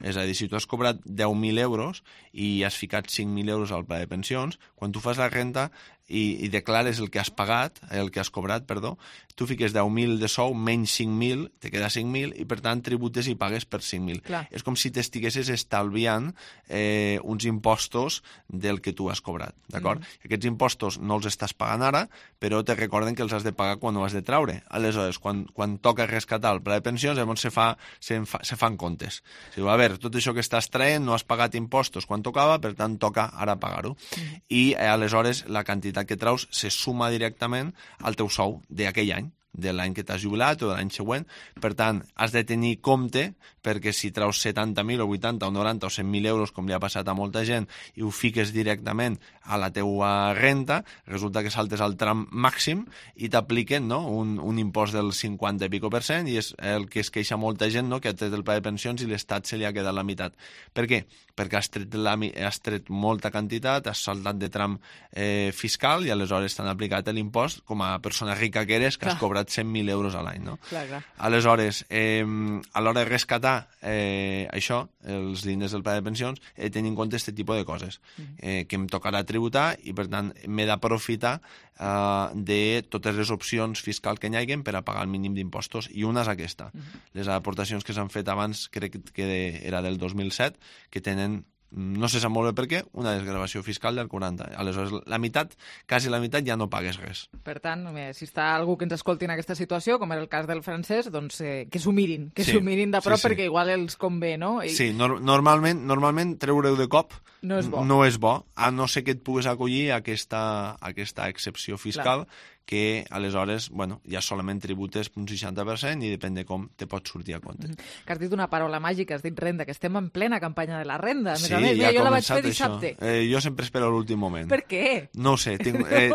És a dir, si tu has cobrat deu mil euros i has ficat cinc mil euros al pla de pensions, quan tu fas la renta i, i declares el que has pagat, el que has cobrat, perdó, tu fiques deu mil de sou, menys cinc mil, te queda cinc mil, i per tant tributes i pagues per cinc mil. Clar. És com si t'estiguessis estalviant eh, uns impostos del que tu has cobrat, d'acord? Mm. Aquests impostos no els estàs pagant ara, però te recorden que els has de pagar quan ho has de traure. Aleshores, quan, quan toca rescatar el pla de pensions, llavors se, fa, se, fa, se fan comptes. Si diu, a veure, tot això que estàs traient no has pagat impostos quan tocava, per tant toca ara pagar-ho. Mm. I eh, aleshores la quantitat que traus se suma directament al teu sou d'aquell any, de l'any que t'has jubilat o de l'any següent. Per tant, has de tenir compte, perquè si traus setanta mil o vuitanta o noranta o cent mil euros, com li ha passat a molta gent, i ho fiques directament a la teua renta, resulta que saltes al tram màxim i t'apliquen, no?, un, un impost del cinquanta i pico per cent, i és el que es queixa molta gent, no?, que ha tret el pla de pensions i l'Estat se li ha quedat la meitat. Per què? Perquè has tret, la, has tret molta quantitat, has saltat de tram eh, fiscal i aleshores t'han aplicat l'impost com a persona rica que eres, que has cobrat cent mil euros a l'any, no? Clar, clar. Aleshores, eh, a l'hora de rescatar eh, això, els diners del pla de pensions, he de tenir en compte aquest tipus de coses, eh, que em tocarà tributar i, per tant, m'he d'aprofitar eh, de totes les opcions fiscals que hi hagin per a pagar el mínim d'impostos, i una és aquesta. Uh-huh. Les aportacions que s'han fet abans, crec que era del dos mil set, que tenen, no se sap molt bé per què, una desgravació fiscal del quaranta. Aleshores, la meitat, quasi la meitat, ja no pagues res. Per tant, si està algú que ens escolti en aquesta situació, com era el cas del francès, doncs eh, que s'ho mirin, que s'ho sí, mirin de prop, sí, sí. perquè igual els convé, no? I... Sí, no, normalment, normalment treure-ho de cop no és bo. No és bo, a no ser que et puguis acollir a aquesta, a aquesta excepció fiscal, clar, que aleshores, bueno, ja solament tributes un seixanta per cent i depèn de com te pots sortir a compte. Mm -hmm. Que has dit una paraula màgica, has dit renda, que estem en plena campanya de la renda. A més sí, a més, ja jo la vaig fer dissabte. Eh, jo sempre espero l'últim moment. Per què? No ho sé, tinc, eh,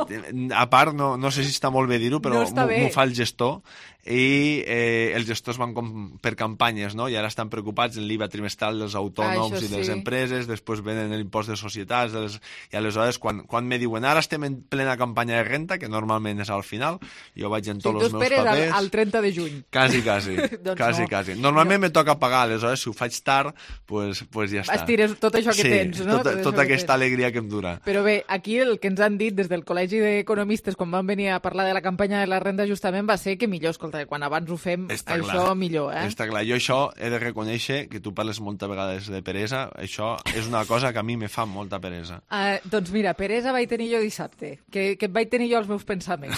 a part, no, no sé si està molt bé dir-ho, però no m'ho fa el gestor, i eh, els gestors van com per campanyes, no? I ara estan preocupats en l'I V A trimestral dels autònoms ah, i de les sí. empreses, després venen l'impost de societats, de les... i aleshores quan, quan me diuen ara estem en plena campanya de renta, que normalment és al final, jo vaig en tots sí, els meus papers... Tu esperes al trenta de juny. Quasi, quasi, doncs quasi, no. quasi. Normalment no. me toca pagar, aleshores si ho faig tard, pues, pues ja està. Estires tot això que sí, tens, no? Tota, tota aquesta alegria que em dura. Però bé, aquí el que ens han dit des del Col·legi d'Economistes quan van venir a parlar de la campanya de la renda justament va ser que millor, escolta, quan abans ho fem, està això clar. millor, eh? Està clar. Jo això he de reconèixer que tu parles moltes vegades de peresa, això és una cosa que a mi me fa molta peresa. Uh, doncs mira, peresa vaig tenir jo dissabte, que, que vaig tenir jo els meus pensaments.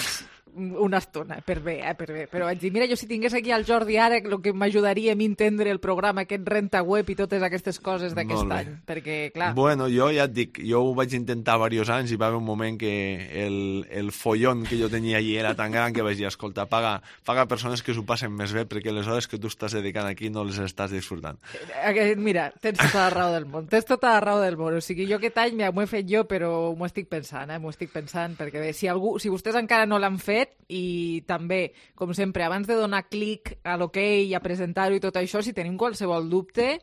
Una estona, per bé, eh, per bé. Però vaig dir, mira, jo si tingués aquí el Jordi ara, el que m'ajudaria a mi entendre el programa, aquest renta web i totes aquestes coses d'aquest any. Perquè, clar... Bueno, jo ja et dic, jo ho vaig intentar diversos anys i va haver un moment que el, el follon que jo tenia allí era tan gran que vaig dir, escolta, paga, paga persones que s'ho passen més bé, perquè les hores que tu estàs dedicant aquí no les estàs disfrutant. Mira, tens tota la raó del món, tens tota la raó del món. O sigui, jo aquest any m'ho he fet jo, però m'ho estic pensant, eh? M'ho estic pensant, perquè bé, si, algú, si vostès encara no l'han fet, i també, com sempre, abans de donar clic a l'ok i a presentar-ho i tot això, si tenim qualsevol dubte,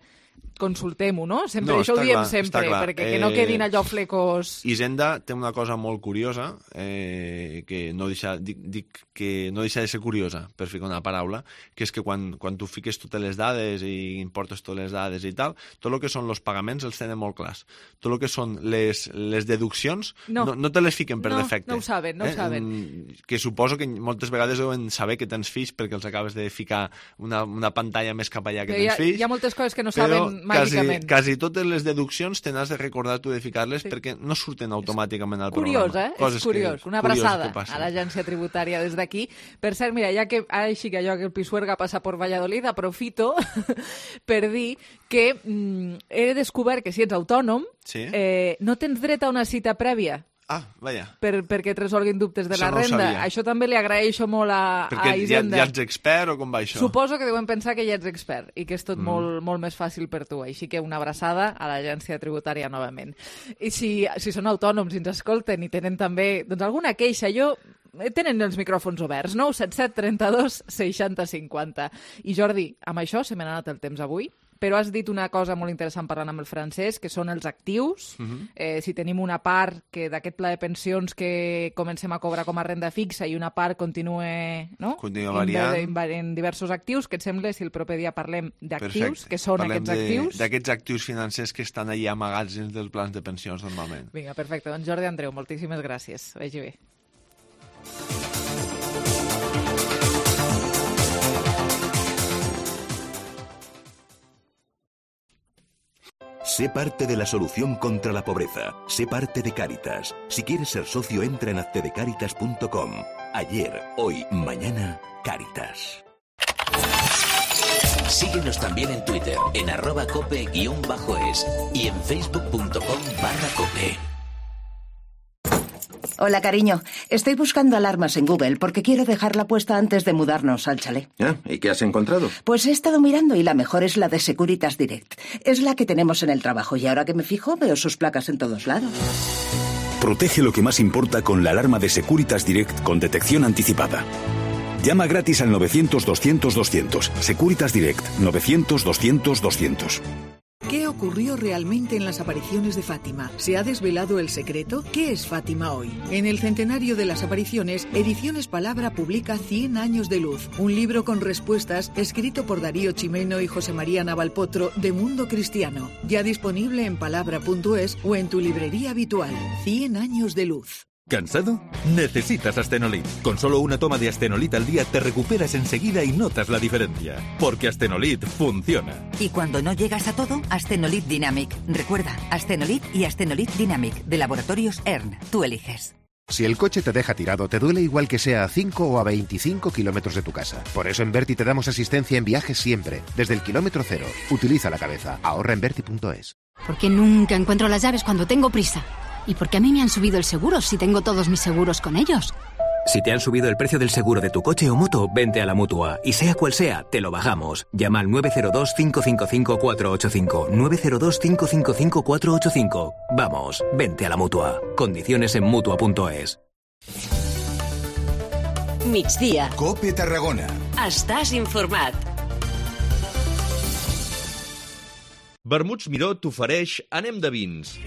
consultem-ho, no? Sempre, no, això ho diem clar, sempre, perquè eh, que no quedin allò flecos... Hisenda té una cosa molt curiosa, eh, que no deixa, dic, dic que no deixa de ser curiosa, per ficar una paraula, que és que quan, quan tu fiques totes les dades i importes totes les dades i tal, tot el que són els pagaments els tenen molt clars. Tot el que són les, les deduccions no, no, no te les fiquen per no, defecte. No ho saben, no eh? ho saben. Que suposo que moltes vegades deuen saber que tens fills perquè els acabes de ficar una, una pantalla més cap allà que tens fills. Hi ha moltes coses que no saben màgicament. Quasi, quasi totes les deduccions te n'has de recordar tu de ficar-les sí. perquè no surten automàticament al curiós, programa. Eh? Coses és curiós, que, una abraçada a l'agència tributària des d'aquí. Per cert, mira, ja que ara així que allò que el Pisuerga passa per Valladolid, aprofito per dir que mm, he descobert que si ets autònom sí. eh, no tens dret a una cita prèvia. Ah, vaja. Per, perquè et resolguin dubtes de això la no renda. Això també li agraeixo molt a, perquè a Hisenda. Perquè ja, ja ets expert o com va això? Suposo que deuen pensar que ja ets expert i que és tot mm. molt, molt més fàcil per tu. Així que una abraçada a l'agència tributària novament. I si, si són autònoms i ens escolten i tenen també doncs, alguna queixa, jo... Tenen els micròfons oberts, nou set set trenta-dos seixanta cinquanta. I Jordi, amb això se m'ha anat el temps avui, però has dit una cosa molt interessant parlant amb el Francesc, que són els actius. Uh-huh. eh, si tenim una part que d'aquest pla de pensions que comencem a cobrar com a renda fixa i una part continue, no? Continua variant. En, en diversos actius, què et sembla si el proper dia parlem d'actius, que són parlem aquests actius? D'aquests actius financers que estan allà amagats dins dels plans de pensions normalment. Vinga, perfecte. Doncs Jordi Andreu, moltíssimes gràcies. Vagi bé. Sé parte de la solución contra la pobreza. Sé parte de Cáritas. Si quieres ser socio, entra en hazte de cáritas punto com. Ayer, hoy, mañana, Cáritas. Síguenos también en Twitter, en arroba cope guión bajo es y en facebook punto com barra cope. Hola, cariño. Estoy buscando alarmas en Google porque quiero dejarla puesta antes de mudarnos al chalet. ¿Ah? ¿Y qué has encontrado? Pues he estado mirando y la mejor es la de Securitas Direct. Es la que tenemos en el trabajo y ahora que me fijo veo sus placas en todos lados. Protege lo que más importa con la alarma de Securitas Direct con detección anticipada. Llama gratis al novecientos doscientos doscientos. Securitas Direct, novecientos doscientos doscientos. ¿Qué ocurrió realmente en las apariciones de Fátima? ¿Se ha desvelado el secreto? ¿Qué es Fátima hoy? En el centenario de las apariciones, Ediciones Palabra publica Cien años de luz, un libro con respuestas escrito por Darío Chimeno y José María Navalpotro de Mundo Cristiano, ya disponible en palabra punto es o en tu librería habitual. Cien años de luz. ¿Cansado? Necesitas Astenolit. Con solo una toma de Astenolit al día te recuperas enseguida y notas la diferencia. Porque Astenolit funciona. Y cuando no llegas a todo, Astenolit Dynamic. Recuerda, Astenolit y Astenolit Dynamic, de Laboratorios E R N. Tú eliges. Si el coche te deja tirado, te duele igual que sea a cinco o a veinticinco kilómetros de tu casa. Por eso en Berti te damos asistencia en viajes siempre, desde el kilómetro cero. Utiliza la cabeza. Ahorra en berti punto es. Porque nunca encuentro las llaves cuando tengo prisa. ¿Y por qué a mí me han subido el seguro si tengo todos mis seguros con ellos? Si te han subido el precio del seguro de tu coche o moto, vente a la Mutua. Y sea cual sea, te lo bajamos. Llama al nueve cero dos, cinco cinco cinco, cuatro ocho cinco. nueve cero dos, cinco cinco cinco, cuatro ocho cinco. Vamos, vente a la Mutua. Condiciones en mutua punto es. Migdia. Cope Tarragona. Estàs informat. Vermuts Miró t'ofereix Anem de vins.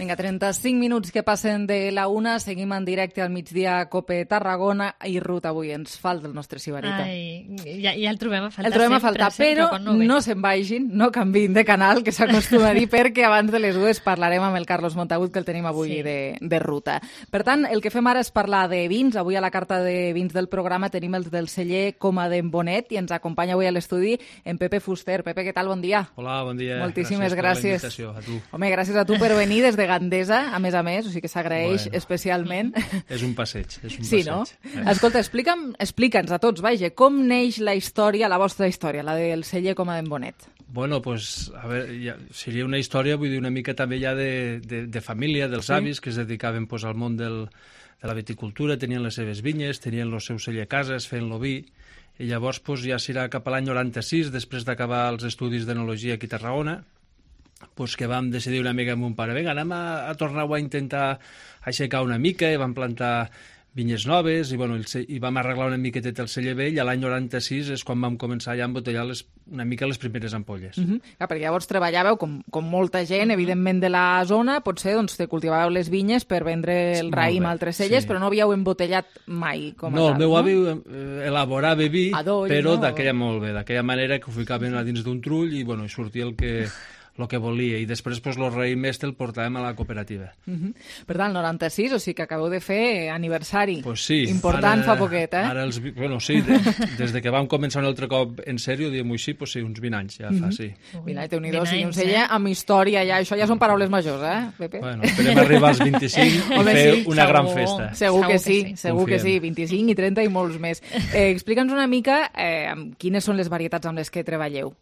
Vinga, trenta-cinc minuts que passen de la una, seguim en directe al migdia Cope Tarragona i Ruth, avui ens falta el nostre Sibarita. Ai, ja, ja el trobem a faltar El trobem sempre, a faltar, sempre, però no, no se'n vagin, no canviïn de canal, que s'acostuma a dir, perquè abans de les dues parlarem amb el Carlos Montagut, que el tenim avui sí. de, de ruta. Per tant, el que fem ara és parlar de vins. Avui a la carta de vins del programa tenim els del celler Coma d'en Bonet i ens acompanya avui a l'estudi en Pepe Fuster. Pepe, què tal? Bon dia. Hola, bon dia. Moltíssimes gràcies. gràcies. Per la invitació, a tu. Home, gràcies a tu per venir des de Gandesa, a més a més, o sigui que s'agraeix Bueno. especialment. És un passeig, és un Sí, passeig. no? Eh. Escolta, explica'm, explica'ns a tots, vaja, com neix la història, la vostra història, la del celler Coma d'en Bonet? Bueno, pues, a veure, ja, seria una història, vull dir, una mica també ja de, de, de família, dels Sí. avis, que es dedicaven pues, al món del, de la viticultura, tenien les seves vinyes, tenien el seu celler a cases, feien-lo vi, i llavors pues, ja serà cap a l'any noranta-sis, després d'acabar els estudis d'enologia aquí a Tarragona, pues que vam decidir una mica amb un pare, vinga, anem a, a tornar-ho a intentar aixecar una mica, i vam plantar vinyes noves, i, bueno, el, ce- i vam arreglar una miqueteta el celler vell, i a l'any noranta-sis és quan vam començar ja a embotellar les, una mica les primeres ampolles. Uh -huh. Clar, perquè llavors treballàveu com, com molta gent, evidentment, de la zona, potser doncs, te cultivàveu les vinyes per vendre el Molt raïm bé, a altres celles, sí. però no havíeu embotellat mai com a No, tal, el meu no? avi eh, elaborava vi, Adoll, però no? d'aquella molt bé, d'aquella manera que ho ficaven a dins d'un trull i, bueno, i sortia el que, el que volia. I després, pues, el raïm este el portàvem a la cooperativa. Uh -huh. Per tant, noranta-sis, o sigui que acabeu de fer aniversari. Pues sí. Important ara, fa poquet, eh? Ara els, vi- bueno, sí, de, des de que vam començar un altre cop en sèrio, diguem-ho així, pues sí, uns vint anys ja fa, Mhm. sí. Mira, Déu-n'hi-do, o vint sigui, un anys, celler eh? amb història ja, això ja són paraules majors, eh, Pepe? Bueno, esperem arribar als vint-i-cinc i Home, fer sí, una segur. gran festa. Segur que sí, segur que sí, Confiem. vint-i-cinc i trenta i molts més. Eh, Explica'ns una mica eh, amb quines són les varietats amb les que treballeu.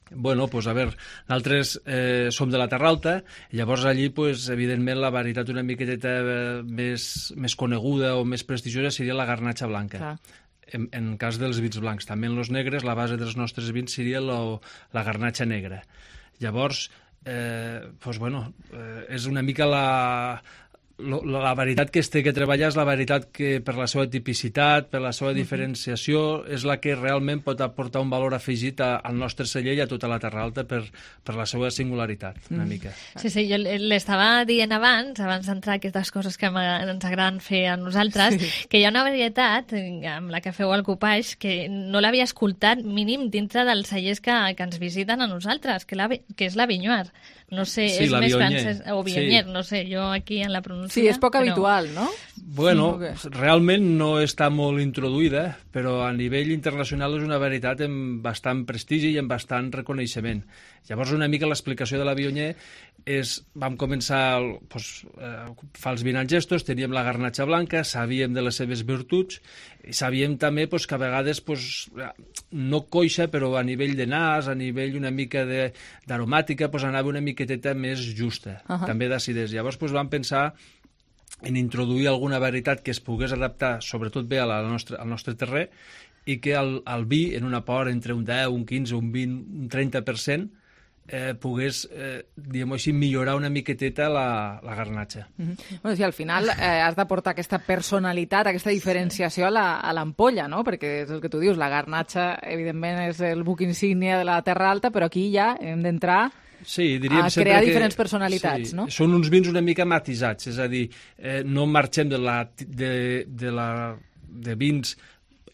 Bueno, pues a veure, nosaltres eh, som de la Terra Alta, i llavors allí, pues, evidentment, la varietat una miqueta eh, més, més coneguda o més prestigiosa seria la garnatxa blanca. Clar. En, en cas dels vins blancs. També en els negres, la base dels nostres vins seria lo, la garnatxa negra. Llavors, eh, doncs, bueno, eh, és una mica la... la varietat que es té que treballar és la varietat que per la seva tipicitat, per la seva diferenciació, és la que realment pot aportar un valor afegit al nostre celler i a tota la Terra Alta per, per la seva singularitat, una mm. mica. Sí, sí, jo l'estava dient abans, abans d'entrar aquestes coses que ens agraden fer a nosaltres, sí. que hi ha una varietat amb la que feu el copatge que no l'havia escoltat mínim dintre dels cellers que, que ens visiten a nosaltres, que, la, que és la Vinyuar. No sé, sí, és més Viognier. francès, o Viognier, sí. no sé, jo aquí en la pronuncia... Sí, és poc però... habitual, no? Bueno, sí, realment no està molt introduïda, però a nivell internacional és una varietat amb bastant prestigi i amb bastant reconeixement. Llavors, una mica l'explicació de la Viognier és, vam començar doncs, eh, fa els vint anys estos, teníem la garnatxa blanca, sabíem de les seves virtuts, i sabíem també doncs, que a vegades doncs, no coixa, però a nivell de nas, a nivell una mica d'aromàtica, doncs, anava una miqueteta més justa, uh -huh. també d'acidesa. Llavors doncs, vam pensar en introduir alguna varietat que es pogués adaptar sobretot bé a la nostra, al nostre terrer i que el, el vi, en un aport entre un deu, un quinze, un vint, un trenta per cent, eh, pogués, eh, diguem-ho així, millorar una miqueteta la, la garnatxa. Mm-hmm. Bueno, sí, al final eh, has d'aportar aquesta personalitat, aquesta diferenciació a l'ampolla, no? Perquè és el que tu dius, la garnatxa, evidentment, és el buc insígnia de la Terra Alta, però aquí ja hem d'entrar... Sí, diríem a sempre crear que, diferents personalitats, sí, no? Són uns vins una mica matisats, és a dir, eh, no marxem de, la, de, de, la, de vins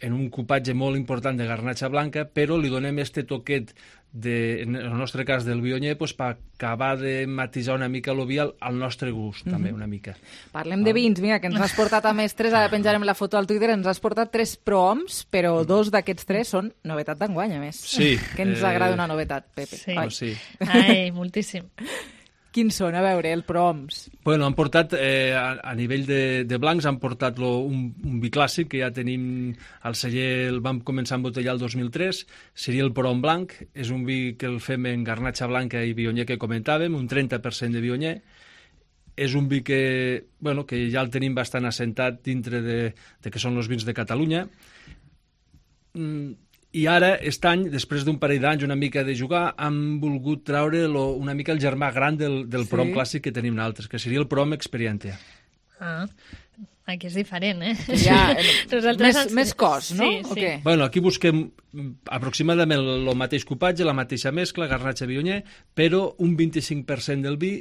en un copatge molt important de garnatxa blanca, però li donem este toquet, de, en el nostre cas del Viognier, pues, per acabar de matisar una mica el vi al, al nostre gust, també, Mm-hmm. una mica. Parlem de vins, mira, que ens has portat a més tres, ara penjarem la foto al Twitter, ens has portat tres prohoms, però dos d'aquests tres són novetat d'enguany, a més. Sí. Que ens eh... agrada una novetat, Pepe. Sí. Oh, sí. Ai, moltíssim. Quins són? A veure, el prohoms. Bueno, han portat, eh, a, a nivell de, de blancs, han portat lo, un, un vi clàssic que ja tenim al celler, el vam començar a embotellar el dos mil tres, seria el Prohom blanc, és un vi que el fem en garnatxa blanca i Viognier que comentàvem, un trenta per cent de Viognier. És un vi que, bueno, que ja el tenim bastant assentat dintre de, de que són els vins de Catalunya. Mm, I ara, aquest any, després d'un parell d'anys, una mica de jugar, han volgut traure lo, una mica el germà gran del, del sí. Prohom clàssic que tenim nosaltres, que seria el Prohom Experientia. Ah, aquí és diferent, eh? Ja, més, ens... més cos, no? Sí, sí. Okay. Bueno, aquí busquem aproximadament el mateix copatge, la mateixa mescla, garnatxa Viognier, però un vint-i-cinc per cent del vi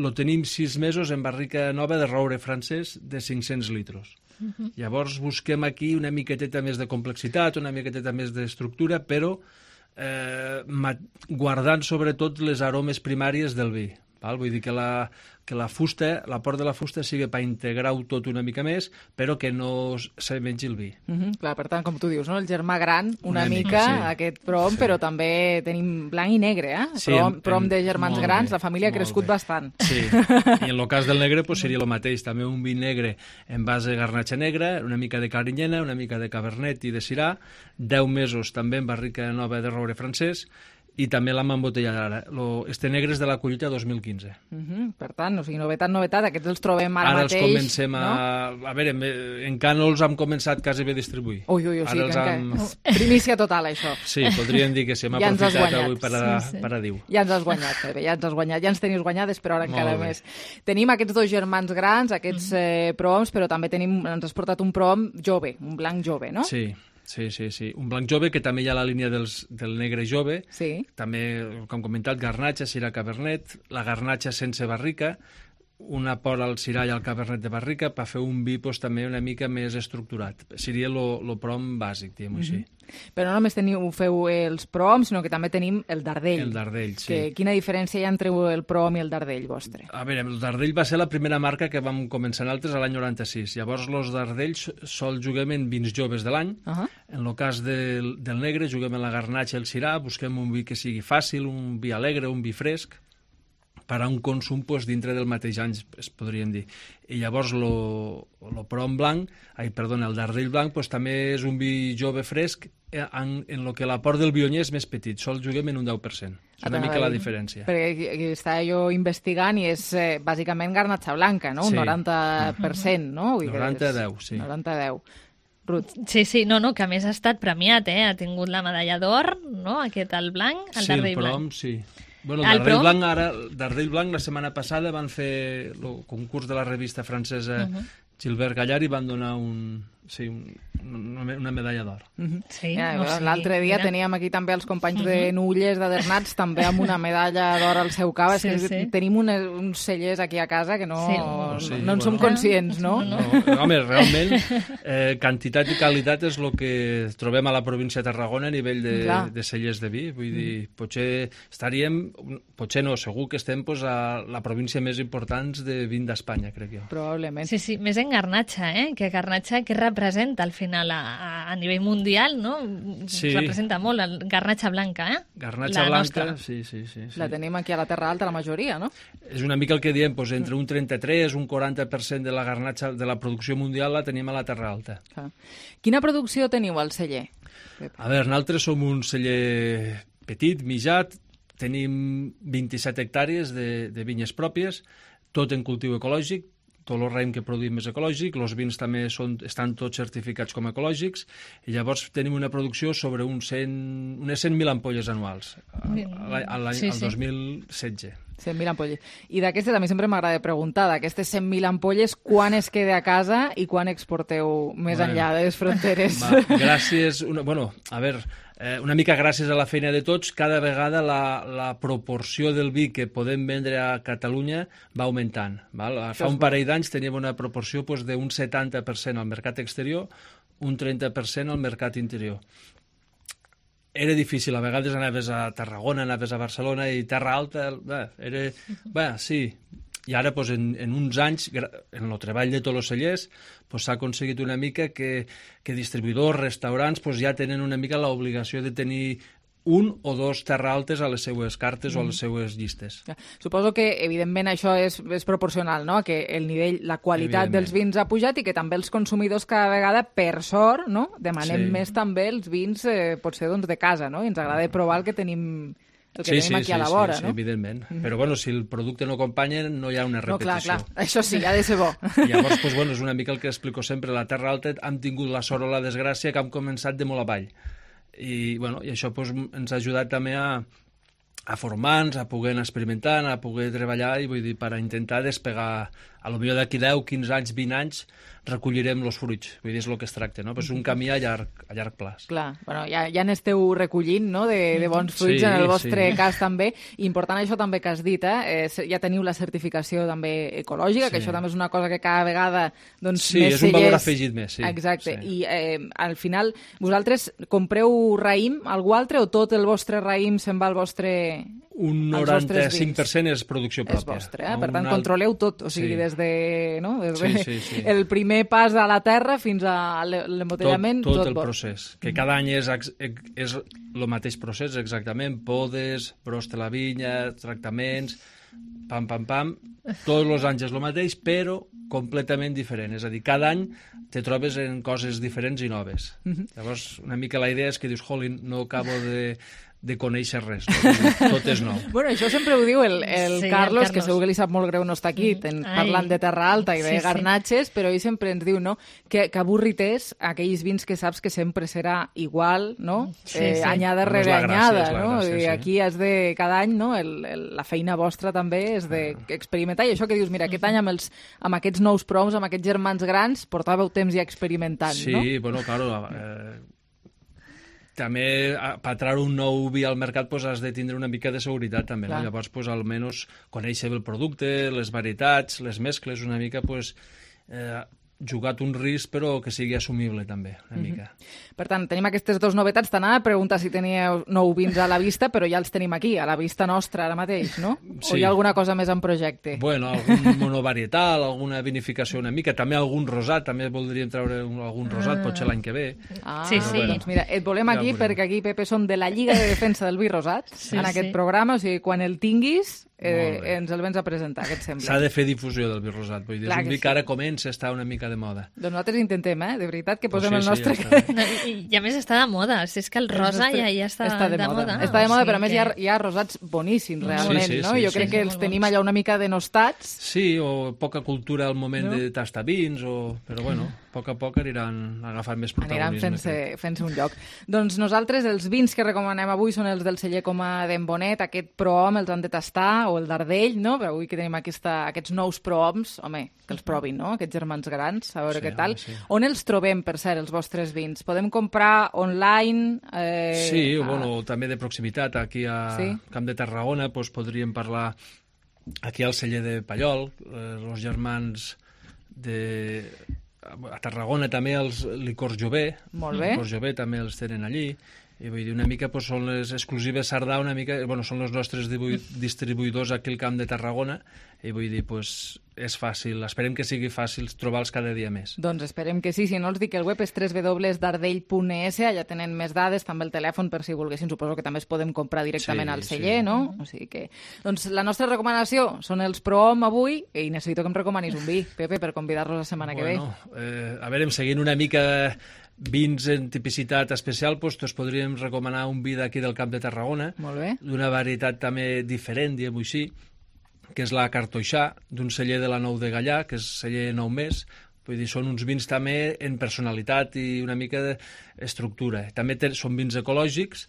lo tenim sis mesos en barrica nova de roure francès de cinc-cents litros. Uh-huh. Llavors busquem aquí una miqueteta més de complexitat, una miqueteta més d'estructura, però eh, guardant sobretot les aromes primàries del vi. Val? Vull dir que la, que la fusta, l'aport de la fusta sigui per integrar-ho tot una mica més, però que no se mengi el vi. Uh-huh. Clar, per tant, com tu dius, no? El germà gran, una, una mica, mica sí. aquest Prohom, sí. però també tenim blanc i negre, eh? Sí, Prohom, en, Prohom de germans grans, bé, la família ha crescut bé. bastant. Sí, i en el cas del negre pues, seria el mateix, també un vi negre en base de garnatxa negra, una mica de carinyena, una mica de cabernet i de sirà, deu mesos també en barrica nova de roure francès, i també l'hem embotellat ara. Lo, este negre és de la collita dos mil quinze. Uh-huh. Per tant, o sigui, novetat, novetat, aquests els trobem ara, ara mateix. Ara els comencem a... No? A veure, en cànols hem començat quasi bé a distribuir. Ui, ui, ui, sí, que hem... primícia total, això. Sí, podríem dir que sí, hem ja aprofitat avui per a, sí, sí. per a dir-ho. Ja ens has guanyat, Pepe, ja ens has guanyat. Ja ens tenies guanyades, però ara encara més. Tenim aquests dos germans grans, aquests mm. eh, prohoms, però també tenim, ens has portat un prohom jove, un blanc jove, no? Sí. Sí, sí, sí. Un blanc jove que també hi ha la línia dels, del negre jove. Sí. També, com he comentat, garnatxa, sirà cabernet, la garnatxa sense barrica, un aport al sirà i al cabernet de barrica per fer un vi pues, també una mica més estructurat. Seria el Prohom bàsic, diguem-ho mm-hmm. així. Però no només teniu, feu els Prohoms, sinó que també tenim el Dardell. El Dardell, sí. Que, quina diferència hi ha entre el Prohom i el Dardell vostre? A veure, el Dardell va ser la primera marca que vam començar nosaltres l'any noranta-sis. Llavors, els Dardells sol juguem en vins joves de l'any. Uh-huh. En el cas del, del negre, juguem en la garnatxa i el sirà, busquem un vi que sigui fàcil, un vi alegre, un vi fresc, per a un consum pues, dintre del mateix any, es podríem dir. I llavors el Prohom blanc, ai, perdona, el Dardell blanc, pues, també és un vi jove fresc en, en el que l'aport del Viognier és més petit, sol juguem en un deu per cent. És una mica la diferència. Perquè estava jo investigant i és eh, bàsicament garnatxa blanca, no? Un sí. noranta per cent, no? Vull noranta a deu, sí. noranta a deu. Ruth. Sí, sí, no, no, que a més ha estat premiat, eh? Ha tingut la medalla d'or, no? Aquest, el blanc, el sí, Dardell el Prohom, blanc. Sí, Bueno, el Dardell Blanc, ara, Dardell Blanc, la setmana passada van fer el concurs de la revista francesa uh-huh. Gilbert Gallard i van donar un, sí, un, una, una medalla d'or. Uh-huh. Sí, ja, no, sí, l'altre dia mira. Teníem aquí també els companys uh-huh. de Nulles, de Dernats, també amb una medalla d'or al seu cap. Sí, és que sí. Tenim una, uns cellers aquí a casa que no, sí. no, sí, no en bueno. som conscients, no? no, no home, realment, eh, quantitat i qualitat és el que trobem a la província de Tarragona a nivell de, de cellers de vi. Vull dir, potser estaríem, potser no, segur que estem pues, a la província més important de vin d'Espanya, crec jo. Probablement. Sí, sí, més en Garnatxa, eh? Que Garnatxa, què representa al final a, a, a nivell mundial, no? Sí. Representa molt el Garnatxa blanca, eh? Garnatxa la blanca, sí, sí, sí, sí. La tenim aquí a la Terra Alta, la majoria, no? És una mica el que diem, doncs, entre un trenta-tres, un quaranta per cent de la garnatxa, de la producció mundial la tenim a la Terra Alta. Ah. Quina producció teniu al celler? Pep? A veure, nosaltres som un celler petit, mitjat, tenim vint-i-set hectàrees de, de vinyes pròpies, tot en cultiu ecològic, tot el raïm que produïm és ecològic, els vins també són, estan tots certificats com a ecològics, i llavors tenim una producció sobre un cent, unes cent mil ampolles anuals, al sí, sí. dos mil setze. cent mil ampolles. I d'aquestes, a mi sempre m'agrada preguntar, d'aquestes cent mil ampolles, quan es queda a casa i quan exporteu més bueno, enllà de les fronteres? Va, gràcies... Una, bueno, a veure... Eh, una mica gràcies a la feina de tots, cada vegada la, la proporció del vi que podem vendre a Catalunya va augmentant. Val? Fa un parell d'anys teníem una proporció pues, d'un setanta per cent al mercat exterior, un trenta per cent al mercat interior. Era difícil, a vegades anaves a Tarragona, anaves a Barcelona i Terra Alta, bé, era... Bé, sí... I ara, doncs, en, en uns anys, en el treball de tots els cellers, doncs, s'ha aconseguit una mica que, que distribuïdors, restaurants, doncs, ja tenen una mica l'obligació de tenir un o dos terra altes a les seues cartes mm. o a les seues llistes. Ja. Suposo que, evidentment, això és, és proporcional, no?, que el nivell, la qualitat dels vins ha pujat i que també els consumidors cada vegada, per sort, no?, demanem sí. més també els vins, eh, potser, doncs, de casa, no?, i ens agrada provar el que tenim... el que sí, tenim aquí sí, a la vora, sí, no? Sí, evidentment. Mm-hmm. Però, bueno, si el producte no acompanya, no hi ha una repetició. No, clar, clar. Això sí, ha de ser bo. I llavors, doncs, bueno, és una mica el que explico sempre. A la Terra Alta hem tingut la sort o la desgràcia que hem començat de molt avall. I, bueno, i això doncs, ens ha ajudat també a, a formar-nos, a poder anar experimentant, a poder treballar, i vull dir, per a intentar despegar, a lo millor d'aquí deu, quinze anys, vint anys, recollirem els fruits. Vull dir, és el que es tracta, no? Però és un camí a llarg, a llarg plaç. Clar, bueno, ja, ja n'esteu recollint, no?, de, de bons fruits sí, en el vostre sí. cas també. I important això també que has dit, eh? eh ja teniu la certificació també ecològica, sí. que això també és una cosa que cada vegada doncs, sí, més és un cellers... valor afegit més, sí. Exacte. Sí. I eh, al final, vosaltres compreu raïm algú altre o tot el vostre raïm se'n va al vostre... Un noranta-cinc per cent és producció pròpia. És vostre, eh? Per tant, alt... controleu tot, o sigui, sí. des de, no? des de sí, sí, sí. el primer pas a la terra fins a l'embotellament, tot, tot, tot el bo. procés, que cada any és, és el mateix procés exactament, podes, brost de la vinya, tractaments, pam, pam, pam, tots els anys és el mateix, però completament diferent, és a dir, cada any te trobes en coses diferents i noves. Mm-hmm. Llavors, una mica la idea és que dius, jolín, no acabo de... de conèixer res, no? Tot és nou. Bueno, això sempre ho diu el, el, sí, Carlos, el Carlos, que segur que li sap molt greu no estar aquí, ten, parlant de Terra Alta i de sí, garnatxes, sí. però ell sempre ens diu, no?, que, que avorrit és aquells vins que saps que sempre serà igual, no?, sí, eh, sí. anyada no rere anyada, gràcia, no? Gràcia, I sí. aquí has de, cada any, no?, el, el, la feina vostra també és d'experimentar, i això que dius, mira, aquest any amb, els, amb aquests nous proms, amb aquests germans grans, portàveu temps ja experimentant, sí, no? Sí, bueno, claro, eh, també per treure un nou vi al mercat pues, has de tindre una mica de seguretat també, no? Llavors pues, almenys conèixer el producte, les varietats, les mescles, una mica pues, eh, jugat un risc però que sigui assumible també, una mica. Mm-hmm. Per tant, tenim aquestes dues novetats. T'anava a preguntar si teníeu nou vins a la vista, però ja els tenim aquí, a la vista nostra ara mateix, no? Sí. O hi ha alguna cosa més en projecte? Bueno, algun monovarietal, alguna vinificació una mica, també algun rosat, també voldríem treure un, algun rosat, ah. potser l'any que ve. Ah, sí, sí. Bueno, doncs mira, et volem aquí ja perquè aquí, Pepe, som de la Lliga de Defensa del Vi Rosat, sí, en aquest sí. programa, o sigui, quan el tinguis eh, ens el vens a presentar, què et sembla? S'ha de fer difusió del vi rosat, vull dir, Clar és un que vi que ara comença a estar una mica de moda. Doncs nosaltres intentem, eh? De veritat, que Pues posem sí, el nostre... sí, ja està. No, i, I a més està de moda, si és que el rosa ja, ja està, està de, de moda. moda. Està de moda, o sigui però a més que... hi ha, hi ha rosats boníssims, realment, Sí, sí, no? sí, Jo sí, crec sí. que els tenim allà una mica denostats. Sí, o poca cultura al moment No? de tastar vins, o... però bueno, a poc a poc aniran agafant més Aniran protagonisme. fent-se fent un lloc. Doncs nosaltres els vins que recomanem avui són els del celler Coma d'en Bonet, aquest Prohom els han de tastar, o el d'Ardell, no? Però avui que tenim aquesta, aquests nous Prohoms, home, que els provin, no? Aquests germans grans, a veure Sí, què tal. home, sí. On els trobem, per cert, els vostres vins? Podem comprar online? Eh, Sí, a... bueno, també de proximitat, aquí a Sí? Camp de Tarragona, doncs podríem parlar aquí al celler de Pallol, eh, els germans de... A Tarragona també els licors Jové, Molt bé. licors Jové també els tenen allí, i vull dir, una mica doncs, són les exclusives Sardà, una mica, bueno, són els nostres dibu- distribuïdors aquí al Camp de Tarragona, i vull dir, doncs, és fàcil, esperem que sigui fàcil trobar-los cada dia més. Doncs esperem que sí, si no els dic que el web és w w w punt dardell punt e s, allà tenen més dades, també el telèfon per si volguessin, suposo que també es podem comprar directament Sí, al celler, sí. no? O sigui que... Doncs la nostra recomanació són els Prohom avui, i necessito que em recomanis un vi, Pepe, per convidar-los la setmana Bueno, que ve. eh, a veure, seguint una mica vins en tipicitat especial, doncs, doncs podríem recomanar un vi d'aquí del Camp de Tarragona, Molt bé. d'una varietat també diferent, diguem-ho així, que és la Cartoixà, d'un celler de la Nou de Gallà, que és celler Nou Més. Vull dir, són uns vins també en personalitat i una mica d'estructura. També te, són vins ecològics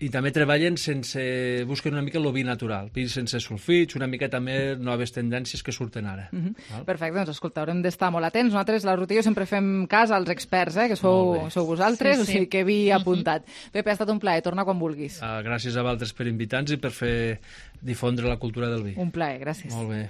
i també treballen sense... busquen una mica el vi natural, vins sense sulfits, una mica també noves tendències que surten ara. Mhm. Val? Perfecte, doncs escolta, haurem d'estar molt atents. Nosaltres, la Rutillo, sempre fem cas als experts, eh, que sou, Molt bé. sou vosaltres, Sí, o sí. sigui que vi apuntat. Pepe, ha estat un plaer, torna quan vulguis. Uh, gràcies a vosaltres per invitar-nos i per fer difondre la cultura del vi. Un plaer, gràcies. Molt bé.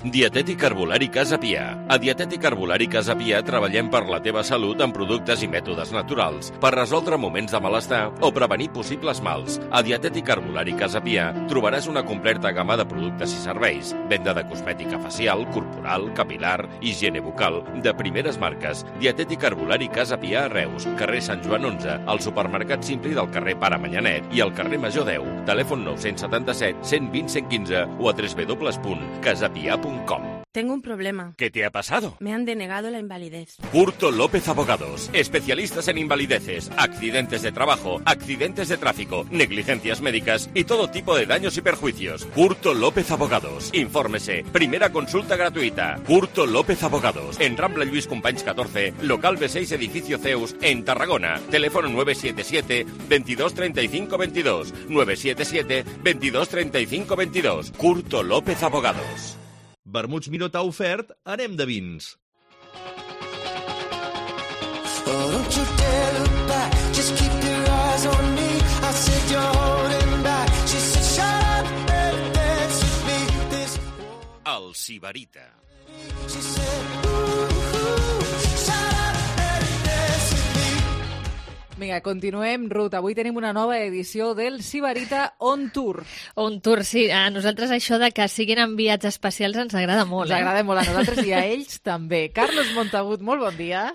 Dietètic Herbolari Casa Pia. A Dietètic Herbolari Casa Pia treballem per la teva salut amb productes i mètodes naturals, per resoldre moments de malestar o prevenir possibles mals. A Dietètic Herbolari Casa Pia trobaràs una completa gamma de productes i serveis, venda de cosmètica facial, corporal, capilar, higiene bucal, de primeres marques. Dietètic Herbolari Casa Pia a Reus, carrer Sant Joan onze, al supermercat Simpli del carrer Pare Manyanet i al carrer Major deu. Telèfon nou set set, cent vint, cent quinze o a w w w punt casapia punt com. Tengo un problema. ¿Qué te ha pasado? Me han denegado la invalidez. Curto López Abogados, especialistas en invalideces, accidentes de trabajo, accidentes de tráfico, negligencias médicas y todo tipo de daños y perjuicios. Curto López Abogados. Infórmese. Primera consulta gratuita. Curto López Abogados. En Rambla Lluís Companys catorce, local B seis, edificio Zeus, en Tarragona. Teléfono nueve siete siete, veintidós treinta y cinco veintidós. nueve siete siete, veintidós treinta y cinco veintidós. Curto López Abogados. Vermuts Miró t'ha ofert Anem de vins. El Sibarita. Vinga, continuem, Ruth. Avui tenim una nova edició del Sibarita On Tour. On Tour, sí. A nosaltres això de que siguin enviats especials ens agrada molt. Ens agrada molt a nosaltres i a ells també. Carlos Montagut, molt bon dia.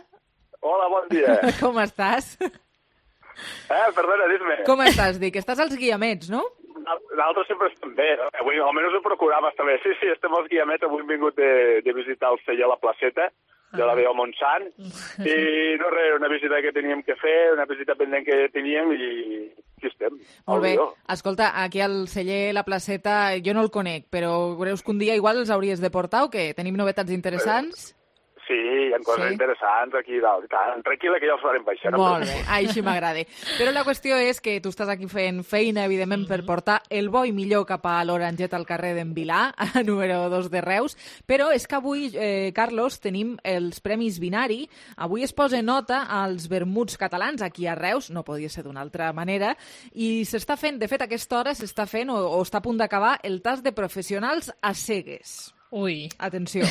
Hola, bon dia. Com estàs? Eh, perdona, dis-me. Com estàs, dic? Estàs als guiamets, no? Nosaltres sempre estem bé, no? Avui almenys ho procurava estar bé. Sí, sí, estem als guiamets. Avui hem vingut de, de visitar el celler a la placeta de la Veu Montsant, i no res, una visita que teníem que fer, una visita pendent que teníem i aquí estem. Molt bé. Escolta, aquí al celler La Placeta jo no el conec, però creus que un dia igual els hauries de portar o què? Tenim novetats interessants? Sí, hi ha coses Sí? interessants aquí dalt. Tant, tranquil·la que ja els farem baixar. no Molt em bé, preocupis. així m'agrada. Però la qüestió és que tu estàs aquí fent feina, evidentment, per portar el bo i millor cap a l'Oranget al carrer d'en Vilà, a número dos de Reus, però és que avui, eh, Carlos, tenim els Premis Binari. Avui es posa nota als vermuts catalans aquí a Reus, no podia ser d'una altra manera, i s'està fent, de fet, a aquesta hora s'està fent o, o està a punt d'acabar el tast de professionals a cegues. Ui. Atenció.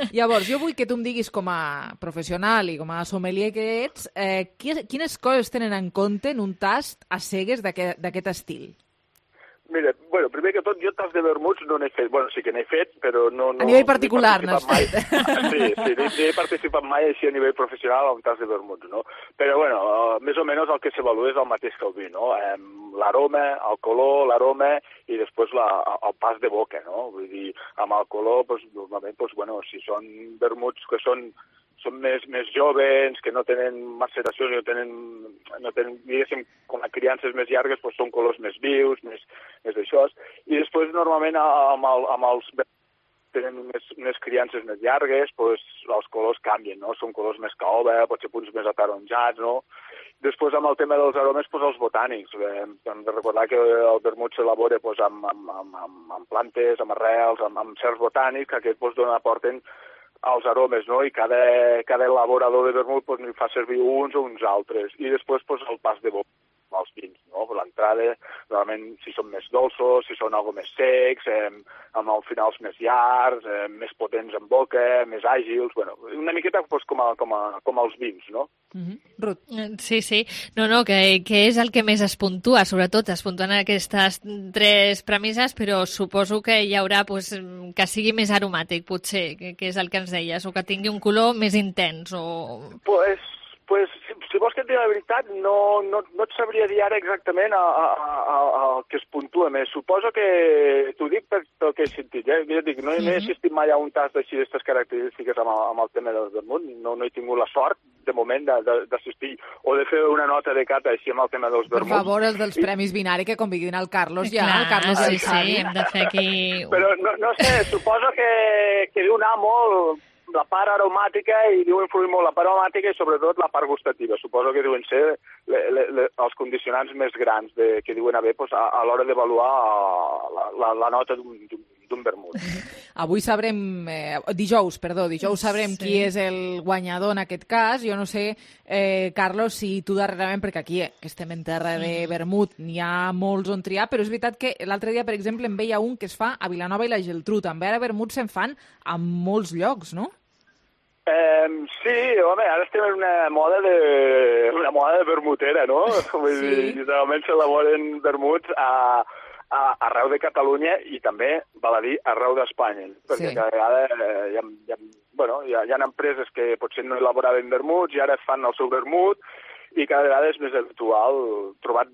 Llavors, jo vull que tu em diguis com a professional i com a sommelier que ets, eh, quines coses tenen en compte en un tast a cegues d'aquest estil? Mira, bueno, primer que tot, jo tas de vermuts no n'he fet. Bueno, sí que n'he fet, però no... no a nivell particular n'has fet. Sí, sí, no he participat mai així a nivell professional en un tas de vermuts, no? Però, bueno, uh, més o menys el que s'avalua és el mateix que el vi, no? Um, l'aroma, el color, l'aroma i després la, el pas de boca, no? Vull dir, amb el color, doncs, normalment, doncs, bueno, si són vermuts que són són més, més joves, que no tenen maceració, no tenen, no tenen, diguéssim, com a criances més llargues, doncs són colors més vius, més, més d'això. I després, normalment, amb, el, amb els tenen més, més criances més llargues, doncs els colors canvien, no? Són colors més caoba, potser punts més ataronjats, no? Després, amb el tema dels aromes, doncs els botànics. Eh, hem de recordar que el vermut s'elabora doncs, amb, amb, amb, amb plantes, amb arrels, amb, amb certs botànics, que aquests doncs, aporten els aromes, no? I cada, cada elaborador de vermut pues, fa servir uns o uns altres. I després pues, el pas de boca, els vins, no? L'entrada, normalment, si són més dolços, si són algo més secs, eh, amb els finals més llargs, eh, més potents en boca, més àgils, bueno, una miqueta pues, com, a, com, a, com els vins, no? Mm-hmm. Ruth. Sí, sí. No, no, que, que és el que més es puntua, sobretot es puntuen aquestes tres premisses, però suposo que hi haurà pues, que sigui més aromàtic, potser, que, que és el que ens deies, o que tingui un color més intens, o... Pues, pues si, si vols que et digui la veritat, no, no, no et sabria dir ara exactament el que es puntua més. Suposo que t'ho dic per el que he sentit, eh? Ja dic, no, mm-hmm. no he assistit mai a un tas d'així d'aquestes característiques amb el, amb el tema del vermut, no, no he tingut la sort, de moment, d'assistir o de fer una nota de cata així amb el tema dels vermuts. Per favor, els dels I... Premis Binari, que conviguin el Carlos ja. Clar, el Carlos sí, sí, sí, hem de fer aquí... Però no, no sé, suposo que, que deu anar molt la part aromàtica i deu influir molt la part aromàtica i sobretot la part gustativa. Suposo que deuen ser le, le, le, els condicionants més grans de, que deuen haver pues, a, a l'hora d'avaluar la, la, la nota d'un vermut. Avui sabrem, eh, dijous, perdó, dijous sabrem sí. qui és el guanyador en aquest cas. Jo no sé, eh, Carlos, si tu darrerament, perquè aquí eh, que estem en terra de vermut, n'hi ha molts on triar, però és veritat que l'altre dia, per exemple, en veia un que es fa a Vilanova i la Geltrú. També ara vermut se'n fan a molts llocs, no? Um, sí, home, ara estem en una moda de, una moda de vermutera, no? Vull sí. dir, literalment s'elaboren vermuts a, a, arreu de Catalunya i també, val a dir, arreu d'Espanya. Perquè sí. cada vegada eh, hi, ha, hi, ha, bueno, hi, ha, hi ha empreses que potser no elaboraven vermuts i ara fan el seu vermut i cada vegada és més habitual trobar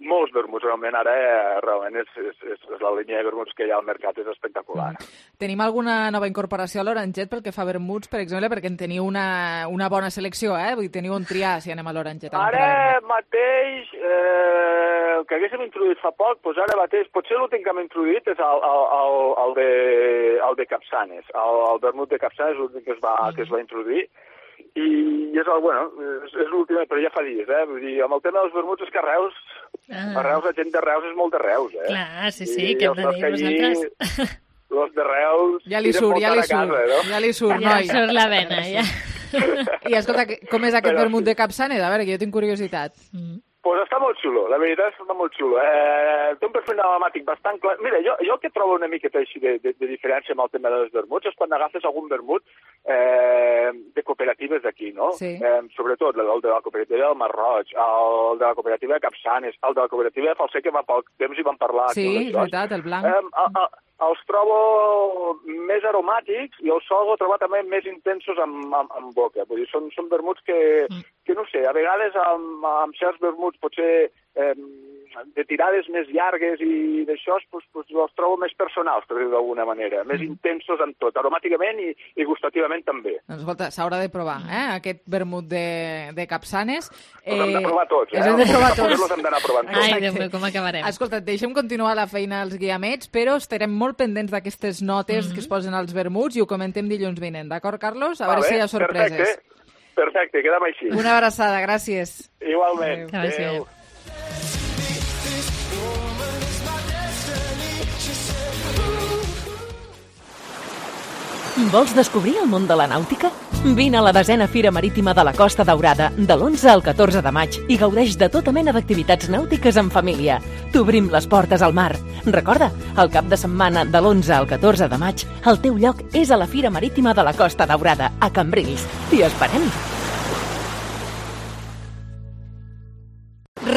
molts vermuts, realment ara eh, realment és, és, és, és la línia de vermuts que hi ha al mercat, és espectacular. Mm. Tenim alguna nova incorporació a l'Oranget pel que fa a vermuts, per exemple, perquè en teniu una, una bona selecció, eh? Vull dir, teniu on triar si anem a l'Oranget. Ara mateix, eh, el que haguéssim introduït fa poc, doncs ara mateix, potser l'últim que hem introduït és el, el, el, el, de, el de Capçanes. El, el vermut de Capçanes és l'últim que, es va, mm. que es va introduir. I és el, bueno, és, és l'últim, però ja fa dies, eh? Vull dir, amb el tema dels vermuts és que a Reus, ah. a Reus, la gent de Reus és molt de Reus, eh? Clar, sí, sí, I què hem de dir vosaltres? Els de Reus... Ja li surt, ja li surt, casa, no? ja li surt, ja noi. Ja surt la vena, ja. I escolta, com és aquest però, vermut de Capçanes? A veure, que jo tinc curiositat. Mm. Pues està molt xulo, la veritat és que està molt xulo. Eh, té un perfil aromàtic bastant clar. Mira, jo, jo el que trobo una miqueta així de, de, de diferència amb el tema dels vermuts és quan agafes algun vermut eh, de cooperatives d'aquí, no? Sí. Eh, sobretot el de la cooperativa del Mar Roig, el de la cooperativa de Capçanes, el de la cooperativa de Falser, que fa poc temps hi van parlar. Sí, és veritat, el blanc. Eh, a, a, els trobo més aromàtics i els solgo trobar també més intensos amb, amb, amb boca. Vull dir, són, són vermuts que, que, no sé, a vegades amb, amb certs vermuts potser eh, de tirades més llargues i d'això, pues, pues, els trobo més personals, per dir d'alguna manera, més mm. intensos en tot, aromàticament i, i gustativament també. Doncs escolta, s'haurà de provar, eh, aquest vermut de, de Capçanes. Eh, els hem de provar tots, eh? Els hem de provar tots. Els hem d'anar provant tots. Ai, Déu meu, com acabarem. Escolta, deixem continuar la feina als guiamets, però estarem molt pendents d'aquestes notes mm-hmm. que es posen als vermuts i ho comentem dilluns vinent, d'acord, Carlos? A Va veure bé, si hi ha sorpreses. Perfecte, perfecte, quedem així. Una abraçada, gràcies. Igualment. Adéu. Adéu. Vols descobrir el món de la nàutica? Vine a la desena Fira Marítima de la Costa Daurada de l'onze al catorze de maig i gaudeix de tota mena d'activitats nàutiques en família. T'obrim les portes al mar. Recorda, el cap de setmana de l'onze al catorze de maig, el teu lloc és a la Fira Marítima de la Costa Daurada, a Cambrils. T'hi esperem!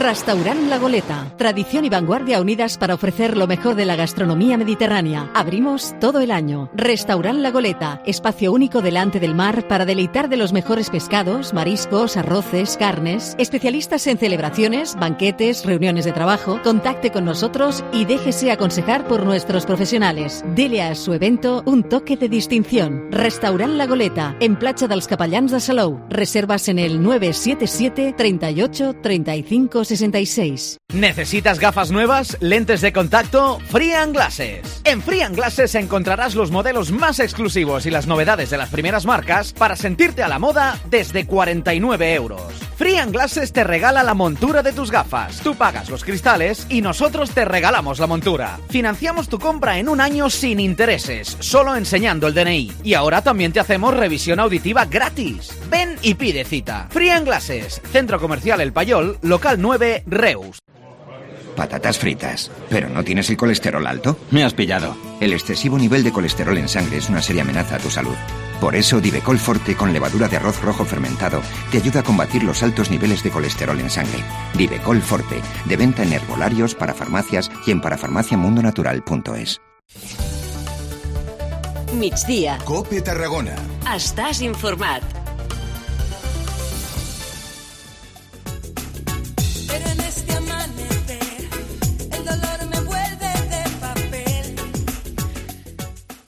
Restaurant La Goleta. Tradición y vanguardia unidas para ofrecer lo mejor de la gastronomía mediterránea. Abrimos todo el año. Restaurant La Goleta. Espacio único delante del mar para deleitar de los mejores pescados, mariscos, arroces, carnes. Especialistas en celebraciones, banquetes, reuniones de trabajo. Contacte con nosotros y déjese aconsejar por nuestros profesionales. Dele a su evento un toque de distinción. Restaurant La Goleta. En Platja dels Capellans de Salou. Reservas en el nueve siete siete, treinta y ocho, treinta y cinco, sesenta y seis. ¿Necesitas gafas nuevas? ¿Lentes de contacto? Free and Glasses. En Free and Glasses encontrarás los modelos más exclusivos y las novedades de las primeras marcas para sentirte a la moda desde cuarenta y nueve euros. Free and Glasses te regala la montura de tus gafas. Tú pagas los cristales y nosotros te regalamos la montura. Financiamos tu compra en un año sin intereses, solo enseñando el D N I. Y ahora también te hacemos revisión auditiva gratis. Ven y pide cita. Free and Glasses, Centro Comercial El Payol, local nueve, Reus. Patatas fritas. ¿Pero no tienes el colesterol alto? Me has pillado. El excesivo nivel de colesterol en sangre es una seria amenaza a tu salud. Por eso, Divecol Forte con levadura de arroz rojo fermentado te ayuda a combatir los altos niveles de colesterol en sangre. Divecol Forte, de venta en herbolarios, para farmacias y en parafarmaciamundonatural punto es. Migdia. Cope Tarragona. Estàs informat.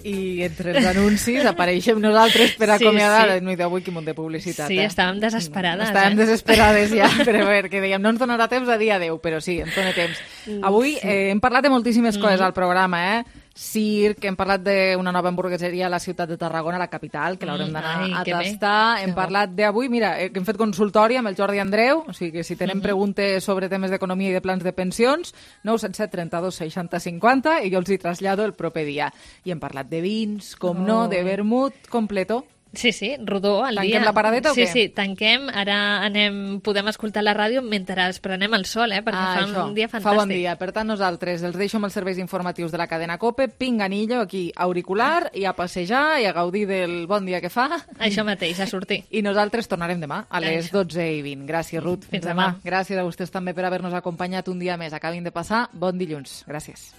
I entre els anuncis apareixem nosaltres per acomiadar. Sí, sí. No, avui quin munt de publicitat. Sí, eh? estàvem desesperades. Estàvem eh? desesperades ja, però a veure, que dèiem, no ens donarà temps a dia deu, però sí, ens dona temps. Avui eh, hem parlat de moltíssimes mm. coses al programa, eh? Circ, hem parlat d'una nova hamburgueseria a la ciutat de Tarragona, la capital, que l'haurem d'anar mm, a tastar. Hem parlat d'avui, mira, hem fet consultori amb el Jordi Andreu, o sigui que si tenen mm -hmm. preguntes sobre temes d'economia i de plans de pensions, nou set set, trenta-dos, seixanta, cinquanta, i jo els hi trasllado el proper dia. I hem parlat de vins, com oh. no, de vermut completo. Sí, sí, rodó al tanquem dia. Tanquem la paradeta o sí, què? Sí, sí, tanquem. Ara anem, podem escoltar la ràdio mentre prenem el sol, eh? Perquè ah, fa això, un dia fantàstic. Fa bon dia. Per tant, nosaltres els deixo amb els serveis informatius de la cadena COPE, pinganillo, aquí, auricular, i a passejar i a gaudir del bon dia que fa. Això mateix, a sortir. I nosaltres tornarem demà a les dotze i vint. Gràcies, Ruth. Fins demà. demà. Gràcies a vostès també per haver-nos acompanyat un dia més. Acabin de passar bon dilluns. Gràcies.